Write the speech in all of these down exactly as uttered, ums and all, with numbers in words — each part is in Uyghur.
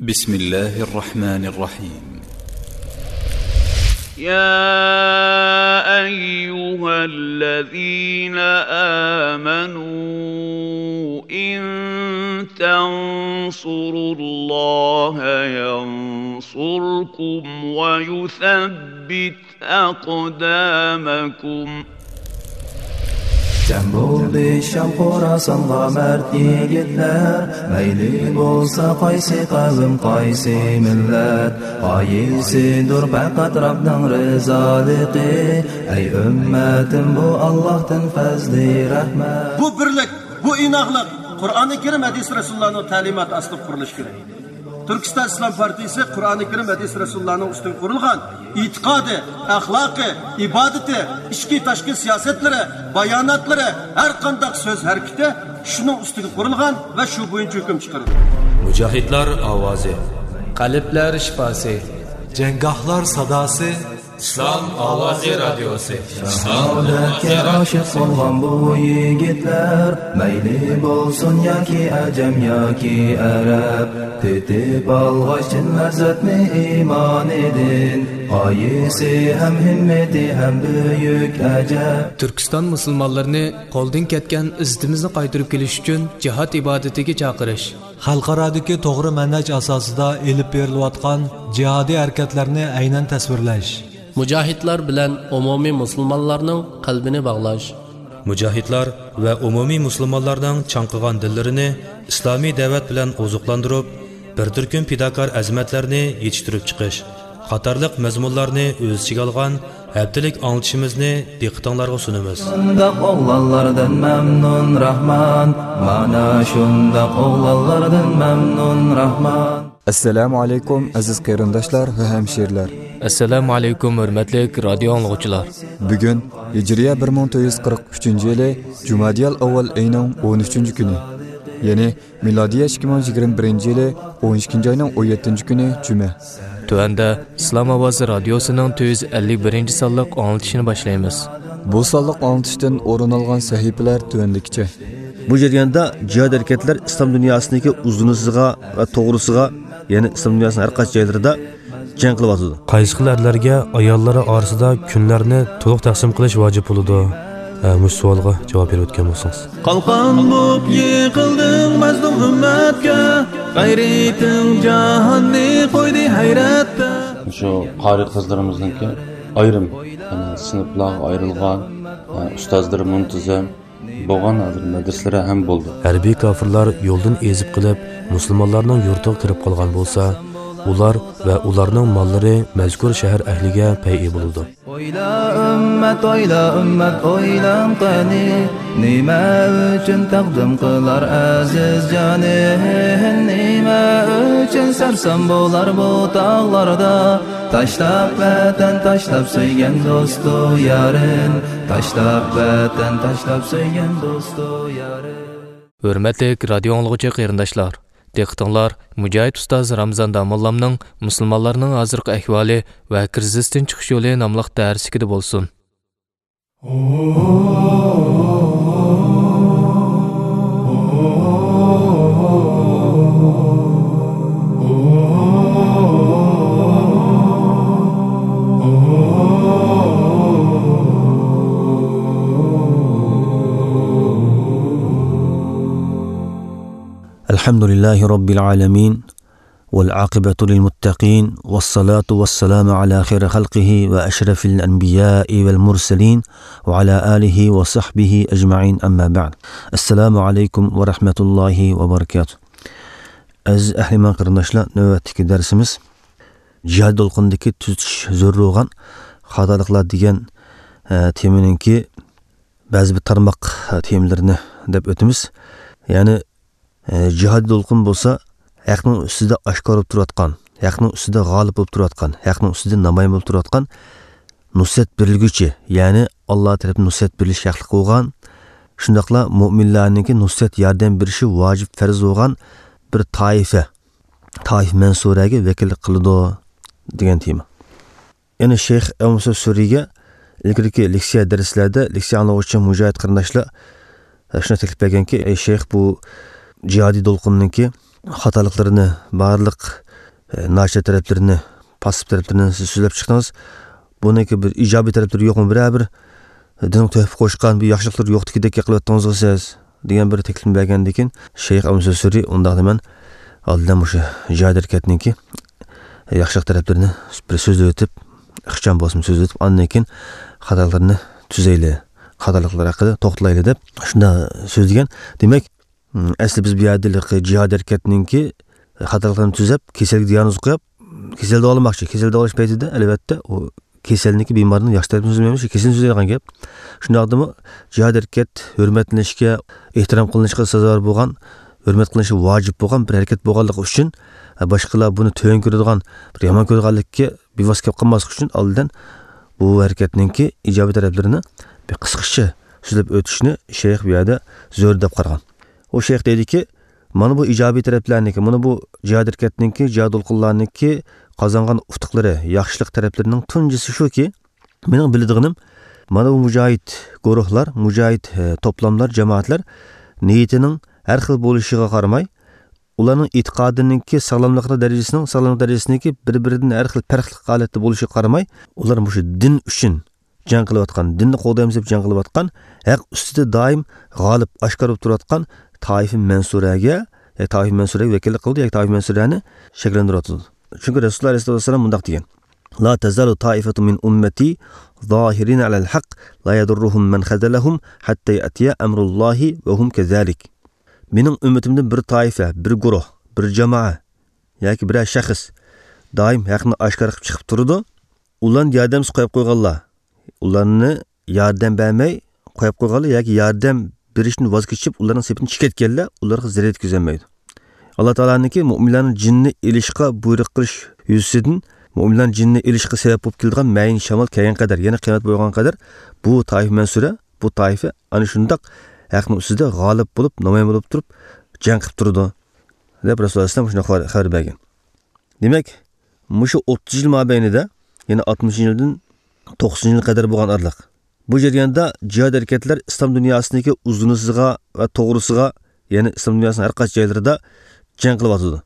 بسم الله الرحمن الرحيم. يا أيها الذين آمنوا إن تنصروا الله ينصركم ويثبت أقدامكم. جەم بولدى شام خوراسانغا مەرد يىگىتلەر، مەيلى بولسا قايسى قەۋم، قايسى مىللەت، غايىسىدۇر پەقەت رەبنىڭ رىزالىقى. ئەي ئۈممەتىم، بۇ ئاللاھتىن پەزلى رەھمەت. بۇ بىرلىك، بۇ ئىناقلىق قۇرئانى كەرىم، ھەدىس رەسۇلۇللانىڭ تەلىماتى ئاستىدا قۇرۇلۇشى كېرەك. تۈركىستان ئىسلام پارتىيىسى قۇرئانى كەرىم، ھەدىس رەسۇلۇللانىڭ ئۈستىگە قۇرۇلغان ئېتىقادى، ئەخلاقى، ئىبادىتى، ئىچكى تاشقى سىياسەتلىرى، باياناتلىرى، ھەر قانداق سۆز ھەرىكىتى شۇنىڭ ئۈستىگە قۇرۇلغان ۋە شۇ بويىچە ھۆكۈم چىقىرىدۇ. مۇجاھىدلار ئاۋازى. قەلبلەر شىپاسى. جەڭگاھلار ساداسى. ئىسلام ئاۋازى رادىيوسى. شاھادەتكە ئاشىق بولغان بۇ يىگىتلەر، مەيلى بولسۇن ياكى ئەجەم ياكى ئەرەب، تېتىپ ئالغاچ چىن لەززەتنى ئىمانىدىن، غايىسى ھەم ھىممىتى ھەم بۈيۈك ئەجەب. تۈركىستان مۇسۇلمانلىرىنى قولدىن كەتكەن ئىززىتىمىزنى قايتۇرۇپ كېلىش ئۈچۈن جىھاد ئىبادىتىگە چاقىرىش. خەلقئارادىكى توغرا مەنھەج ئاساسىدا ئېلىپ بېرىلىۋاتقان جىھادىي ھەرىكەتلەرنى ئەينەن تەسۋىرلەش. مۇجاھىدلار بىلەن ئومۇمىي مۇسۇلمانلارنىڭ قەلبىنى باغلاش. مۇجاھىدلار ۋە ئومۇمىي مۇسۇلمانلارنىڭ چاڭقىغان دىللىرىنى ئىسلامىي دەۋەت بىلەن ئوزۇقلاندۇرۇپ، بىر تۈركۈم پىداكار ئەزىمەتلەرنى يېتىشتۈرۈپ چىقىش قاتارلىق مەزمۇنلارنى ئۆز ئىچىگە ئالغان ھەپتىلىك ئاڭلىتىشىمىزنى دىققىتىڭلارغا سۇنىمىز. شۇنداق ئوغلانلاردىن مەمنۇن راھمان، مانا شۇنداق ئوغلانلاردىن مەمنۇن راھمان. ئەسسالامۇ ئەلەيكۇم، ئەزىز قېرىنداشلار ۋە ھەمشىرىلەر. ئەسسالامۇ ئەلەيكۇم، ھۆرمەتلىك رادىيو ئاڭلىغۇچىلار. بۈگۈن ھىجرىيە بىر مىڭ تۆت يۈز قىرىق ئۈچىنچى يىلى جۇمادىيال ئەۋۋەل ئېيىنىڭ ئون ئۈچىنچى كۈنى، يەنى مىلادىيە ئىككى مىڭ يىگىرمە بىرىنچى يىلى ئون ئىككىنچى ئاينىڭ ئون يەتتىنچى كۈنى جۈمە. تۆۋەندە ئىسلام ئاۋازى رادىيوسىنىڭ تۆت يۈز ئەللىك بىرىنچى سانلىق ئاڭلىتىشىنى باشلايمىز. بۇ سانلىق ئاڭلىتىشتىن ئورۇن ئالغان سەھىپىلەر تۆۋەندىكىچە. بۇ جەرياندا جىھاد ھەرىكەتلەر ئىسلام دۇنياسىنىڭكى ئۇزۇنىسىغا ۋە توغرىسىغا، يەنى ئىسلام دۇنياسىنىڭ ھەر قايسى جايلىرىدا جەڭ قىلىۋاتىدۇ. قايسى خىل ئەرلەرگە ئاياللىرى ئارىسىدا كۈنلەرنى تولۇق تەقسىم قىلىش ۋاجىپ بولىدۇ؟ ھە، مۇشۇ سوئالغا جاۋاب بېرىپ ئۆتكەن بولسىڭىز. قالقان بولۇپ يىقىلدىڭ مەزلۇم ئۈممەتكە، غەيرىتىڭ جاھاننى قويدى ھەيرەتتە. شۇ قارى قىزلىرىمىزنىڭكى ئايرىم، يەنى سىنىپلارغا ئايرىلغان، ئۇستازلىرى مۇنتىزىم، بولغان ھازىر مەدرىسىلەر ھەم بولدى. ھەربىي كاپىرلار يولدىن ئېزىپ قېلىپ، مۇسۇلمانلارنىڭ يۇرتىغا كىرىپ قالغان بولسا، ئۇلار ۋە ئۇلارنىڭ ماللىرى مەزكۇر شەھەر ئەھلىگە پەيئى بولىدۇ. ئويلا ئۈممەت، ئويلا ئۈممەت، ئويلاڭ قېنى، نېمە ئۈچۈن تەقدىم قىلار ئەزىز جانى؟ نېمە ئۈچۈن سەرسان بولار بۇ تاغلاردا؟ تاشلاپ ۋەتەن، تاشلاپ سۆيگەن دوستۇ يارىن، تاشلاپ ۋەتەن، تاشلاپ سۆيگەن دوستۇ يارىن. ھۆرمەتلىك رادىيو ئاڭلىغۇچى قېرىنداشلار، دىققىتىڭلار مۇجاھىد ئۇستاز رامزان داموللامنىڭ مۇسۇلمانلارنىڭ ھازىرقى ئەھۋالى ۋە كىرىزىستىن چىقىش يولى ناملىق دەرسلىكىدە بولسۇن. الحمد لله رب العالمين، والعاقبة للمتقين، والصلاة والسلام على خير خلقه وأشرف الأنبياء والمرسلين، وعلى آله وصحبه أجمعين، أما بعد. السلام عليكم ورحمة الله وبركاته. ئەزىز ئەھلىمان قېرىنداشلار، نۆۋەتتىكى دەرسىمىز جىھاد دولقۇنىدىكى تۈزىتىش زۆرۈر بولغان خاتالىقلار دېگەن، ئە، تېمىنىڭكى بەزى بىر تارماق، ئە، تېمىلىرىنى دەپ ئۆتىمىز. يەنى، ئە، جىھاد دولقۇن بولسا ھەقنىڭ ئۈستىدە ئاشكارا بولۇپ تۇرۇۋاتقان، ھەقنىڭ ئۈستىدە غالىب بولۇپ تۇرۇۋاتقان، ھەقنىڭ ئۈستىدە نامايان بولۇپ تۇرۇۋاتقان نۇسرەت بېرىلگۈچى، يەنى ئاللا تەرىپىدىن نۇسرەت بېرىلىش ھەقلىق بولغان، شۇنداقلا مۆمىنلەرنىڭكى نۇسرەت ياردەم بېرىشى ۋاجىپ پەرز بولغان بىر تائىپە، تائىف مەنسۇرەگە ۋەكىللىك قىلىدۇ دېگەن تېما. يەنى شەيخ ئەبۇ مۇسا سۈرىگە ئىلگىرىكى لېكسىيە دەرسلەردە لېكسىيە ئاڭلىغۇچى مۇجاھىد قېرىنداشلار شۇنداق تەكلىپ بەرگەنكى، ئەي شەيخ، بۇ جىھادىي دولقۇننىڭكى خاتالىقلىرىنى بارلىق ئە، ناچار تەرەپلىرىنى، پاسسىپ تەرەپلىرىنى سىز سۆزلەپ چىقتىڭىز. بۇنىڭكى بىر ئىجابىي تەرەپلىرى يوقمۇ؟ بىرەر بىر دىنغا تۆھپە قوشقان بىر ياخشىلىقلىرى يوقتىكىدەك گەپ قىلىۋەتتىڭىزغۇ سىز، دېگەن بىر تەكلىپنى بەرگەندىن كېيىن، شەيخ ئەبۇ مەنسۇر سۈرى، ئۇنداقتا مەن ئالدىن مۇشۇ جىھاد ھەرىكەتنىڭكى ياخشىلىق تەرەپلىرىنى بىر سۆزلىۋېتىپ، ئىخچام بولسىمۇ سۆزلىۋېتىپ، ئاندىن كېيىن خاتالىقلىرىنى تۈزەيلى، خاتالىقلار ھەققىدە توختىلايلى دەپ شۇنداق سۆزلىگەن. دېمەك، ئەسلى بىز بۇ يەردە ھېلىقى جىھاد ھەرىكەتنىڭكى خاتالىقلىرىنى تۈزەپ، كېسەلگە دىياگنوز قويۇپ، كېسەل داۋالىماقچى. كېسەل داۋالاش پەيتىدە، ئەلۋەتتە، ئۇ كېسەلنىكى، بىمارنىڭ ياخشى تەرىپىنى سۆزلىمەيمىز، كېسەلنى سۆزلەيدىغان گەپ. شۇنداقتىمۇ جىھاد ھەرىكەت ھۆرمەتلىنىشكە، ئېھتىرام قىلىنىشقا سازاۋەر بولغان، ھۆرمەت قىلىنىشى ۋاجىپ بولغان بىر ھەرىكەت بولغانلىقى ئۈچۈن، باشقىلار بۇنى تۆۋەن كۆرىدىغان، بىر يامان كۆرىدىغانلىققا بىۋاسىتە كېلىپ قالماسلىقى ئۈچۈن، ئالدىن بۇ ھەرىكەتنىڭكى ئىجابىي تەرەپلىرىنى بىر قىسقىچە سۆزلەپ ئۆتۈشنى شەيخ بۇ يەردە زۆرۈر دەپ قارىغان. ئۇ شەيخ دەيدىكى، مانا بۇ ئىجابىي تەرەپلەرنىڭكى، مانا بۇ جىھاد ھەرىكەتنىڭكى، جىھاد دولقۇنلارنىڭكى قازانغان ئۇتۇقلىرى، ياخشىلىق تەرەپلىرىنىڭ تۇنجىسى شۇكى، مېنىڭ بىلىدىغىنىم، مانا بۇ مۇجاھىد گۇرۇھلار، مۇجاھىد، ئە، توپلاملار، جامائەتلەر نىيىتىنىڭ ھەر خىل بولۇشىغا قارىماي، ئۇلارنىڭ ئېتىقادىنىڭكى ساغلاملىق دەرىجىسىنىڭ، ساغلاملىق دەرىجىسىنىڭكى بىر-بىرىدىن ھەر خىل پەرقلىق ھالەتتە بولۇشىغا قارىماي، ئۇلار مۇشۇ دىن ئۈچۈن جەڭ قىلىۋاتقان، دىننى قوغدايمىز دەپ جەڭ قىلىۋاتقان، ھەق ئۈستىدە دائىم غالىب، ئاشكارا بولۇپ تۇرۇۋاتقان تائىفە مەنسۇرەگە، ياكى تائىفە مەنسۇرەگە ۋەكىللىك قىلىدۇ، ياكى تائىفە مەنسۇرەنى شەكىللەندۈرۈۋاتىدۇ. چۈنكى رەسۇلۇللاھ ئەلەيھىسسالاتۇ ۋەسسالام مۇنداق دېگەن، لا تزال طائفة من أمتي ظاهرين على الحق لا يضرهم من خذلهم حتى يأتي أمر الله وهم كذلك. مېنىڭ ئۈممىتىمدىن بىر تائىپە، بىر گۇرۇھ، بىر جامائە ياكى بىرەر شەخس دائىم ھەقنى ئاشكارا قىلىپ چىقىپ تۇرىدۇ. ئۇلارنى ياردەمسىز قويۇپ قويغانلار، ئۇلارنى ياردەم بەرمەي قويۇپ قويغانلار ياكى ياردەم بېرىشتىن ۋاز كېچىپ، ئۇلارنىڭ سېپىدىن چىقىپ كەتكەنلەر ئۇلارغا زەرەر يەتكۈزەلمەيدۇ. ئاللا تائالانىڭكى مۇئمىنلارنىڭ جېنىنى ئېلىشقا بۇيرۇق قىلىش يۈزىسىدىن، مۇئمىنلارنىڭ جېنىنى ئېلىشقا سەۋەب بولۇپ كېلىدىغان مەيىن شامال كەلگەن قەدەر، يەنى قىيامەت بولغان قەدەر، بۇ تائىفە مەنسۇرە، بۇ تائىفە ئەنە شۇنداق ھەقنىڭ ئۈستىدە غالىب بولۇپ، نامايان بولۇپ تۇرۇپ جەڭ قىلىپ تۇرىدۇ، دەپ رەسۇلۇللاھ ئەلەيھىسسالام شۇنداق خەۋەر، خەۋەر بەرگەن. دېمەك، مۇشۇ ئوتتۇز يىل مابەينىدە، يەنى ئاتمىشىنچى يىلدىن توقسىنىنچى يىل قەدەر بولغان ئارىلىق، بۇ جەرياندا جىھاد ھەرىكەتلەر ئىسلام دۇنياسىنىڭكى ئۇزۇنىسىغا ۋە توغرىسىغا، يەنى ئىسلام دۇنياسىنىڭ ھەر قايسى جايلىرىدا جەڭ قىلىۋاتىدۇ.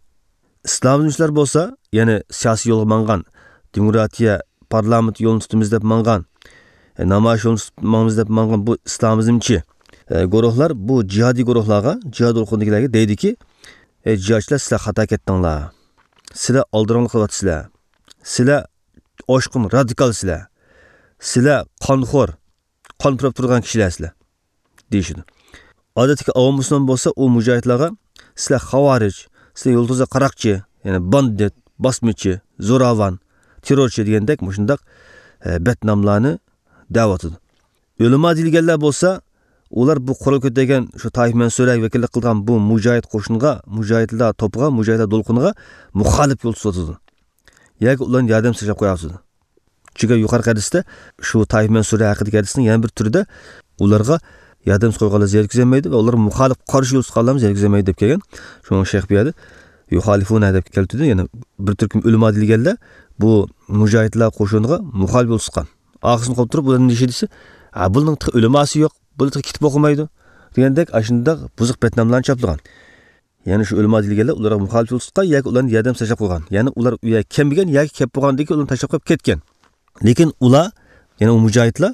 ئىسلامىزمچىلار بولسا، يەنى سىياسىي يولغا ماڭغان، دېموكراتىيە، پارلامېنت يولىنى تۇتىمىز دەپ ماڭغان، ئە، نامايىش يولىنى تۇتۇپ ماڭىمىز دەپ ماڭغان بۇ ئىسلامىزمچى، ئە، گۇرۇھلار، بۇ جىھادىي گۇرۇھلارغا، جىھاد دولقۇنىدىكىلەرگە دەيدۇكى، ئەي جىھادچىلار، سىلەر خاتا كەتتىڭلار. سىلەر ئالدىراڭلىق قىلىۋاتىسىلەر. سىلەر ئاشقۇن رادىكالسىلەر. سىلەر قانخور، قان پۇراپ تۇرىدىغان كىشىلەرسىلەر، دېيىشىدۇ. ئادەتتىكى ئاۋام مۇسۇلمان بولسا، ئۇ مۇجاھىدلارغا، سىلەر خاۋارىج، سىلەر يۇلتۇزلار قاراقچى، يەنى باندىت، باسمىچى، زوراۋان، تېررورچى دېگەندەك مۇشۇنداق، ئە، بەتناملارنى دەۋاتىدۇ. ئۆلىما دېيىلگەنلەر بولسا، ئۇلار بۇ قورال كۆتەرگەن شۇ تائىپە مەنسۇرەگە ۋەكىللىك قىلغان بۇ مۇجاھىد قوشۇنغا، مۇجاھىدلار توپىغا، مۇجاھىدلار دولقۇنىغا مۇخالىپ يول تۇتۇۋاتىدۇ. ياكى ئۇلارنى ياردەمسىز تاشلاپ قويۇۋاتىدۇ. چۈنكى يۇقىرىقى ھەدىستە شۇ تائىپە مەنسۇرە ھەققىدىكى ھەدىسنىڭ يەنە بىر تۈرىدە ئۇلارغا ياردەمسىز قويغانلار زىيان يەتكۈزەلمەيدۇ ۋە ئۇلارغا مۇخالىپ قارشى يول تۇتقانلارمۇ زىيان يەتكۈزەلمەيدۇ دەپ كەلگەن. شۇڭا شەيخ بۇ يەردە يۇخالىفۇنە دەپ كەلتۈردى. يەنە بىر تۈركۈم ئۆلىما دېيىلگەنلەر بۇ مۇجاھىدلار قوشۇنىغا مۇخالىپ يول تۇتقان. ئارقىسىنى قوپ تۇرۇپ ئۇلار نېمە دېيىشى دېسە، ھە، بۇنىڭ تېخى ئۆلىماسى يوق، بۇلار تېخى كېتىپ بولغۇمايدۇ دېگەندەك ئاشۇنداق بۇزۇق بەتناملارنى چاپلىغان. يەنى شۇ ئۆلىما دېيىلگەنلەر ئۇلارغا مۇخالىپ يول تۇتقان ياكى ئۇلارنى ياردەم تاشلاپ قويغان. يەنى ئۇلار ئۇ يەرگە كەلمىگەن ياكى كەپ بولغاندىن كېيىن ئۇلارنى تاشلاپ قويۇپ كەتكەن. لېكىن ئۇلار، يەنى ئۇ مۇجاھىدلار،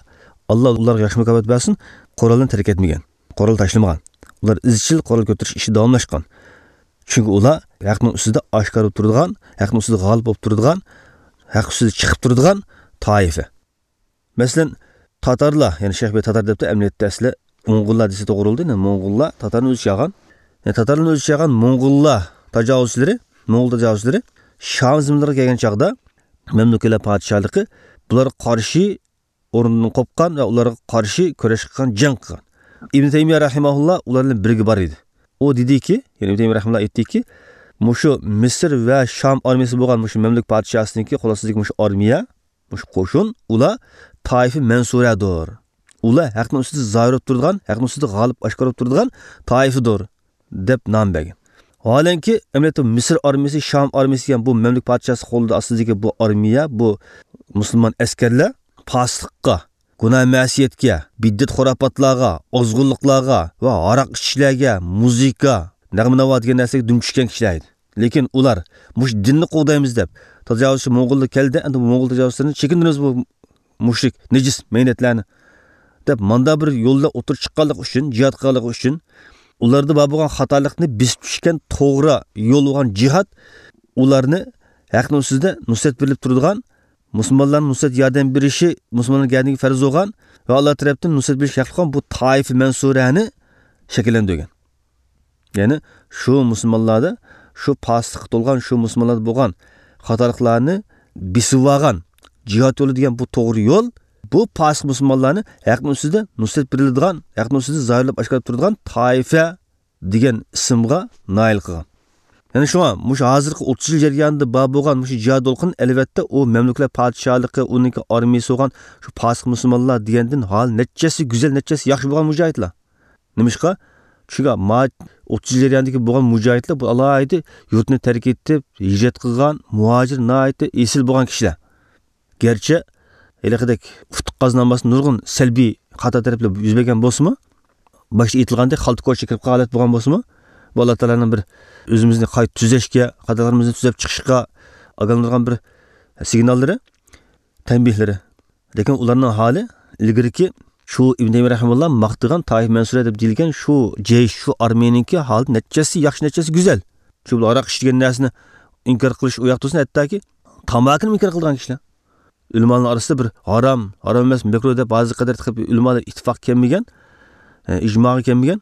ئاللا ئۇلارغا ياخشى مۇكاپات بەرسۇن، قورالنى تەرك ئەتمىگەن، قورال تاشلىمىغان. ئۇلار ئىزچىل قورال كۆتۈرۈش ئىشى داۋاملاشقان. چۈنكى ئۇلار ھەقنىڭ ئۈستىدە ئاشكارا تۇرىدىغان، ھەقنىڭ ئۈستىدە غالىب بولۇپ تۇرىدىغان، ھەق ئۈستىدە چىقىپ تۇرىدىغان تائىپە. مەسىلەن، تاتارلار، يەنى شەيخ بۇ يەردە تاتار دەپتۇ، ئەمەلىيەتتە ئەسلى موڭغۇللار دېسە توغرا بولىدۇ. يەنى موڭغۇللار تاتارنى ئۆز ئىچىگە ئالغان. يەنى تاتارلارنى ئۆز ئىچىگە ئالغان موڭغۇللار تاجاۋۇزچىلىرى، موڭغۇل تاجاۋۇزچىلىرى شام زېمىنلىرىغا كەلگەن چاغدا مەملۇكلار پادىشاھلىقى بۇلارغا قارشى ئورنىدىن قوپقان ۋە ئۇلارغا قارشى كۈرەش قىلغان، جەڭ قىلغان. ئىبن تەيمىيە رەھىمەھۇللا ئۇلار بىلەن بىرگە بار ئىدى. ئۇ دېدىكى، يەنى ئىبن تەيمىيە رەھىمەھۇللا ئېيتتىكى، مۇشۇ مىسىر ۋە شام ئارمىيىسى بولغان مۇشۇ مەملۇك پادىشاھسىنىڭكى قول ئاستىدىكى مۇشۇ ئارمىيە، مۇشۇ قوشۇن، ئۇلار تائىفە مەنسۇرەدۇر. ئۇلار ھەقنىڭ ئۈستىدە زاھىر بولۇپ تۇرىدىغان، ھەقنىڭ ئۈستىدە غالىب ئاشكارا بولۇپ تۇرىدىغان تائىفىدۇر، دەپ نام بەرگەن. ۋاھالەنكى، ئەمەلىيەتتە مىسىر ئارمىيىسى، شام ئارمىيىسى دېگەن بۇ مەملۇك پادىشاھسى قولىدا ئاستىدىكى بۇ ئارمىيە، بۇ مۇسۇلمان ئەسكەرلەر پاسىقلىققا، گۇناھ مەسىيەتكە، بىدئەت خۇراپاتلارغا، ئازغۇنلۇقلارغا ۋە ھاراق ئىچىشلەرگە، مۇزىكا، نەغمە ناۋا دېگەن نەرسىلەرگە دۈم چۈشكەن كىشىلەر ئىدى. لېكىن ئۇلار مۇشۇ دىننى قوغدايمىز دەپ، تاجاۋۇزچى موڭغۇللار كەلدى، ئەمدى بۇ موڭغۇل تاجاۋۇزچىلىرىنى چېكىندۈرىمىز، بۇ مۇشرىك، نىجىس مەينەتلەرنى دەپ، ماندا بىر يولدا ئوتتۇرىغا چىققانلىقى ئۈچۈن، جىھاد قىلغانلىقى ئۈچۈن، ئۇلاردا بار بولغان خاتالىقنى بېسىپ چۈشكەن توغرا يول بولغان جىھاد، ئۇلارنى ھەقنىڭ ئۈستىدە نۇسرەت بېرىلىپ تۇرىدىغان، مۇسۇلمانلارنىڭ نۇسرەت ياردەم بېرىشى مۇسۇلمانلار گەدىنىگە پەرز بولغان ۋە ئاللا تەرەپتىن نۇسرەت بېرىش ھەقلىق بولغان بۇ تائىفە مەنسۇرەنى شەكىللەندۈرگەن. يەنى شۇ مۇسۇلمانلاردا شۇ پاسىقلىققا تولغان شۇ مۇسۇلمانلاردا بولغان خاتالىقلارنى بېسىۋالغان جىھاد يولى دېگەن بۇ توغرا يول، بۇ پاسىق مۇسۇلمانلارنى ھەقنىڭ ئۈستىدە نۇسرەت بېرىلىدىغان، ھەقنىڭ ئۈستىدە زاھىرلاپ ئاشكارىلاپ تۇرىدىغان تائىفە دېگەن ئىسىمغا نائىل قىلغان. يەنى شۇڭا مۇشۇ ھازىرقى ئوتتۇز يىل جەريانىدا بار بولغان مۇشۇ جىھاد دولقۇن، ئەلۋەتتە، ئۇ مەملۇكلار پادىشاھلىقى، ئۇنىڭكى ئارمىيىسى بولغان شۇ پاسىق مۇسۇلمانلار دېگەندىن ھال نەچچىسى گۈزەل، نەچچىسى ياخشى بولغان مۇجاھىدلار. نېمىشقا؟ چۈنكى ما-، ئوتتۇز يىل جەريانىدىكى بولغان مۇجاھىدلار بۇ ئالاھىدە يۇرتنى تەرك ئېتىپ، ھىجرەت قىلغان، مۇھاجىر، ناھايىتى ئېسىل بولغان كىشىلەر. گەرچە ھېلىقىدەك ئۇتۇق قازىنالماستىن نۇرغۇن سەلبىي خاتا تەرەپلەر يۈز بەرگەن بولسىمۇ، باشتا ئېيتىلغاندەك خالتا كوچىغا كىرىپ قالغان ھالەت بولغان بولسىمۇ، بۇ ئاللا تائالانىڭ بىر ئۆزىمىزنى قايتا تۈزەشكە، خاتالىرىمىزنى تۈزەپ چىقىشقا ئاگاھلاندۇرغان بىر سىگناللىرى، تەنبىھلىرى. لېكىن ئۇلارنىڭ ھالى ئىلگىرىكى شۇ ئىبن تەيمىيە رەھىمەھۇللا ماختىغان تائىفە مەنسۇرە دەپ دېيىلگەن شۇ جەيش، شۇ ئارمىيەنىڭكى ھالى نەچچىسى ياخشى، نەچچىسى گۈزەل. چۈنكى بۇلار ھاراق ئىچىدىگەن نەرسىنى ئىنكار قىلىش ئۇ ياق تۇرسۇن، ھەتتاكى تاماكىنىمۇ ئىنكار قىلىدىغان كىشىلەر. ئۆلىمالارنىڭ ئارىسىدا بىر ھارام، ھارام ئەمەس، مەكرۇھ دەپ ھازىرغا قەدەر تېخى ئۆلىمالار ئىتتىپاق كەلمىگەن، ئە، ئىجماغا كەلمىگەن.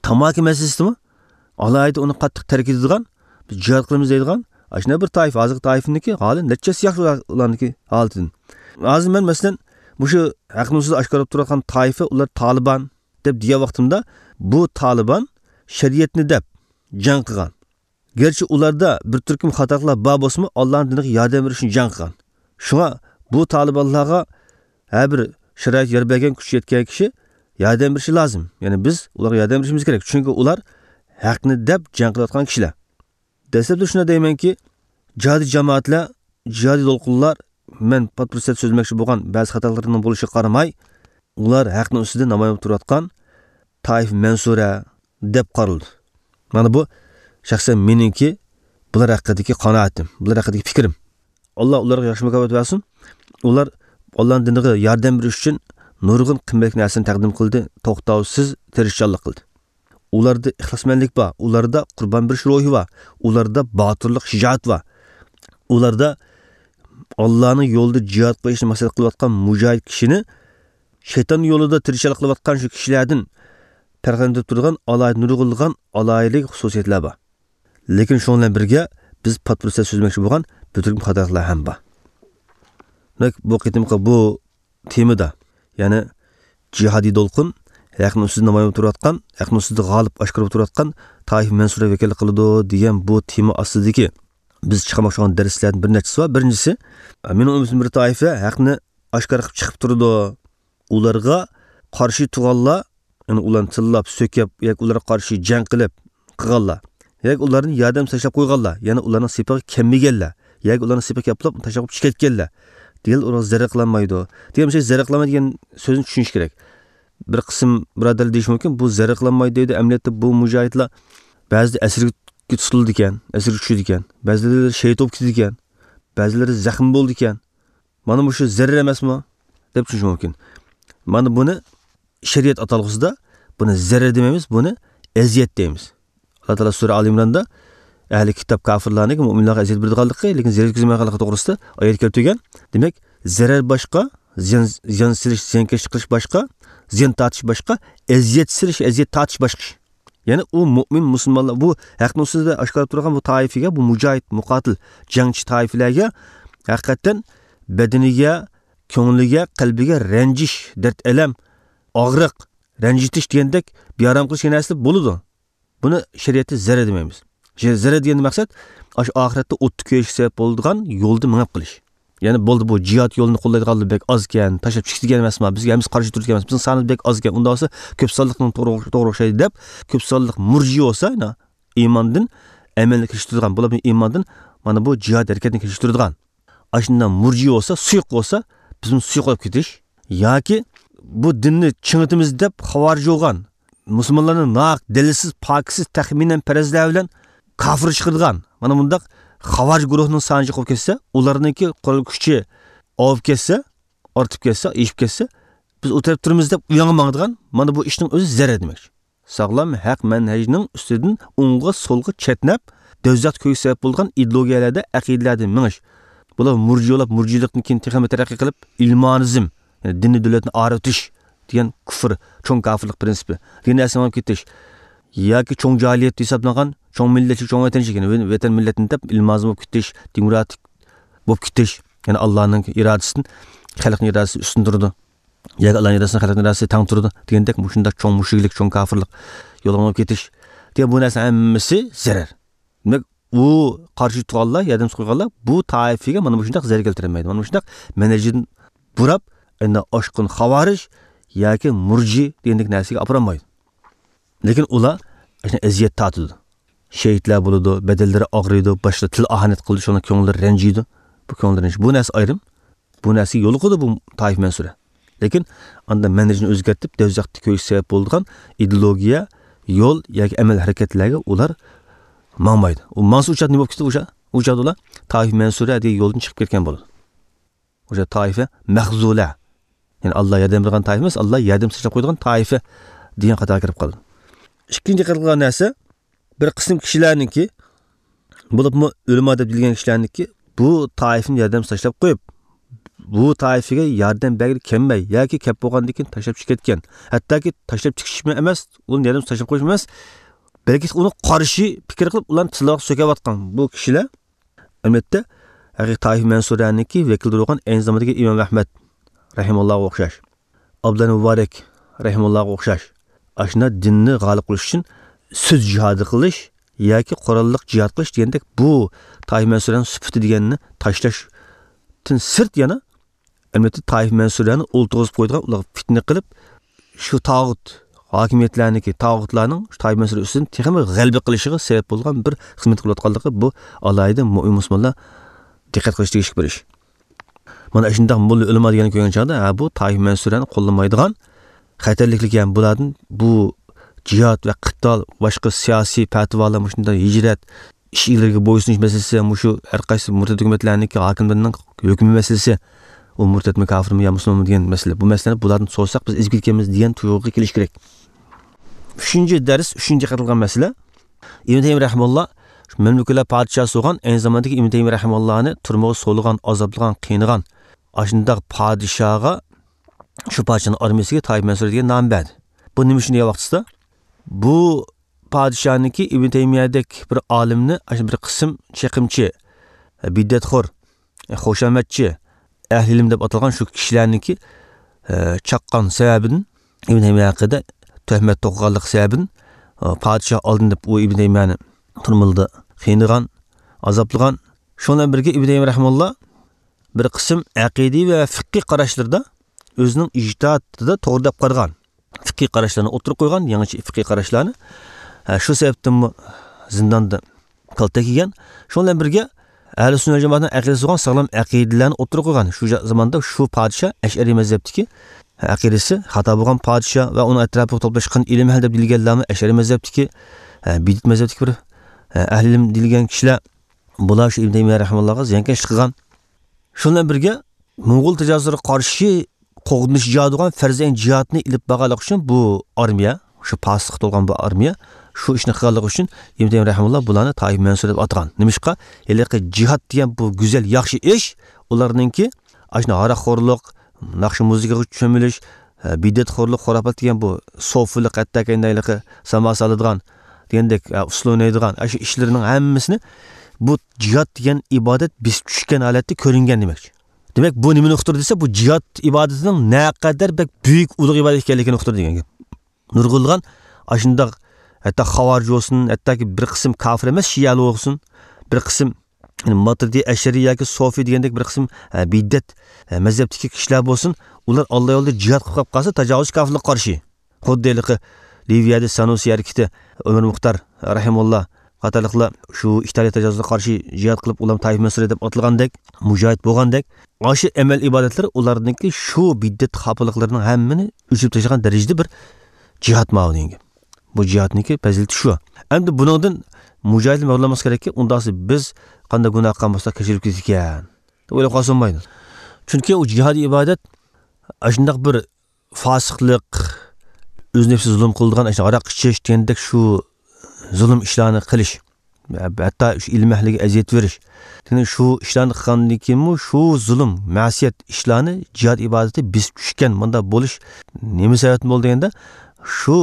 تاماكا مەسىلىسىدىمۇ ئالاھىدە ئۇنى قاتتىق تەرك ئېتىدىغان، بىز جىھاد قىلىمىز دەيدىغان، ئاشۇنداق بىر تائىپە، ھازىرقى تائىپىنىڭكى ھالى نەچچىسى ياخشى ئۇلارنىڭكى ھالىتىدىن. ھازىر مەن، مەسىلەن، مۇشۇ ھەقنى سىز ئاشكارىلاپ تۇرۇۋاتقان تائىپە، ئۇلار تالىبان دەپ دېگەن ۋاقتىمدا، بۇ تالىبان شەرىئەتنى دەپ جەڭ قىلغان. گەرچە ئۇلاردا بىر تۈركۈم خاتالىقلار بار بولسىمۇ، ئاللانىڭ دىنىغا ياردەم بېرىش ئۈچۈن جەڭ قىلغان. شۇڭا بۇ تالىبانلارغا ھەر بىر شارائىت يار بەرگەن، كۈچ يەتكەن كىشى ياردەم بېرىشى لازىم. يەنى بىز ئۇلارغا ياردەم بېرىشىمىز كېرەك. چۈنكى ئۇلار ھەقنى دەپ جەڭ قىلىۋاتقان كىشىلەر. دەسلەپتە شۇنداق دەيمەنكى، جىھادىي جامائەتلەر، جىھادىي دولقۇنلار، مەن پات پۇرسەت سۆزلىمەكچى بولغان بەزى خاتالىقلىرىنىڭ بولۇشىغا قارىماي، ئۇلار ھەقنىڭ ئۈستىدە نامايان بولۇپ تۇرۇۋاتقان تائىفە مەنسۇرە دەپ قارىلىدۇ. مانا بۇ شەخسەن مېنىڭكى بۇلار ھەققىدىكى قانائىتىم، بۇلار ھەققىدىكى پىكرىم. ئاللا ئۇلارغا ياخشى مۇكاپات بەرسۇن. ئۇلار ئاللانىڭ دىنىغا ياردەم بېرىش ئۈچۈن نۇرغۇن قىممەتلىك نەرسىنى تەقدىم قىلدى، توختاۋسىز تىرىشچانلىق قىلدى. ئۇلاردا ئىخلاسمەنلىك بار، ئۇلاردا قۇربان بېرىش روھى بار، ئۇلاردا باتۇرلۇق، شىجائەت بار. ئۇلاردا ئاللانىڭ يولىدا جىھاد قىلىشنى مەقسەت قىلىۋاتقان مۇجاھىد كىشىنى شەيتان يولىدا تىرىشچانلىق قىلىۋاتقان شۇ كىشىلەردىن پەرقلەندۈرۈپ تۇرىدىغان ئالاھىدە، نۇرغۇنلىغان ئالاھىدىلىك، خۇسۇسىيەتلەر بار. لېكىن شۇنىڭ بىلەن بىرگە بىز پات پۇرسەت سۆزلىمەكچى بولغان بىر تۈركۈم خاتالىقلار ھەم بار. دېمەك، بۇ قېتىمقى بۇ تېمىدا، يەنى جىھادىي دولقۇن، ھەقنىڭ ئۈستىدە نامايان بولۇپ تۇرۇۋاتقان، ھەقنىڭ ئۈستىدە غالىب ئاشكارا بولۇپ تۇرۇۋاتقان تائىپە مەنسۇرە ۋەكىللىك قىلىدۇ دېگەن بۇ تېما ئاستىدىكى بىز چىقارماقچى بولغان دەرسلەردىن بىر نەچچىسى بار. بىرىنچىسى، مېنىڭ ئۈممىتىم بىر تائىپە ھەقنى ئاشكارا قىلىپ چىقىپ تۇرىدۇ. ئۇلارغا قارشى تۇرغانلار، يەنى ئۇلارنى تىللاپ، سۆكۈپ ياكى ئۇلارغا قارشى جەڭ قىلىپ قىلغانلار، ياكى ئۇلارنى ياردەم تاشلاپ قويغانلار، يەنى ئۇلارنىڭ سېپىغا كەلمىگەنلەر، ياكى ئۇلارنىڭ سېپىغا كەپلا تاشلاپ قويۇپ چىقىپ كەتكەنلەر دېگەن، ئۇلارغا زەرەر قىلالمايدۇ دېگەن، شۇ زەرەر قىلالمايدۇ دېگەن سۆزنى چۈشىنىش كېرەك. بىر قىسىم بۇرادەرلەر دېيىشى مۇمكىن، بۇ زەرەر قىلالمايدۇ دەيدۇ، ئەمەلىيەتتە بۇ مۇجاھىدلار بەزىدە ئەسىرگە تۇتۇلىدىكەن، ئەسىرگە چۈشىدىكەن، بەزىلىرى شېھىت بولۇپ كېتىدىكەن، بەزىلىرى زەخىم بولىدىكەن. مانا مۇشۇ زەرەر ئەمەسمۇ؟ دەپ چۈشىنىشى مۇمكىن. مانا بۇنى شەرىئەت ئاتالغۇسىدا بۇنى زەرەر دېمەيمىز، بۇنى ئەزىيەت دەيمىز. ئاللا تائالا سۈرە ئالى ئىمراندا ئەھلى كىتاب كاپىرلارنىڭ مۇئمىنلارغا ئەزىيەت بېرىدىغانلىقى، لېكىن زەرەر يەتكۈزمەيدىغانلىقى توغرىسىدا ئايەت كەلتۈرگەن. دېمەك، زەرەر باشقا، زىيان، زىيان سېلىش، زىيانكەشلىك قىلىش باشقا، زىيان تارتىش باشقا، ئەزىيەت سېلىش، ئەزىيەت تارتىش باشقا ئىش. يەنى ئۇ مۆمىن مۇسۇلمانلار، بۇ ھەقنى ئۈستىدە ئاشكارىلاپ تۇرغان بۇ تائىپىگە، بۇ مۇجاھىد، مۇقاتىل، جەڭچى تائىپىلەرگە ھەقىقەتەن بەدىنىگە، كۆڭلىگە، قەلبىگە رەنجىش، دەرد-ئەلەم، ئاغرىق، رەنجىتىش دېگەندەك بىئارام قىلىش دېگەن نەرسىلەر بولىدۇ. بۇنى شەرىئەتتە زەرەر دېمەيمىز. زە-، زەرەر دېگەندىن مەقسەت، ئاشۇ ئاخىرەتتە ئوتتا كۆيۈشكە سەۋەب بولىدىغان يولدا مېڭىپ قېلىش. يەنى بولدى، بۇ جىھاد يولىنى قوللايدىغانلار بەك ئاز ئىكەن، تاشلاپ چىقىدىكەن ئەمەسما، بىزگە ھەممىسى قارشى تۇرىدىكەن ئەمەس، بىزنىڭ سانىمىز بەك ئاز ئىكەن، ئۇنداق بولسا كۆپ سانلىقنىڭ توغرا، توغرا ئوخشايدۇ دەپ، كۆپ سانلىق مۇرجىئە بولسا، يەنە ئىماندىن ئەمەلنى كېلىشتۈرىدىغان، بۇلار ئىماندىن مانا بۇ جىھاد ھەرىكەتنى كېلىشتۈرىدىغان. ئاشۇنداق مۇرجىئە بولسا، سۇيۇق بولسا، بىزمۇ سۇيۇق بولۇپ كېتىش. ياكى بۇ دىننى چىڭىتىمىز دەپ خاۋارىج بولغان، مۇسۇلمانلارنى ناھەق، دەلىلسىز، پاكىتسىز، تەخمىنەن پەرەزلەر بىلەن كاپىرغا چىقىرىدىغان، مانا مۇنداق خاۋارىج گۇرۇھنىڭ سانى جىق بولۇپ كەتسە، ئۇلارنىڭكى قورال كۈچى ئاۋۇپ كەتسە، ئارتىپ كەتسە، ئېشىپ كەتسە، بىز ئۇ تەرەپتە تۇرىمىز دەپ ئۇ ياڭغا ماڭىدىغان، مانا بۇ ئىشنىڭ ئۆزى زەرەر دېمەكچى. ساغلام ھەق مەنھەجنىڭ ئۈستىدىن ئوڭغا سولغا چەتنەپ، دوزاختا كۆيۈش سەۋەب بولىدىغان ئىدېئولوگىيەلەردە، ئەقىدىلەردە مېڭىش. بۇلار مۇرجىئە بولۇپ، مۇرجىئىلىقتىن كېيىن تېخىمۇ تەرەققىي قىلىپ، ئىلمانىزم، يەنى دىننى دۆلەتنى ئايرىۋېتىش دېگەن كۇفر، چوڭ كاپىرلىق پرىنسىپى دېگەن نەرسىگە مېڭىپ كېتىش. ياكى چوڭ جاھىلىيەت ھېسابلانغان، چوڭ مىللەتچىلىك، چوڭ ۋەتەنچىلىك، يەنى ۋەتەن مىللەتنى دەپ ئىلمانىزم بولۇپ كېتىش، دېموكراتىك بولۇپ كېتىش، يەنى ئاللانىڭ ئىرادىسىدىن خەلقنىڭ ئىرادىسى ئۈستۈن تۇرىدۇ. ياكى ئاللانىڭ ئىرادىسى خەلقنىڭ ئىرادىسى تەڭ تۇرىدۇ دېگەندەك مۇشۇنداق چوڭ مۇشرىكلىق، چوڭ كاپىرلىق يولىغا مېڭىپ كېتىش دېگەن بۇ نەرسە ھەممىسى زەرەر. دېمەك، ئۇ قارشى تۇرغانلار، ياردەمسىز قويغانلار بۇ تائىپىگە مانا مۇشۇنداق زەرەر كەلتۈرەلمەيدۇ. مانا مۇشۇنداق مەنھەجدىن بۇراپ، ئەنە ئاشقۇن خاۋارىج ياكى مۇرجى دېگەندەك نەرسىگە ئاپىرالمايدۇ. لېكىن ئۇلار ئەزىيەت تارتىدۇ. شېھىتلەر بولىدۇ، بەدەنلىرى ئاغرىيدۇ، باشقىلار تىل ئاھانەت قىلىدۇ، شۇڭا كۆڭۈللىرى رەنجىيدۇ. بۇ كۆڭۈل رەنجىش، بۇ نەرسە ئايرىم. بۇ نەرسىگە يولۇقىدۇ بۇ تائىفە مەنسۇرە. لېكىن ئاندىن مەنھەجنى ئۆزگەرتىپ، دوزاختا كۆيۈش سەۋەب بولىدىغان ئىدېئولوگىيە، يول ياكى ئەمەل ھەرىكەتلەرگە ئۇلار ماڭمايدۇ. ئۇ مانسا ئۇچادا نېمە بولۇپ كېتىدۇ؟ ئۇشا، ئۇچادا ئۇلار تائىفە مەنسۇرە دېگەن يولدىن چىقىپ كەتكەن بولىدۇ. ئۇشا تائىفە مەخزۇلە. يەنى ئاللا ياردەم بېرىدىغان تائىفە ئەمەس، ئاللا ياردەم تاشلاپ قويىدىغان تائىفە دېگەن قاتارغا كىرىپ قالىدۇ. ئىككىنچى دىققەت قىلغان نەرسە، بىر قىسىم كىشىلەرنىڭكى، بولۇپمۇ ئۆلىما دەپ دېيىلگەن كىشىلەرنىڭكى بۇ تائىفىنى ياردەمسىز تاشلاپ قويۇپ، بۇ تائىفىگە ياردەم بەرگىلى كەلمەي ياكى كەپ بولغاندىن كېيىن تاشلاپ چىقىپ كەتكەن، ھەتتاكى تاشلاپ چىقىشمۇ ئەمەس، ئۇنى ياردەمسىز تاشلاپ قويۇشمۇ ئەمەس، بەلكى ئۇنىڭ قارشى پىكىر قىلىپ، ئۇلارنى تىلغا سۆكۈۋاتقان بۇ كىشىلەر، ئەلۋەتتە، ھەقىقىي تائىفە مەنسۇرەنىڭكى ۋەكىللىرى بولغان ئەينى زاماندىكى ئىمام ئەھمەد رەھىمۇللاغا ئوخشاش، ئابدۇللا مۇبارەك رەھىمۇللاغا ئوخشاش، ئاشۇنداق دىننى غالىب قىلىش ئۈچۈن سۆز جىھادى قىلىش ياكى قوراللىق جىھاد قىلىش دېگەندەك بۇ تائىفە مەنسۇرەنىڭ سۈپىتى دېگەننى تاشلاشتىن سىرت يەنە ئەمەلىيەتتە تائىفە مەنسۇرەنى ئولتۇرغۇزۇپ قويىدىغان، ئۇلارغا پىتنە قىلىپ، شۇ تاغۇت ھاكىمىيەتلەرنىڭكى، تاغۇتلارنىڭ شۇ تائىپە مەنسۇرى ئۈستىدىن تېخىمۇ غەلىبە قىلىشىغا سەۋەب بولغان بىر خىزمەت قىلىۋاتقانلىقى، بۇ ئالاھىدە مۆمىن مۇسۇلمانلار دىققەت قىلىشى تېگىشلىك بىر ئىش. مانا شۇنداق موللا ئۆلىما دېگەننى كۆرگەن چاغدا، ھە، بۇ تائىفە مەنسۇرەنى قوللىمايدىغان، خەتەرلىكلىكى ھەم بۇلاردىن بۇ جىھاد ۋە قىتال، باشقا سىياسىي پەتىۋالار، مۇشۇنداق ھىجرەت، ئىش ئىگىلىرىگە بويسۇنۇش مەسىلىسى، مۇشۇ ھەر قايسى مۇرتەت ھۆكۈمەتلەرنىڭكى ھاكىملىرىنىڭ ھۆكمى مەسىلىسى، ئۇ مۇرتەتمۇ، كاپىرمۇ يا مۇسۇلمانمۇ دېگەن مەسىلە. بۇ مەسىلىلەرنى بۇلاردىن سورىساق، بىز ئېزىپ كېتىدىكەنمىز دېگەن تۇيغۇغا كېلىش كېرەك. ئۈچىنچى دەرس، ئۈچىنچى دىققەت قىلغان مەسىلە، ئىبن تەيمىيە رەھىمۇللا مەملۇكلار پادىشاھى بولغان، ئەينى زاماندىكى ئىبن تەيمىيە رەھىمۇللانى تۈرمىگە سولىغان، ئازابلىغان، قىينىغان ئاشۇنداق پادىشاھغا، شۇ پادىشاھنىڭ ئارمىيىسىگە تائىپە مەنسۇرە دېگەن نام بەردى. بۇ نېمە ئۈچۈن دېگەن ۋاقتىسىدا، بۇ پادىشاھنىڭكى ئىبن تەيمىيەدەك بىر ئالىمنى، ئاشۇ بىر قىسىم چېقىمچى، بىدئەتخور، خۇشامەتچى، ئەھلى ئىلىم دەپ ئاتالغان شۇ كىشىلەرنىڭكى، ئە، چاققان سەۋەبىدىن، ئىبن تەيمىيە ھەققىدە تۆھمەت توقۇغانلىقى سەۋەبىدىن، ئە، پادىشاھ ئالدىن دەپ ئۇ ئىبن تەيمىيەنى تۈرمىلىدە قىينىغان، ئازابلىغان. شۇنىڭ بىلەن بىرگە ئىبن تەيمىيە رەھىمۇللا بىر قىسىم ئەقىدىي ۋە فىقھىي قاراشلىرىدا ئۆزىنىڭ ئىجتىھادىدا توغرا دەپ قارىغان فىقھىي قاراشلارنى ئوتتۇرىغا قويغان، يېڭىچە فىقھىي قاراشلارنى. ھە، شۇ سەۋەبتىنمۇ زىنداندا كالتە كىيگەن. شۇنىڭ بىلەن بىرگە، ئەھلى سۈننە ۋەل جامائەتنىڭ ئەقىدىسى بولغان ساغلام ئەقىدىلەرنى ئوتتۇرىغا قويغان. شۇ جا-، زاماندا شۇ پادىشاھ ئەشئەرىي مەزھەپتىكى، ئەقىدىسى خاتا بولغان پادىشاھ ۋە ئۇنىڭ ئەتراپىغا توپلاشقان ئىلىم ئەھلى دەپ دېيىلگەنلەرمۇ ئەشئەرىي مەزھەپتىكى، ھە، بىدئەت مەزھەپتىكى بىر، ھە، ئەھلى ئىلىم دېيىلگەن كىشىلەر، بۇلار شۇ ئىبن تەيمىيە رەھىمەھۇللاغا زىيانكەشلىك قىلغان. شۇنىڭ بىلەن بىرگە، موڭغۇل تاجاۋۇزلىرىغا قارشى قوغدىنىش جىھادى بولغان پەرزەينى جىھادنى ئېلىپ بارغانلىقى ئۈچۈن، بۇ ئارمىيە، شۇ پاسىقلىق تولغان بۇ ئارمىيە، شۇ ئىشنى قىلغانلىقى ئۈچۈن ئىبن تەيمىيە رەھىمەھۇللا بۇلارنى تائىپە مەنسۇرە دەپ ئاتىغان. نېمىشقا؟ ھېلىقى جىھاد دېگەن بۇ گۈزەل، ياخشى ئىش، ئۇلارنىڭكى ئاشۇ ھاراقخورلۇق، ناخشا مۇزىكىغا چۆمۈلۈش، ھە، بىدئەتخورلۇق، خۇراپات دېگەن بۇ سوفىلىق، ھەتتاكى ھېلىقى ساما سالىدىغان دېگەندەك، ھە، ئۇسسۇل ئوينايدىغان، ئاشۇ ئىشلىرىنىڭ ھەممىسىنى بۇ جىھاد دېگەن ئىبادەت بېسىپ چۈشكەن ھالەتتە كۆرۈنگەن دېمەكچى. دېمەك، بۇ نېمىنى ئۇقتۇردى دېسە، بۇ جىھاد ئىبادىتىنىڭ نەقەدەر بەك بۈيۈك، ئۇلۇغ ئىبادەت ئىكەنلىكىنى ئۇقتۇردى دېگەن گەپ. نۇرغۇنلىغان ئاشۇنداق، ھەتتا خاۋارىج بولسۇن، ھەتتاكى بىر قىسىم كاپىر ئەمەس شىئەلەر بولسۇن، بىر قىسىم، يەنى ماتۇرىدىي، ئەشئەرىي ياكى سوفىي دېگەندەك بىر قىسىم، ھە، بىدئەت، ھە، مەزھەپتىكى كىشىلەر بولسۇن، ئۇلار ئاللا يولىدا جىھاد قىلىپ قاپقالسا، تاجاۋۇزچى كاپىرلارغا قارشى. خۇددى ھېلىقى لىۋىيەدە سانۇسى ھەرىكىتى، ئۆمەر مۇختار رەھىمۇللا قاتارلىقلار شۇ ئىتالىيە تاجاۋۇزىغا قارشى جىھاد قىلىپ، ئۇلار تائىپە مەنسۇرى دەپ ئاتالغاندەك، مۇجاھىد بولغاندەك، ئاشۇ ئەمەل ئىبادەتلىرى ئۇلارنىڭكى شۇ بىدئەت خاپىلىقلىرىنىڭ ھەممىنى ئۆچۈرۈپ تاشلىغان دەرىجىدە بىر جىھاد ماۋۇ دېگەن گەپ. بۇ جىھادنىڭكى پەزىلىتى شۇ. ئەمدى بۇنىڭدىن مۇجاھىدلار مەغرۇرلانماسلىقى كېرەككى، ئۇنداقسا بىز قانداق گۇناھ قىلغان بولساق كەچۈرۈپ كېتىدىكەن دەپ ئويلاپ قالسا بولمايدۇ. چۈنكى ئۇ جىھادىي ئىبادەت ئاشۇنداق بىر فاسىقلىق، ئۆز نەپسىگە زۇلۇم قىلىدىغان، ئاشۇ ھاراق ئىچىش دېگەندەك شۇ زۇلۇم ئىشلارنى قىلىش، ھەتتا شۇ ئىلىم ئەھلىگە ئەزىيەت بېرىش. دېگەن شۇ ئىشلارنى قىلغاندىن كېيىنمۇ شۇ زۇلۇم، مەسىيەت ئىشلارنى جىھاد ئىبادىتى بېسىپ چۈشكەن، مۇنداق بولۇش نېمە سەۋەبتىن بولدى دېگەندە، شۇ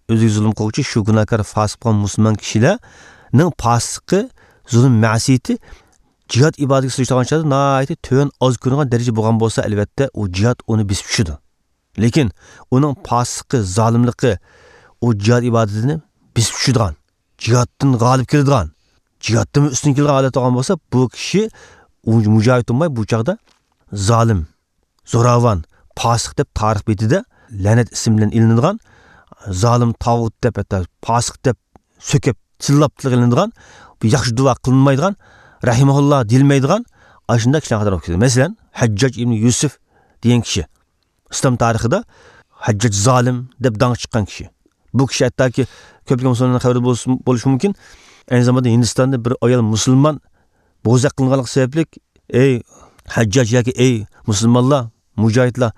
ئۆزىگە زۇلۇم قىلغۇچى، شۇ گۇناھكار، فاسىق بولغان مۇسۇلمان كىشىلەرنىڭ پاسىقلىقى، زۇلۇم، مەسىيىتى جىھاد ئىبادىتىگە سېلىشتۇرغان چاغدا ناھايىتى تۆۋەن، ئاز كۆرۈنگەن دەرىجە بولغان بولسا، ئەلۋەتتە، ئۇ جىھاد ئۇنى بېسىپ چۈشىدۇ. لېكىن ئۇنىڭ پاسىقلىقى، زالىملىقى ئۇ جىھاد ئىبادىتىنى بېسىپ چۈشىدىغان، جىھادتىن غالىب كېلىدىغان، جىھادتىنمۇ ئۈستۈن كېلىدىغان ھالەت بولغان بولسا، بۇ كىشى ئۇ مۇجاھىد بولماي، بۇ چاغدا زالىم، زوراۋان، پاسىق دەپ تارىخ بېتىدە لەنەت ئىسمى بىلەن ئېلىنىدىغان، زالىم، تاغۇت دەپ، ھەتتا پاسىق دەپ سۆكۈپ، تىللاپ تىلغا ئېلىنىدىغان، بۇ ياخشى دۇئا قىلىنمايدىغان، رەھىمەھۇللا دېيىلمەيدىغان، ئاشۇنداق كىشىلەر قاتارىغا كىرىدۇ. مەسىلەن، ھەججاج ئىبنى يۈسۈف دېگەن كىشى. ئىسلام تارىخىدا ھەججاج زالىم دەپ داڭ چىققان كىشى. بۇ كىشى ھەتتاكى كۆپلىگەن مۇسۇلمانلارنىڭ خەۋىرى بولسا، بولۇشى مۇمكىن. ئەينى زاماندا ھىندىستاندا بىر ئايال مۇسۇلمان بوزەك قىلىنغانلىقى سەۋەبلىك، «ئەي ھەججاج ياكى ئەي مۇسۇلمانلار، مۇجاھىدلار،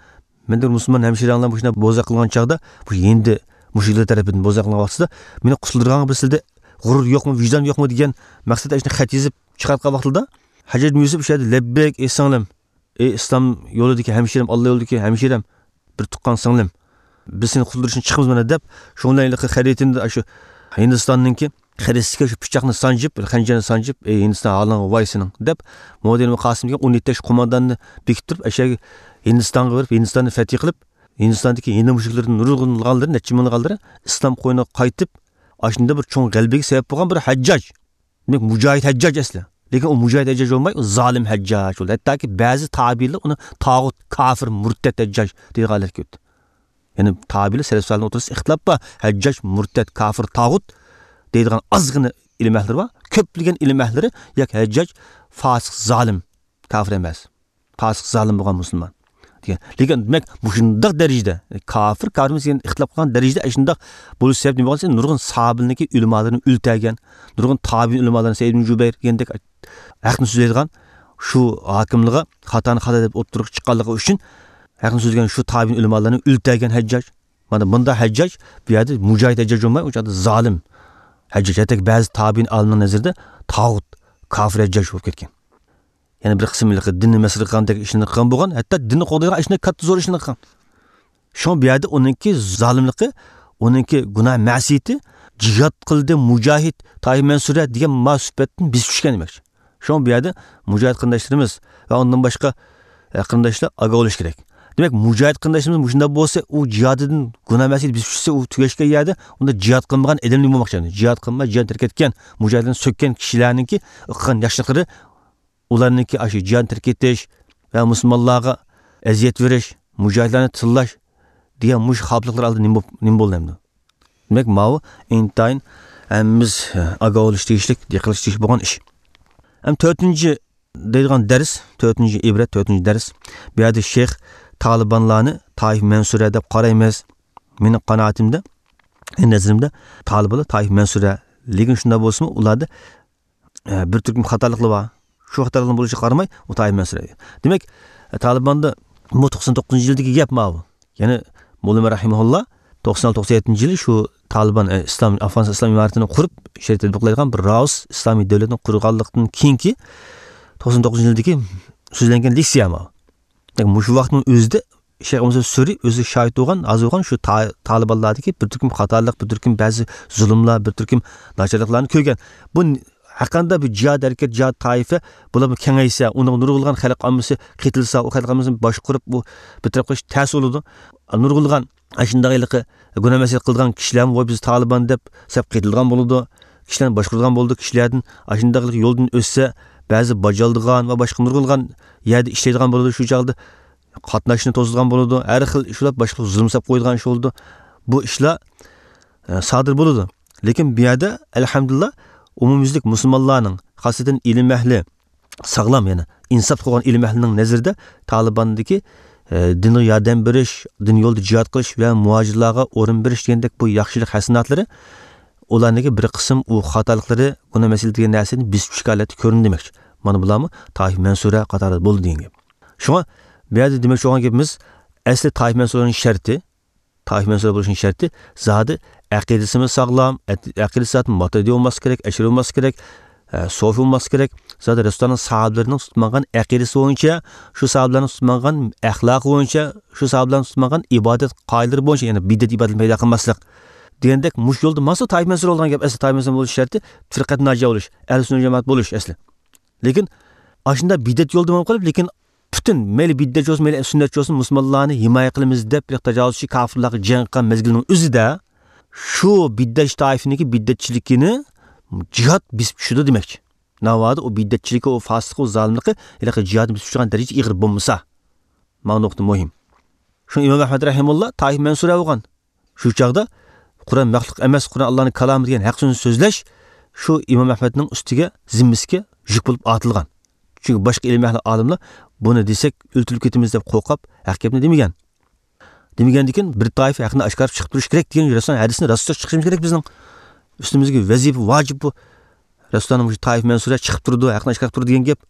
مەندە بىر مۇسۇلمان ھەمشىرەڭلار مۇشۇنداق بوزەك قىلىنغان چاغدا، مۇشۇ ھىندى مۇشرىكلار تەرىپىدىن بوزەك قىلىنغان ۋاقتىدا مېنى قۇتۇلدۇرغانغا بىر سىلىدە غۇرۇر يوقمۇ، ۋىجدان يوقمۇ؟» دېگەن مەقسەتتە ئاشۇنداق خەت يېزىپ چىقارتقان ۋاقتىدا، ھەججاج ئىبنى يۈسۈپ شۇ يەردە، «لەببەيك، ئەي سىڭلىم، ئەي ئىسلام يولىدىكى ھەمشىرەم، ئاللا يولىدىكى ھەمشىرەم، بىر تۇغقان سىڭلىم، بىز سېنى قۇتۇلدۇرۇشتىن چىقىمىز مانا» دەپ، شۇنىڭ بىلەن ھېلىقى خەرىتىنى، شۇ ھىندىستاننىڭكى خەرىتىسىگە شۇ پىچاقنى سانجىپ، بىر خەنجەرنى سانجىپ، «ئەي ھىندىستان، ھالىڭغا ۋاي سېنىڭ» دەپ، مۇھەممەد ئىبنى قاسىم دېگەن ئون يەتتە ياش قومانداننى بېكىتتۈرۈپ، ئەشەگە ھىندىستانغا بېرىپ، ھىندىستاننى فەتھى قىلىپ، ھىندىستاندىكى ھىندى مۇشرىكلىرىدىن نۇرغۇنلىغانلىرى، نەچچە مىڭلىغانلىرى ئىسلام قوينىغا قايتىپ، ئاشۇنداق بىر چوڭ غەلىبىگە سەۋەب بولغان بىر ھەججاج. دېمەك، مۇجاھىد ھەججاج ئەسلى. لېكىن ئۇ مۇجاھىد ھەججاج بولماي، ئۇ زالىم ھەججاج بولدى. ھەتتاكى بەزى تابىئىنلار ئۇنى تاغۇت، كافىر، مۇرتەت ھەججاج دەيدىغان ھالەتكە ئۆتتى. يەنى تابىئىنلار سەلەف سالىھنىڭ ئوتتۇرىسىدا ئىختىلاپ بار. ھەججاج مۇرتەت، كافىر، تاغۇت دەيدىغان ئازغىنە ئىلىم ئەھلىلىرى بار. كۆپلىگەن ئىلىم ئەھلىلىرى ياكى ھەججاج فاسىق، زالىم، كافىر ئەمەس. پاسىق، زالىم بولغان مۇسۇلمان دېگەن. لېكىن، دېمەك، مۇشۇنداق دەرىجىدە، كافىر، كافىر ئەمەس دېگەن ئىختىلاپ قىلغان دەرىجىدە ئاشۇنداق بولۇش سەۋەبى نېمە بولغان دېسە، نۇرغۇن ساھابىنىڭكى ئۆلىمالىرىنى ئۆلتۈرگەن، نۇرغۇن تابىئىن ئۆلىمالىرىنى، سەئىد ئىبن جۇبەير دېگەندەك ھەقنى سۆزلەيدىغان شۇ ھاكىملىقى خاتانى خاتا دەپ ئوتتۇرىغا چىققانلىقى ئۈچۈن، ھەقنى سۆزلىگەن شۇ تابىئىن ئۆلىمالارنى ئۆلتۈرگەن ھەججاج. مانا بۇنداق ھەججاج بۇ يەردە مۇجاھىد ھەججاج بولماي، ئۇ چاغدا زالىم ھەججاج. ھەتتاكى بەزى تابىئىن ئالىمنىڭ نەزىرىدە تاغۇت، كافىر ھەججاج بولۇپ كەتكەن. يەنە بىر قىسىم ھېلىقى دىننى مەسخىرە قىلغاندەك ئىشلارنى قىلغان بولغان، ھەتتا دىننى قوغدايدىغان ئىشنى كاتتا زور ئىشلارنى قىلغان. شۇڭا بۇ يەردە ئۇنىڭكى زالىملىقى، ئۇنىڭكى گۇناھ مەسىيىتى، جىھاد قىلدى، مۇجاھىد، تائىپە مەنسۇرە دېگەن ما سۈپەتتىن بېسىپ چۈشكەن دېمەكچى. شۇڭا بۇ يەردە مۇجاھىد قېرىنداشلىرىمىز ۋە ئۇندىن باشقا، ئە، قېرىنداشلار ئاگاھ بولۇشى كېرەك. دېمەك، مۇجاھىد قېرىنداشلىرىمىز مۇشۇنداق بولسا، ئۇ جىھادىدىن گۇناھ مەسىيىتى بېسىپ چۈشسە، ئۇ تۈگەشكەن يەردە، ئۇندا جىھاد قىلمىغان ئادەم نېمە بولماقچى؟ جىھاد قىلماي، جىھادنى تەرك ئەتكەن، مۇجاھىدلارنى سۆككەن كىشىلەرنىڭكى قىلغان ياخشىلىقلىرى، ئۇلارنىڭكى ئاشۇ جىھادنى تەرك ئېتىش ۋە مۇسۇلمانلارغا ئەزىيەت بېرىش، مۇجاھىدلارنى تىللاش دېگەن مۇشۇ خاپىلىقلار ئالدىدا نېمە بوپ-، نېمە بولدى ئەمدى؟ دېمەك، ماۋۇ ئىنتايىن ھەممىمىز، ئە، ئاگاھ بولۇش تېگىشلىك، دىققەت قىلىش تېگىشلىك بولغان ئىش. ھەم تۆتىنچى دەيدىغان دەرس، تۆتىنچى ئىبرەت، تۆتىنچى دەرس. بۇ يەردە شەيخ تالىبانلارنى تائىفە مەنسۇرە دەپ قارايمىز. مېنىڭ قانائىتىمدە، نەزىرىمدە تالىبانلار تائىفە مەنسۇرە. لېكىن شۇنداق بولسىمۇ، ئۇلاردا، ئە، بىر تۈركۈم خاتالىقلار بار. شۇ خاتالىقلار بولۇشىغا قارىماي، ئۇ تائىپە مەنسۇرە. دېمەك، تالىباندا بۇ توقسان توققۇزىنچى يىلدىكى گەپ ماۋۇ. يەنى موللا ئۆمەر رەھىمەھۇللا توقسان ئالتە، توقسان يەتتىنچى يىلى شۇ تالىبان، ئە، ئىسلام، ئافغانىستان ئىسلام ئىمارىتىنى قۇرۇپ، شەرىئەت تەتبىقلايدىغان بىر رائۇس ئىسلامىي دۆلەتنى قۇرغانلىقتىن كېيىنكى توقسان توققۇزىنچى يىلدىكى سۆزلەنگەن لېكسىيە ماۋۇ. دېمەك، مۇشۇ ۋاقىتنىڭ ئۆزىدە شەيخ ئەبۇ مۇسا سۈرى ئۆزى شاھىت بولغان، ھازىر بولغان شۇ تا-، تالىبانلاردىكى بىر تۈركۈم خاتالىق، بىر تۈركۈم بەزى زۇلۇملار، بىر تۈركۈم ناچارلىقلارنى كۆرگەن. بۇ ن-، ھەرقانداق بىر جىھاد ھەرىكەت، جىھاد تائىپە، بۇلارمۇ كېڭەيسە، ئۇنىڭغا نۇرغۇنلىغان خەلق ئاممىسى قېتىلسا، ئۇ خەلق ئاممىسىنى باشقۇرۇپ، ئۇ بىر تەرەپ قىلىش تەس بولىدۇ. نۇرغۇنلىغان ئاشۇنداق ھېلىقى گۇناھ مەسىيەت قىلىدىغان كىشىلەرمۇ، ۋاي، بىز تالىبان دەپ سەپ قېتىلىدىغان بولىدۇ. كىشىلەرنى باشقۇرىدىغان بولىدۇ. كىشىلەردىن ئاشۇنداق يولدىن ئۆتسە، بەزى باجالدىغان ۋە باشقا نۇرغۇنلىغان يەردە ئىشلەيدىغان بولىدۇ. شۇ چاغدا قاتناشنى توسىدىغان بولىدۇ. ھەر خىل شۇنداق باشقا زۇلۇم سەپ قويىدىغان ئىش بولىدۇ. بۇ ئىشلار، ئە، سادىر بولىدۇ. لېكىن بۇ يەردە، ئەلھەمدۇلىللا، ئومۇميۈزلۈك مۇسۇلمانلارنىڭ، خاسسەتەن ئىلىم ئەھلى، ساغلام، يەنى ئىنساپلىق بولغان ئىلىم ئەھلىنىڭ نەزىرىدە تالىباندىكى، ئە، دىنغا ياردەم بېرىش، دىن يولىدا جىھاد قىلىش ۋە مۇھاجىرلارغا ئورۇن بېرىش دېگەندەك بۇ ياخشىلىق ھەسەناتلىرى ئۇلارنىڭكى بىر قىسىم ئۇ خاتالىقلىرى، گۇناھ مەسىلە دېگەن نەرسىنى بېسىپ چۈشكەن ھالەتتە كۆرۈندى دېمەكچى. مانا بۇلارمۇ تائىفە مەنسۇرە قاتارىدا بولدى دېگەن گەپ. شۇڭا بۇ يەردە دېمەكچى بولغان گېپىمىز، ئەسلى تائىفە مەنسۇرىنىڭ شەرتى، تائىپە مەنسۇبى بولۇشنىڭ شەرتى زادى ئەقىدىسىمۇ ساغلام، ئەت-، ئەقىدىسى زادى ماتۇرىدىي بولماسلىقى كېرەك، ئەشئەرىي بولماسلىقى كېرەك، ئە، سوفىي بولماسلىقى كېرەك. زادى رەسۇلۇللانىڭ ساھابىلىرىنىڭ تۇتۇپ ماڭغان ئەقىدىسى بويىچە، شۇ ساھابىلەرنىڭ تۇتۇپ ماڭغان ئەخلاقى بويىچە، شۇ ساھابىلەرنىڭ تۇتۇپ ماڭغان ئىبادەت قائىدىلىرى بويىچە، يەنى بىدئەت ئىبادەت پەيدا قىلماسلىق دېگەندەك مۇشۇ يولدا ماڭسا تائىپە مەنسۇرە بولىدىغان گەپ. ئەسلى تائىپە مەنسۇرە بولۇش شەرتى پىرقەتۇ ناجىيە بولۇش، ئەھلى سۈننە جامائەت بولۇش ئەسلى. لېكىن ئاشۇنداق بىدئەت يولدا ماڭىپ قېلىپ، لېكىن پۈتۈن مەيلى بىدئەتچى بولسۇن، مەيلى سۈننەتچى بولسۇن، مۇسۇلمانلارنى ھىمايە قىلىمىز دەپ، بىر تاجاۋۇزچى كاپىرلارغا جەڭ قىلغان مەزگىلنىڭ ئۆزىدە شۇ بىدئەتچى تائىپىنىڭكى بىدئەتچىلىكىنى جىھاد بېسىپ چۈشىدۇ دېمەكچى. ناۋادا ئۇ بىدئەتچىلىكى، ئۇ پاسىقلىقى، ئۇ زالىملىقى ھېلىقى جىھادنى بېسىپ چۈشىدىغان دەرىجىدە ئېغىر بولمىسا. مانا نۇقتا مۇھىم. شۇ ئىمام ئەھمەد رەھىمۇللا تائىپە مەنسۇرە بولغان. شۇ چاغدا قۇرئان مەخلۇق ئەمەس، قۇرئان ئاللانىڭ كالامى دېگەن ھەق سۆزنى سۆزلەش شۇ ئىمام ئەھمەدنىڭ ئۈستىگە، زىممىسىگە يۈك بولۇپ ئارتىلغان. چۈنكى باشقا ئىلىم ئەھلى ئالىملار بۇنى دېسەك ئۆلتۈرۈلۈپ كېتىمىز دەپ قورقۇپ ھەق گەپنى دېمىگەن. دېمىگەندىكىن بىر تائىپە ھەقنى ئاشكارا چىقىپ تۇرۇش كېرەك دېگەن رەسۇلنىڭ ھەدىسىنى راستلىق چىقىشىمىز كېرەك بىزنىڭ. ئۈستىمىزگە ۋەزىپە، ۋاجىپ بۇ. رەسۇلۇللانىڭ مۇشۇ تائىپە مەنسۇرە چىقىپ تۇرىدۇ، ھەقنى ئاشكارا تۇرىدۇ دېگەن گەپ.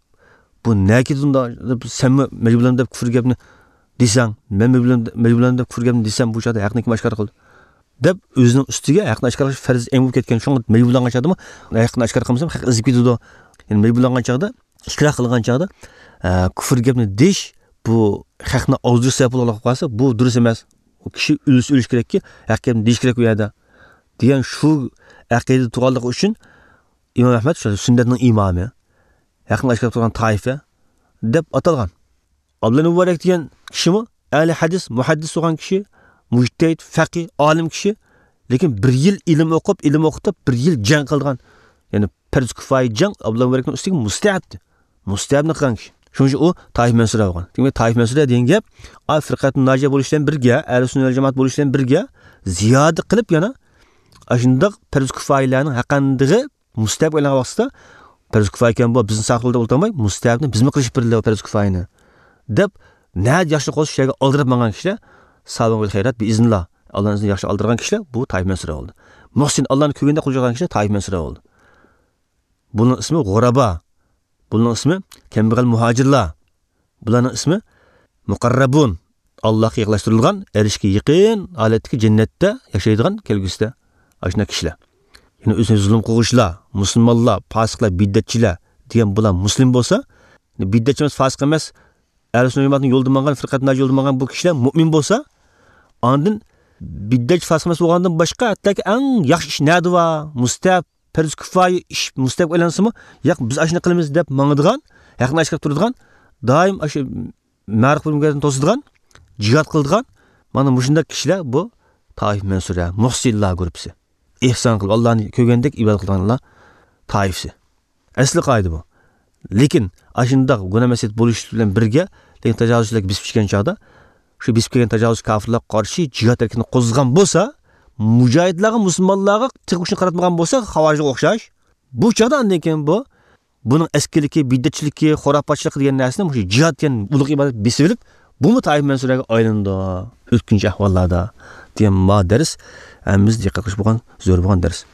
بۇ نەگە كېتىدۇ ئۇنداق؟ سەنمۇ مەجبۇرلاندىڭ دەپ كۇفر گەپنى دېسەڭ، مەن مەجبۇرلان-، مەجبۇرلاندىم دەپ كۇفر گەپنى دېسەم، بۇ چاغدا ھەقنى كىم ئاشكارا قىلدى؟ دەپ ئۆزىنىڭ ئۈستىگە ھەقنى ئاشكارا قىلىش پەرز ئەينى بولۇپ كەتكەن، شۇڭا مەجبۇرلانغان چاغدىمۇ ھەقنى ئاشكارا قىلمىسام، ھەق ئېزىپ كېتىدۇ. يەنى مەجبۇرلانغان چاغدا، ئىكراھ قىلغان چاغدا، ئە، كۇفر گەپنى دېيىش، بۇ ھەقنى ئازدۇرۇش سەۋەب بولغانلىقى قارىسا، بۇ دۇرۇس ئەمەس. ئۇ كىشى ئۆلسە ئۆلۈش كېرەككى، ھەق گەپنى دېيىش كېرەك ئۇ يەردە. دېگەن شۇ ئەقىدە تۇرغانلىقى ئۈچۈن ئىمام ئەھمەد شۇ سۈننەتنىڭ ئىمامى، ھەقنى ئاشكارا تۇرغان تائىپە دەپ ئاتالغان. ئابدۇللا مۇبارەك دېگەن كىشىمۇ ئەھلى ھەدىس، مۇھەددىس بولغان كىشى، مۇجتەھىد، فەقىھ، ئالىم كىشى. لېكىن بىر يىل ئىلىم ئوقۇپ، ئىلىم ئوقۇتۇپ، بىر يىل جەڭ قىلغان. يەنى پەرز كۇپايە جەڭ ئابدۇللا مۇبارەكنىڭ ئۈستىگە مۇستەھەبتى. مۇستەھەبنى قىلغان كىشى. شۇنىڭ ئۈچۈن ئۇ تائىپە مەنسۇرە بولغان. دېمەك، تائىپە مەنسۇرە دېگەن گەپ، ئا، فىرقەتۇن ناجىيە بولۇش بىلەن بىرگە، ئەھلى سۈننە ۋەل جامائەت بولۇش بىلەن بىرگە، زىيادە قىلىپ يەنە ئاشۇنداق پەرز كۇپايىلەرنىڭ ھەققىدىقى مۇستەھەب ئويلانغان ۋاقتىدا، پەرز كۇپايە ئىكەن بۇ، بىزنى ساقلىدى دەپ ئولتۇرماي، مۇستەھەبنى بىزمۇ قىلىشىپ بېرىلى پەرز كۇپايىنى دەپ، نەدە ياخشى قىلسا شۇ يەرگە ئالدىراپ ماڭغان كىشىلەر سابىقۇل خەيرات بىئىزنىللا. ئاللانىڭ ئىزنى ياخشى ئالدىرغان كىشىلەر بۇ تائىپە مەنسۇرە بولدى. مۇھسىن، ئاللانى كۆرگەندە قۇل چالغان كىشىلەر تائىپە مەنسۇرە بولدى. بۇنىڭ ئىسمى غۇرابا. بۇنىڭ ئىسمى كەمبەغەل مۇھاجىرلار. بۇلارنىڭ ئىسمى مۇقەررەبۇن. ئاللاھقا يېقىنلاشتۇرۇلغان، ئەرشكە يېقىن ھالەتتىكى جەننەتتە ياشايدىغان كەلگۈسىدە ئاشۇنداق كىشىلەر. يەنى ئۆزىنى زۇلۇم قىلغۇچىلار، مۇسۇلمانلار، پاسىقلار، بىدئەتچىلەر دېگەن بۇلار مۇسلىم بولسا، بىدئەتچى ئەمەس، پاسىق ئەمەس، ئەھلى سۈننە جامائەتنىڭ يولىدا ماڭغان، فىرقەت ناجىيە يولىدا ماڭغان بۇ كىشىلەر مۇئمىن بولسا، ئاندىن بىدئەتچى، پاسىق ئەمەس بولغاندىن باشقا، ھەتتاكى ئەڭ ياخشى ئىش نەدە بار؟ مۇستەھەب، پەرز كۇپايە ئىش مۇستەھەب ئويلانسىمۇ، ياق، بىز ئاشۇنى قىلىمىز دەپ ماڭىدىغان، ھەقنى ئاشكارا تۇرىدىغان، دائىم ئاشۇ مەرۇپ مۇنكەردىن توسىدىغان، جىھاد قىلىدىغان، مانا مۇشۇنداق كىشىلەر بۇ تائىپە مەنسۇرە، مۇھسىنلار گۇرۇپپىسى. ئېھسان قىلىپ، ئاللانى كۆرگەندەك ئىبادەت قىلىدىغانلار تائىپىسى. ئەسلى قائىدە بۇ. لېكىن ئاشۇنداق گۇناھ مەسىيەت بولۇش بىلەن بىرگە، لېكىن تاجاۋۇزچىلار بېسىپ چۈشكەن چاغدا، شۇ بېسىپ كەلگەن تاجاۋۇزچى كاپىرلارغا قارشى جىھاد ھەرىكىتىنى قوزغىغان بولسا، مۇجاھىدلارغا، مۇسۇلمانلارغا تېخى ئۇچىنى قاراتمىغان بولسا، خاۋارىجغا ئوخشاش، بۇ چاغدا ئاندىن كېيىن بۇ، بۇنىڭ ئەسكىلىكى، بىدئەتچىلىكى، خۇراپاتچىلىقى دېگەن نەرسىنى مۇشۇ جىھاد دېگەن ئۇلۇغ ئىبادەت بېسىۋېلىپ، بۇمۇ تائىپە مەنسۇرەگە ئايلىنىدۇ. ئۆتكۈنچى ئەھۋاللاردا دېگەن ما دەرس ھەممىمىز دىققەت قىلىش بولغان، زۆرۈر بولغان دەرس.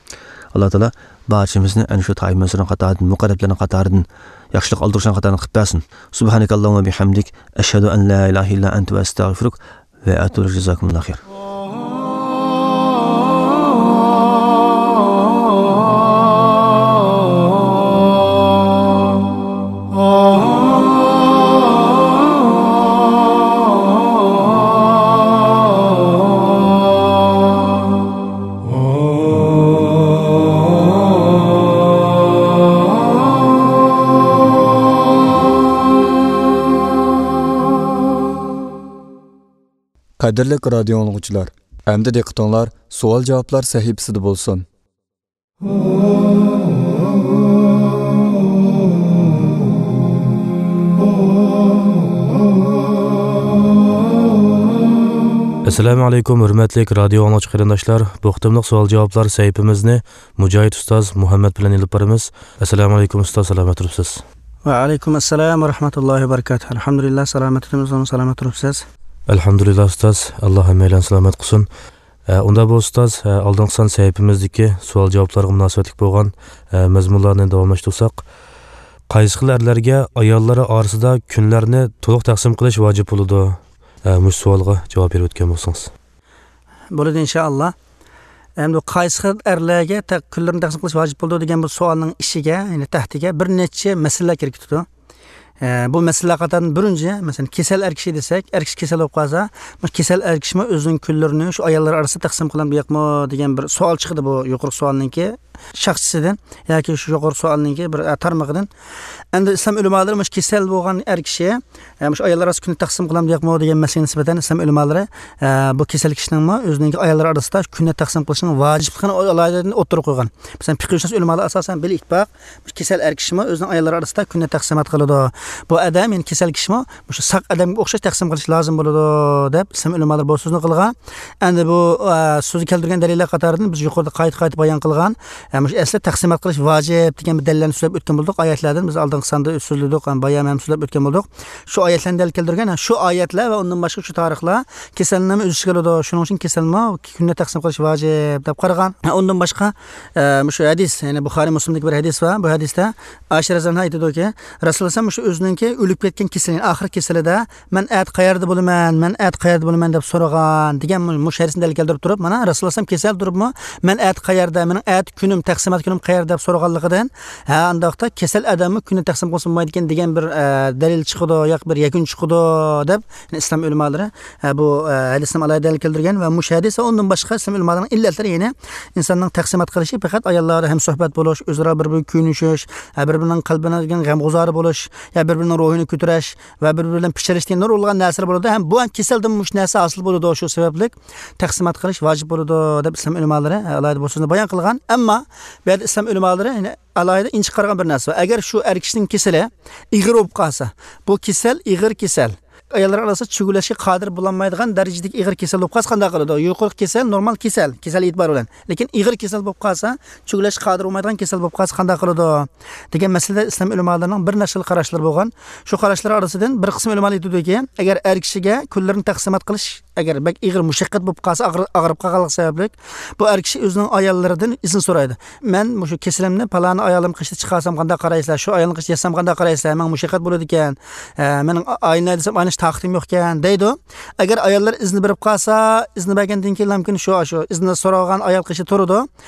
ئاللا تائالا بارچىمىزنى ئەنە شۇ تائىپە مەنسۇرىنىڭ قاتارىدىن، مۇقەررەبلەرنىڭ قاتارىدىن، ياخشىلىق ئالدۇرۇشلارنىڭ قاتارىدىن قىلىپ بەرسۇن. سۇبھانەكاللاھۇممە بىھەمدىك، ئەشھەدۇ ئەن لا ئىلاھە ئىللا ئەنتە ۋە ئەستەغفىرۇك ۋە ئەتۇبۇ ئىلەيك. جازاكۇمۇللاھۇ خەير. قەدىرلىك رادىيو ئاڭلىغۇچىلار، ئەمدى دىققىتىڭلار سوئال-جاۋابلار سەھىپىسىدە بولسۇن. ئەسسالامۇ ئەلەيكۇم، ھۆرمەتلىك رادىيو ئاڭلىغۇچى قېرىنداشلار. بۇ قېتىملىق سوئال-جاۋابلار سەھىپىمىزنى مۇجاھىد ئۇستاز مۇھەممەد بىلەن ئېلىپ بارىمىز. ئەسسالامۇ ئەلەيكۇم ئۇستاز، سالامەت تۇرۇپسىز؟ ۋە ئەلەيكۇم ئەسسالام ۋە رەھمەتۇللاھى ۋە بەرىكاتۇھ. ئەلھەمدۇلىللا، سالامەت تۇرۇپسىز، سالامەت تۇرۇپسىز. ئەلھەمدۇلىللا ئۇستاز، ئاللا ھەممەيلەننى سالامەت قىلسۇن. ئە، ئۇنداق بولسا ئۇستاز، ئە، ئالدىنقى سان سەھىپىمىزدىكى سوئال-جاۋابلارغا مۇناسىۋەتلىك بولغان، ئە، مەزمۇنلارنى داۋاملاشتۇرساق، قايسى خىل ئەرلەرگە ئاياللىرى ئارىسىدا كۈنلەرنى تولۇق تەقسىم قىلىش ۋاجىپ بولىدۇ؟ ئە، مۇشۇ سوئالغا جاۋاب بېرىپ ئۆتكەن بولسىڭىز. بولىدۇ، ئىنشائاللا. ئەمدى قايسى خىل ئەرلەرگە تە-، كۈنلىرىنى تەقسىم قىلىش ۋاجىپ بولىدۇ دېگەن بۇ سوئالنىڭ ئىچىگە، يەنى تەھتىگە بىر نەچچە مەسىلىلەر كىرىپ كېتىدۇ. ئە، بۇ مەسىلىلەر قاتارىدىن بىرىنچى، مەسىلەن، كېسەل ئەر كىشى دېسەك، ئەر كىشى كېسەل بولۇپ قالسا، مۇشۇ كېسەل ئەر كىشىمۇ ئۆزىنىڭ كۈنلىرىنى شۇ ئاياللار ئارىسىدا تەقسىم قىلامدۇ ياقمۇ دېگەن بىر سوئال چىقىدۇ بۇ يۇقىرىقى سوئالنىڭكى شاخسىسىدىن ياكى شۇ يۇقىرى سوئالنىڭكى بىر، ئە، تارمىقىدىن. ئەمدى ئىسلام ئۆلىمالىرى مۇشۇ كېسەل بولغان ئەر كىشى، ئە، مۇشۇ ئاياللار ئارىسىدا كۈننى تەقسىم قىلامدۇ ياقمۇ دېگەن مەسىلىگە نىسبەتەن ئىسلام ئۆلىمالىرى، ئە، بۇ كېسەل كىشىنىڭمۇ ئۆزىنىڭكى ئاياللار ئارىسىدا كۈننى تەقسىم قىلىشنىڭ ۋاجىپلىقىنى ئالاھىدە ئوتتۇرىغا قويغان. مەسىلەن، پىقىھشۇناس ئۆلىمالار ئاساسەن بىل ئىتتىپاق، مۇشۇ كېسەل ئەر كىشىمۇ ئۆزىنىڭ ئاياللىرى ئارىسىدا كۈننى تەقسىمات قىلىدۇ. بۇ ئادەم، يەنى كېسەل كىشىمۇ مۇشۇ ساق ئادەمگە ئوخشاش تەقسىم قىلىش لازىم بولىدۇ، دەپ ئىسلام ئۆلىمالىرى بۇ سۆزنى قىلغان. ئەمدى بۇ، ئە، سۆزى كەلتۈرگەن دەلىللەر قاتارىدىن بىز يۇقىرىدا قايتا-قايتا بايان قىلغان، ئە، مۇشۇ ئەسلى تەقسىمات قىلىش ۋاجىپ دېگەن بىر دەلىللەرنى سۆزلەپ ئۆتكەن بولدۇق. ئايەتلەردىن بىز ئالدىنقى ساندا سۆزلىدۇق، ھەم بايان ھەم سۆزلەپ ئۆتكەن بولدۇق. شۇ ئايەتلەرنى دەلىل كەلتۈرگەن، ھە، شۇ ئايەتلەر ۋە ئۇندىن باشقا شۇ تارىخلار كېسەلنىمۇ ئۆز ئىچىگە ئالىدۇ. شۇنىڭ ئۈچۈن كېسەلمۇ كۈننى تەقسىم قىلىش ۋاجىپ دەپ قارىغان. ھە، ئۇندىن باشقا، ئە، مۇشۇ ھەدىس، يەنى بۇخارىي مۇسلىمدىكى بىر ھەدىس بار. بۇ ھەدىستە ئائىشە رەزىياللاھۇ ئەنھا ئېيتىدۇكى، رەسۇلۇللا ئەلەيھىسسالام مۇشۇ ئۆزىنىڭكى ئۆلۈپ كەتكەن كېسىلى، يەنى ئاخىرقى كېسىلىدە، «مەن ئەتە قەيەردە بولىمەن، مەن ئەتە قەيەردە بولىمەن؟» دەپ سورىغان دېگەن مۇ-، مۇشۇ ھەدىسنى دەلىل كەلتۈرۈپ تۇرۇپ، مانا رەسۇلۇللا ئەلەيھىسسالام كېسەل تۇرۇپمۇ، «مەن ئەتە قەيەردە، مېنىڭ ئەتە كۈنۈم، تەقسىمات كۈنۈم قەيەردە؟» دەپ سورىغانلىقىدىن، ھە، ئانداقتا كېسەل ئادەممۇ كۈننى تەقسىم قىلسا بولمايدىكەن دېگەن بىر، ئە، دەلىل چىقىدۇ، ياكى بىر يەكۈن چىقىدۇ دەپ، يەنى ئىسلام ئۆلىمالىرى، ئە، بۇ، ئە، ھەدىسنى ئالاھىدە دەلىل كەلتۈرگەن ۋە مۇشۇ ھەدىس ۋە ئۇندىن باشقا ئىسلام ئۆلىمالىرىنىڭ ئىللەتلىرى، يەنى ئىنساننىڭ تەقسىمات قىلىشى پەقەت ئاياللاردا ھەمسۆھبەت بولۇش، ئۆزئارا بىر-بىرىگە كۆيۈنۈشۈش، ھە، بىر-بىرىنىڭ قەلبىنىڭ غەمگۇزارى بولۇش، يا بىر-بىرىنىڭ روھىنى كۆتۈرۈش ۋە بىر-بىرى بىلەن پىچىرلىشىش دېگەن نۇرغۇنلىغان نەرسىلەر بولىدۇ. ھەم بۇ ھەم كېسەلدىن مۇشۇ نەرسە ھاسىل بولىدۇ. شۇ سەۋەبلىك تەقسىمات قىلىش ۋاجىپ بولىدۇ دەپ ئىسلام ئۆلىمالىرى، ئە، ئالاھىدە بۇ سۆزنى بايان قىلغان. ئەمما بۇ يەردە ئىسلام ئۆلىمالىرى، يەنى، ئالاھىدە ئىنچىكە قارىغان بىر نەرسە بار. ئەگەر شۇ ئەر كىشىنىڭ كېسىلى ئېغىر بولۇپ قالسا، بۇ كېسەل ئېغىر كېسەل، ئاياللار ئارىسىدا چۆگىلەشكە قادىر بولالمايدىغان دەرىجىدىكى ئېغىر كېسەل بولۇپ قالسا قانداق قىلىدۇ؟ يۇقىرىقى كېسەل نورمال كېسەل، كېسەل ئېتىبارى بىلەن. لېكىن ئېغىر كېسەل بولۇپ قالسا، چۆگىلەشكە قادىر بولمايدىغان كېسەل بولۇپ قالسا قانداق قىلىدۇ؟ دېگەن مەسىلىدە ئىسلام ئۆلىمالىرىنىڭ بىر نەچچە خىل قاراشلىرى بولغان. شۇ قاراشلار ئارىسىدىن بىر قىسىم ئۆلىمالار ئېيتىدۇكى، ئەگەر ئەر كىشىگە كۈنلىرىنى تەقسىمات قىلىش ئەگەر بەك ئېغىر مۇشەققەت بولۇپ قالسا، ئاغرى-، ئاغرىپ قالغانلىق سەۋەبلىك، بۇ ئەر كىشى ئۆزىنىڭ ئاياللىرىدىن ئىزىن سورايدۇ. «مەن مۇشۇ كېسىلىمنى پالانى ئايالىم قېشىدا چىقارسام قانداق قارايسىلەر؟ شۇ ئايالنىڭ قېشىدا ياتسام قانداق قارايسىلەر؟ ماڭا مۇشەققەت بولىدىكەن. ئە، مېنىڭ ئا-، ئاينى دېسەم ئايناش تاقىتىم يوقكەن» دەيدۇ. ئەگەر ئاياللار ئىزنى بېرىپ قالسا، ئىزنى بەرگەندىن كېيىن مۇمكىن شۇ، شۇ ئىزنى سورىغان ئايال قېشىدا تۇرىدۇ.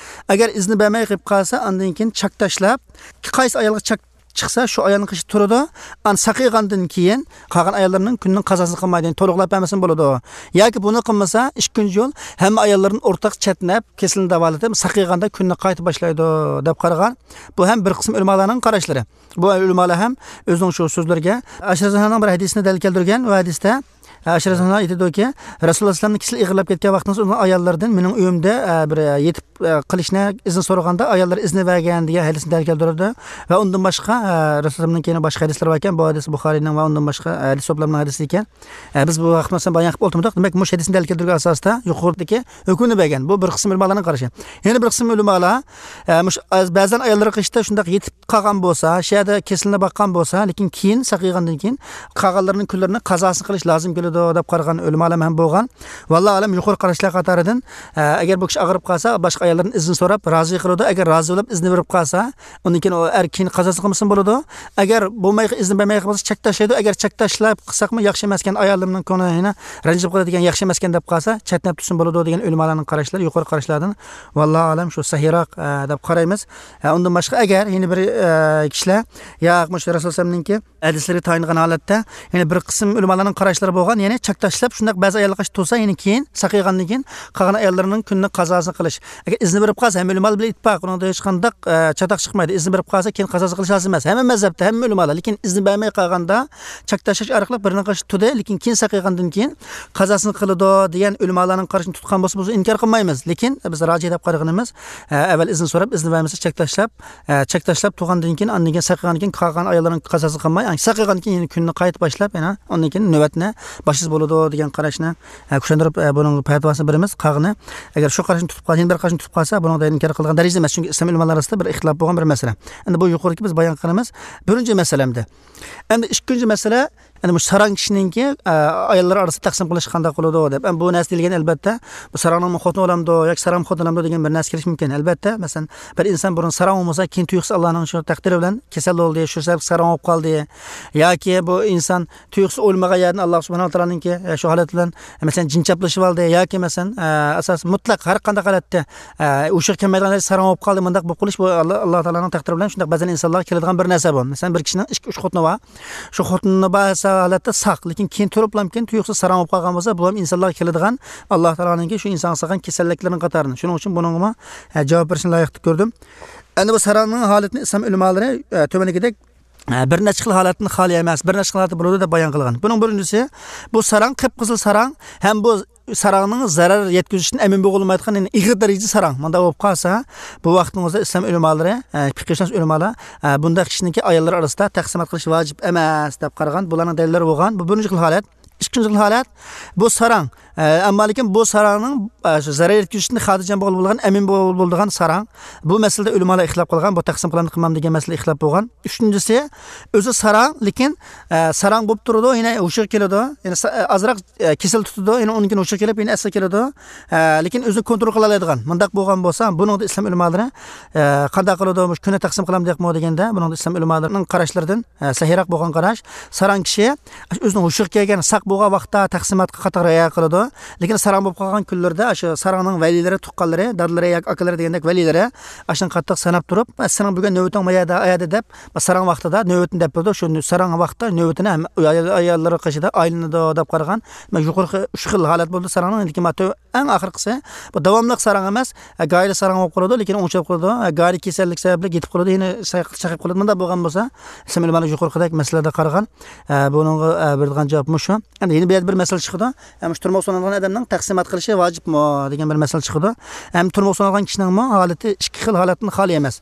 ئەگەر ئىزنى بەرمەي قېلىپ قالسا، ئاندىن كېيىن چاك تاشلاپ، قايسى ئايالغا چاك چىقسا، شۇ ئايالنىڭ قېشىدا تۇرىدۇ. ئان ساقىيغاندىن كېيىن قالغان ئاياللىرىنىڭ كۈنىنىڭ قازاسىنى قىلمايدۇ، يەنى تولۇقلاپ بەرمىسىمۇ بولىدۇ. ياكى بۇنى قىلمىسا، ئىككىنچى يول ھەممە ئاياللىرىنى ئورتاق چەتنەپ، كېسىلىنى داۋالىتىپ، ساقىيغاندا كۈنىنى قايتا باشلايدۇ، دەپ قارىغان. بۇ ھەم بىر قىسىم ئۆلىمالارنىڭ قاراشلىرى. بۇ ئۆلىمالار ھەم ئۆزىنىڭ شۇ سۆزلىرىگە ئائىشە رەزىياللاھۇ ئەنھانىڭ بىر ھەدىسىنى دەلىل كەلتۈرگەن. ئۇ ھەدىستە ئائىشە رەزىياللاھۇ ئەنھا ئېيتىدۇكى، رەسۇلۇللا ئەلەيھىسسالامنىڭ كېسىلى ئېغىرلاپ كەتكەن ۋاقتىڭىزدا ئۇنىڭ ئاياللىرىدىن مېنىڭ ئۆيۈمدە، ئە، بىر، ئە، يېتىپ، ئە، قېلىشنى ئىزىن سورىغاندا، ئاياللىرى ئىزنى بەرگەن دېگەن ھەدىسنى دەلىل كەلتۈرىدۇ. ۋە ئۇندىن باشقا، ئە، رەسۇلۇللامنىڭ كېيىن باشقا ھەدىسلىرى باركەن، بۇ ھەدىس بۇخارىينىڭ ۋە ئۇندىن باشقا ھەدىس توپلامنىڭ ھەدىسى ئىكەن. ئە، بىز بۇ ھەقتە مەسىلەن بايان قىلىپ ئولتۇرمىدۇق. دېمەك، مۇشۇ ھەدىسنى دەلىل كەلتۈرگەن ئاساستا يۇقىرىدىكى ھۆكۈمنى بەرگەن. بۇ بىر قىسىم ئۆلىمالارنىڭ قارىشى. يەنە بىر قىسىم ئۆلىمالار، ئە، مۇشۇ، ئە، بەزەن ئاياللىرى قېشىدا شۇنداق يېتىپ قالغان بولسا، شۇ يەردە كېسىلىنى باققان بولسا، لېكىن كېيىن ساقىيغاندىن كېيىن قالغانلىرىنىڭ كۈنلىرىنى قازاسىنى قىلىش لازىم كېلىدۇ، دەپ قارىغان ئۆلىمالار ھەم بولغان. ۋاللاھۇ ئەلەم، يۇقىرى قاراشلار قاتارىدىن، ئە، ئەگەر بۇ كىشى ئاغرىپ قالسا، باشقا ئاياللاردىن ئىزىن سوراپ، رازى قىلىدۇ. ئەگەر رازى بولۇپ ئىزىنى بېرىپ قالسا، ئۇندىن كېيىن ئۇ ئەر كېيىن قازاسىنى قىلمىسىمۇ بولىدۇ. ئەگەر بولماي، ئىزىنى بەرمەي قالسا، چەك تاشلايدۇ. ئەگەر چەك تاشلاپ قىلساقمۇ ياخشى ئەمەسكەن، ئايالىمنىڭ كۆڭلى يەنە رەنجىپ قالىدىكەن، ياخشى ئەمەسكەن دەپ قالسا، چەتنەپ تۇرسىمۇ بولىدۇ، دېگەن ئۆلىمالارنىڭ قاراشلىرى يۇقىرى قاراشلاردىن. ۋاللاھۇ ئەلەم، شۇ سەھىيراق، ئە، دەپ قارايمىز. ئە، ئۇندىن باشقا، ئەگەر يەنە بىر، ئە، كىشىلەر، ياق، مۇشۇ رەسۇلۇللامنىڭكى ھەدىسلىرى تايىنغان ھالەتتە، يەنە بىر قىسىم ئۆلىمالارنىڭ قاراشلىرى بولغان، يەنى چەك تاشلاپ، شۇنداق بەزى ئاياللارغا قارشى تۇرسا، يەنە كېيىن ساقىيغاندىن كېيىن قالغان ئاياللىرىنىڭ كۈنىنى قازاسىنى قىلىش. ئەگەر ئىزنى بېرىپ قالسا، ھەممە ئۆلىمالار بىلەن ئىتتىپاق، ئۇنىڭدا ھېچقانداق، ئە، چاتاق چىقمايدۇ. ئىزنى بېرىپ قالسا، كېيىن قازاسىنى قىلىش لازىم ئەمەس. ھەممە مەزھەپتە، ھەممە ئۆلىمالار. لېكىن ئىزنى بەرمەي قالغاندا چەك تاشلاش ئارقىلىق بىرىنىڭ قېشىدا تۇردى، لېكىن كېيىن ساقىيغاندىن كېيىن قازاسىنى قىلىدۇ، دېگەن ئۆلىمالارنىڭ قارىشىنى تۇتقان بولسا، بۇ ئىنكار قىلمايمىز. لېكىن بىز راجىھ دەپ قارىغىنىمىز، ئە، ئەۋۋەل ئىزىن سوراپ، ئىزىن بەرمىسە، چەك تاشلاپ، ئە، چەك تاشلاپ تۇرغاندىن كېيىن، ئاندىن كېيىن ساقىغاندىن كېيىن، قالغان ئاياللارنىڭ قازاسىنى قىلماي، ساقىغاندىن كېيىن يەنە كۈننى قايتا باشلاپ، يەنە ئاندىن كېيىن نۆۋەتنى باشلىسا بولىدۇ، دېگەن قاراشنى، ئە، كۈچەندۈرۈپ، ئە، بۇنىڭ پەتىۋاسىنى بېرىمىز. قالغىنى، ئەگەر شۇ قاراشنى تۇتۇپ قال-، يەنە بىر قاراشنى تۇتۇپ قالسا، بۇنىڭدا ئىنكار قىلىدىغان دەرىجىدە ئەمەس. چۈنكى ئىسلام ئۆلىمالار ئارىسىدا بىر ئىختىلاپ بولغان بىر مەسىلە. ئەمدى بۇ يۇقىرىدىكى بىز بايان قىلغىنىمىز بىرىنچى مەسىلە ئەمدى. ئەمدى ئىككىنچى مەسىلە، ئەنە مۇشۇ ساراڭ كىشىنىڭكى، ئە، ئاياللار ئارىسىدا تەقسىم قىلىش قانداق بولىدۇ دەپ. ئەمما بۇ نەرسە دېيىلگەن، ئەلبەتتە، بۇ ساراڭنىڭمۇ خوتۇنى بولامدۇ ياكى ساراڭمۇ خوتۇن بولامدۇ دېگەن بىر نەرسە كېلىشى مۇمكىن. ئەلبەتتە، مەسىلەن، بىر ئىنسان بۇرۇن ساراڭ بولمىسا، كېيىن تۇيۇقسىز ئاللانىڭ شۇ تەقدىرى بىلەن كېسەل بولدى، شۇ سەۋەبلىك ساراڭ بولۇپ قالدى. ياكى بۇ ئىنسان تۇيۇقسىز ئويلىمىغان يەردىن ئاللا سۇبھانەھۇ ۋە تائالانىڭكى، ئە، شۇ ھالەت بىلەن، مەسىلەن، جىن چاپلىشىپ ئالدى ياكى، مەسىلەن، ئە، ئاساسەن مۇتلەق ھەر قانداق ھالەتتە، ئە، ھوشىغا كەلمەيدىغان ھالەتتە ساراڭ بولۇپ قالدى. مۇنداق بولۇپ قېلىش بۇ ئاللا، ئاللا تائالانىڭ تەقدىرى بىلەن شۇنداق بەزەن ئىنسانلارغا كېلىدىغان بىر نەرسە بۇ. مەسىلەن، بىر كىشىنىڭ ئىككى، ئۈچ خوتۇنى بار. شۇ خوتۇنى بار ھالەتتە ساق، لېكىن كېيىن تۇرۇپلام كېيىن تۇيۇقسىز ساراڭ بولۇپ قالغان بولسا، بۇ ھەم ئىنسانلارغا كېلىدىغان ئاللا تائالانىڭكى شۇ ئىنسانغا سالغان كېسەللىكلىرىنىڭ قاتارىدىن. شۇنىڭ ئۈچۈن بۇنىڭغىمۇ، ئە، جاۋاب بېرىشنى لايىق دەپ كۆردۈم. ئەنە بۇ ساراڭنىڭ ھالىتىنى ئىسلام ئۆلىمالىرى، ئە، تۆۋەندىكىدەك، ئە، بىر نەچچە خىل ھالەتتىن خالىي ئەمەس، بىر نەچچە خىل ھالەتتە بولىدۇ دەپ بايان قىلغان. بۇنىڭ بىرىنچىسى، بۇ ساراڭ قىپقىزىل ساراڭ ھەم بۇ ساراڭنىڭ زەرەر يەتكۈزۈشىدىن ئەمىن بولغىلى بولمايدىغان، يەنى ئېغىر دەرىجىدە ساراڭ. مۇنداق بولۇپ قالسا، بۇ ۋاقىتنىڭ ئۆزىدە ئىسلام ئۆلىمالىرى، ئە، پىقىھشۇناس ئۆلىمالار، ئە، بۇنداق كىشىنىڭكى ئاياللار ئارىسىدا تەقسىمات قىلىش ۋاجىپ ئەمەس دەپ قارىغان. بۇلارنىڭ دەلىللىرى بولغان. بۇ بىرىنچى خىل ھالەت. ئىككىنچى خىل ھالەت، بۇ ساراڭ، ئە، ئەمما لېكىن بۇ ساراڭنىڭ، ئە، شۇ زەرەر يەتكۈزۈشتىن خاتىرجەم بولغىلى بولىدىغان، ئەمىن بول-، بولىدىغان ساراڭ. بۇ مەسىلىدە ئۆلىمالار ئىختىلاپ قىلغان، بۇ تەقسىم قىلامدۇ قىلمامدۇ دېگەن مەسىلىدە ئىختىلاپ بولغان. ئۈچىنچىسى، ئۆزى ساراڭ، لېكىن، ئە، ساراڭ بولۇپ تۇرىدۇ، يەنە ھوشىغا كېلىدۇ، يەنە سا-، ئە، ئازراق، ئە، كېسەل تۇتىدۇ، يەنە ئۇنىڭ كېيىن ھوشىغا كېلىپ، يەنە ئەسلىگە كېلىدۇ. ئە، لېكىن ئۆزىنى كونترول قىلالايدىغان. مۇنداق بولغان بولسا، بۇنىڭدا ئىسلام ئۆلىمالىرى، ئە، قانداق قىلىدۇ، مۇشۇ كۈنى تەقسىم قىلامدۇ ياقمۇ دېگەندە، بۇنىڭدا ئىسلام ئۆلىمالىرىنىڭ قاراشلىرىدىن، ئە، سەھىيراق بولغان قاراش، ساراڭ كىشى ئۆزىنىڭ ھوشىغا كەلگەن، ساق بولغان ۋاقىتتا تەقسىماتقا قاتتىق رىئايە قىلىدۇ. لېكىن ساراڭ بولۇپ قالغان كۈنلىرىدە شۇ ساراڭنىڭ ۋەلىلىرى، تۇغقانلىرى، دادىلىرى ياكى ئاكىلىرى دېگەندەك ۋەلىلىرى ئاشۇنى قاتتىق ساناپ تۇرۇپ، «سېنىڭ بۈگۈن نۆۋىتىڭ مايەدە، ئايەدە» دەپ، ساراڭ ۋاقتىدا نۆۋىتىنى دەپ بېرىدۇ. شۇ ساراڭ ۋاقتىدا نۆۋىتىنى ھەم ئايال-، ئاياللىرى قېشىدا ئايلىنىدۇ دەپ قارىغان. يۇقىرىقى ئۈچ خىل ھالەت بولدى ساراڭنىڭ. لېكىن ئەڭ ئاخىرقىسى، بۇ داۋاملىق ساراڭ ئەمەس، ئە، گاھىدا ساراڭ بولۇپ قالىدۇ، لېكىن ئوڭشاپ قالىدۇ. ئە، گاھىدا كېسەللىك سەۋەبلىك يېتىپ قالىدۇ، يەنە ساياق-، ساقىيىپ قالىدۇ. مۇنداق بولغان بولسا، ئىسلام ئۆلىمالىرى يۇقىرىقىدەك مەسىلىلەردە قارىغان، ئە، بۇنىڭغا، ئە، بېرىدىغان جاۋاب مۇشۇ. ئەمدى يەنە بۇ يەردە بىر مەسىلە چىقىدۇ. ئە، مۇشۇ تۇرمۇققا سولىنىدىغان ئادەمنىڭ تەقسىمات قىلىشى ۋاجىپمۇ دېگەن بىر مەسىلە چىقىدۇ. ھەم تۇرمۇققا سولىنىدىغان كىشىنىڭمۇ ھالىتى ئىككى خىل ھالەتتىن خالىي ئەمەس.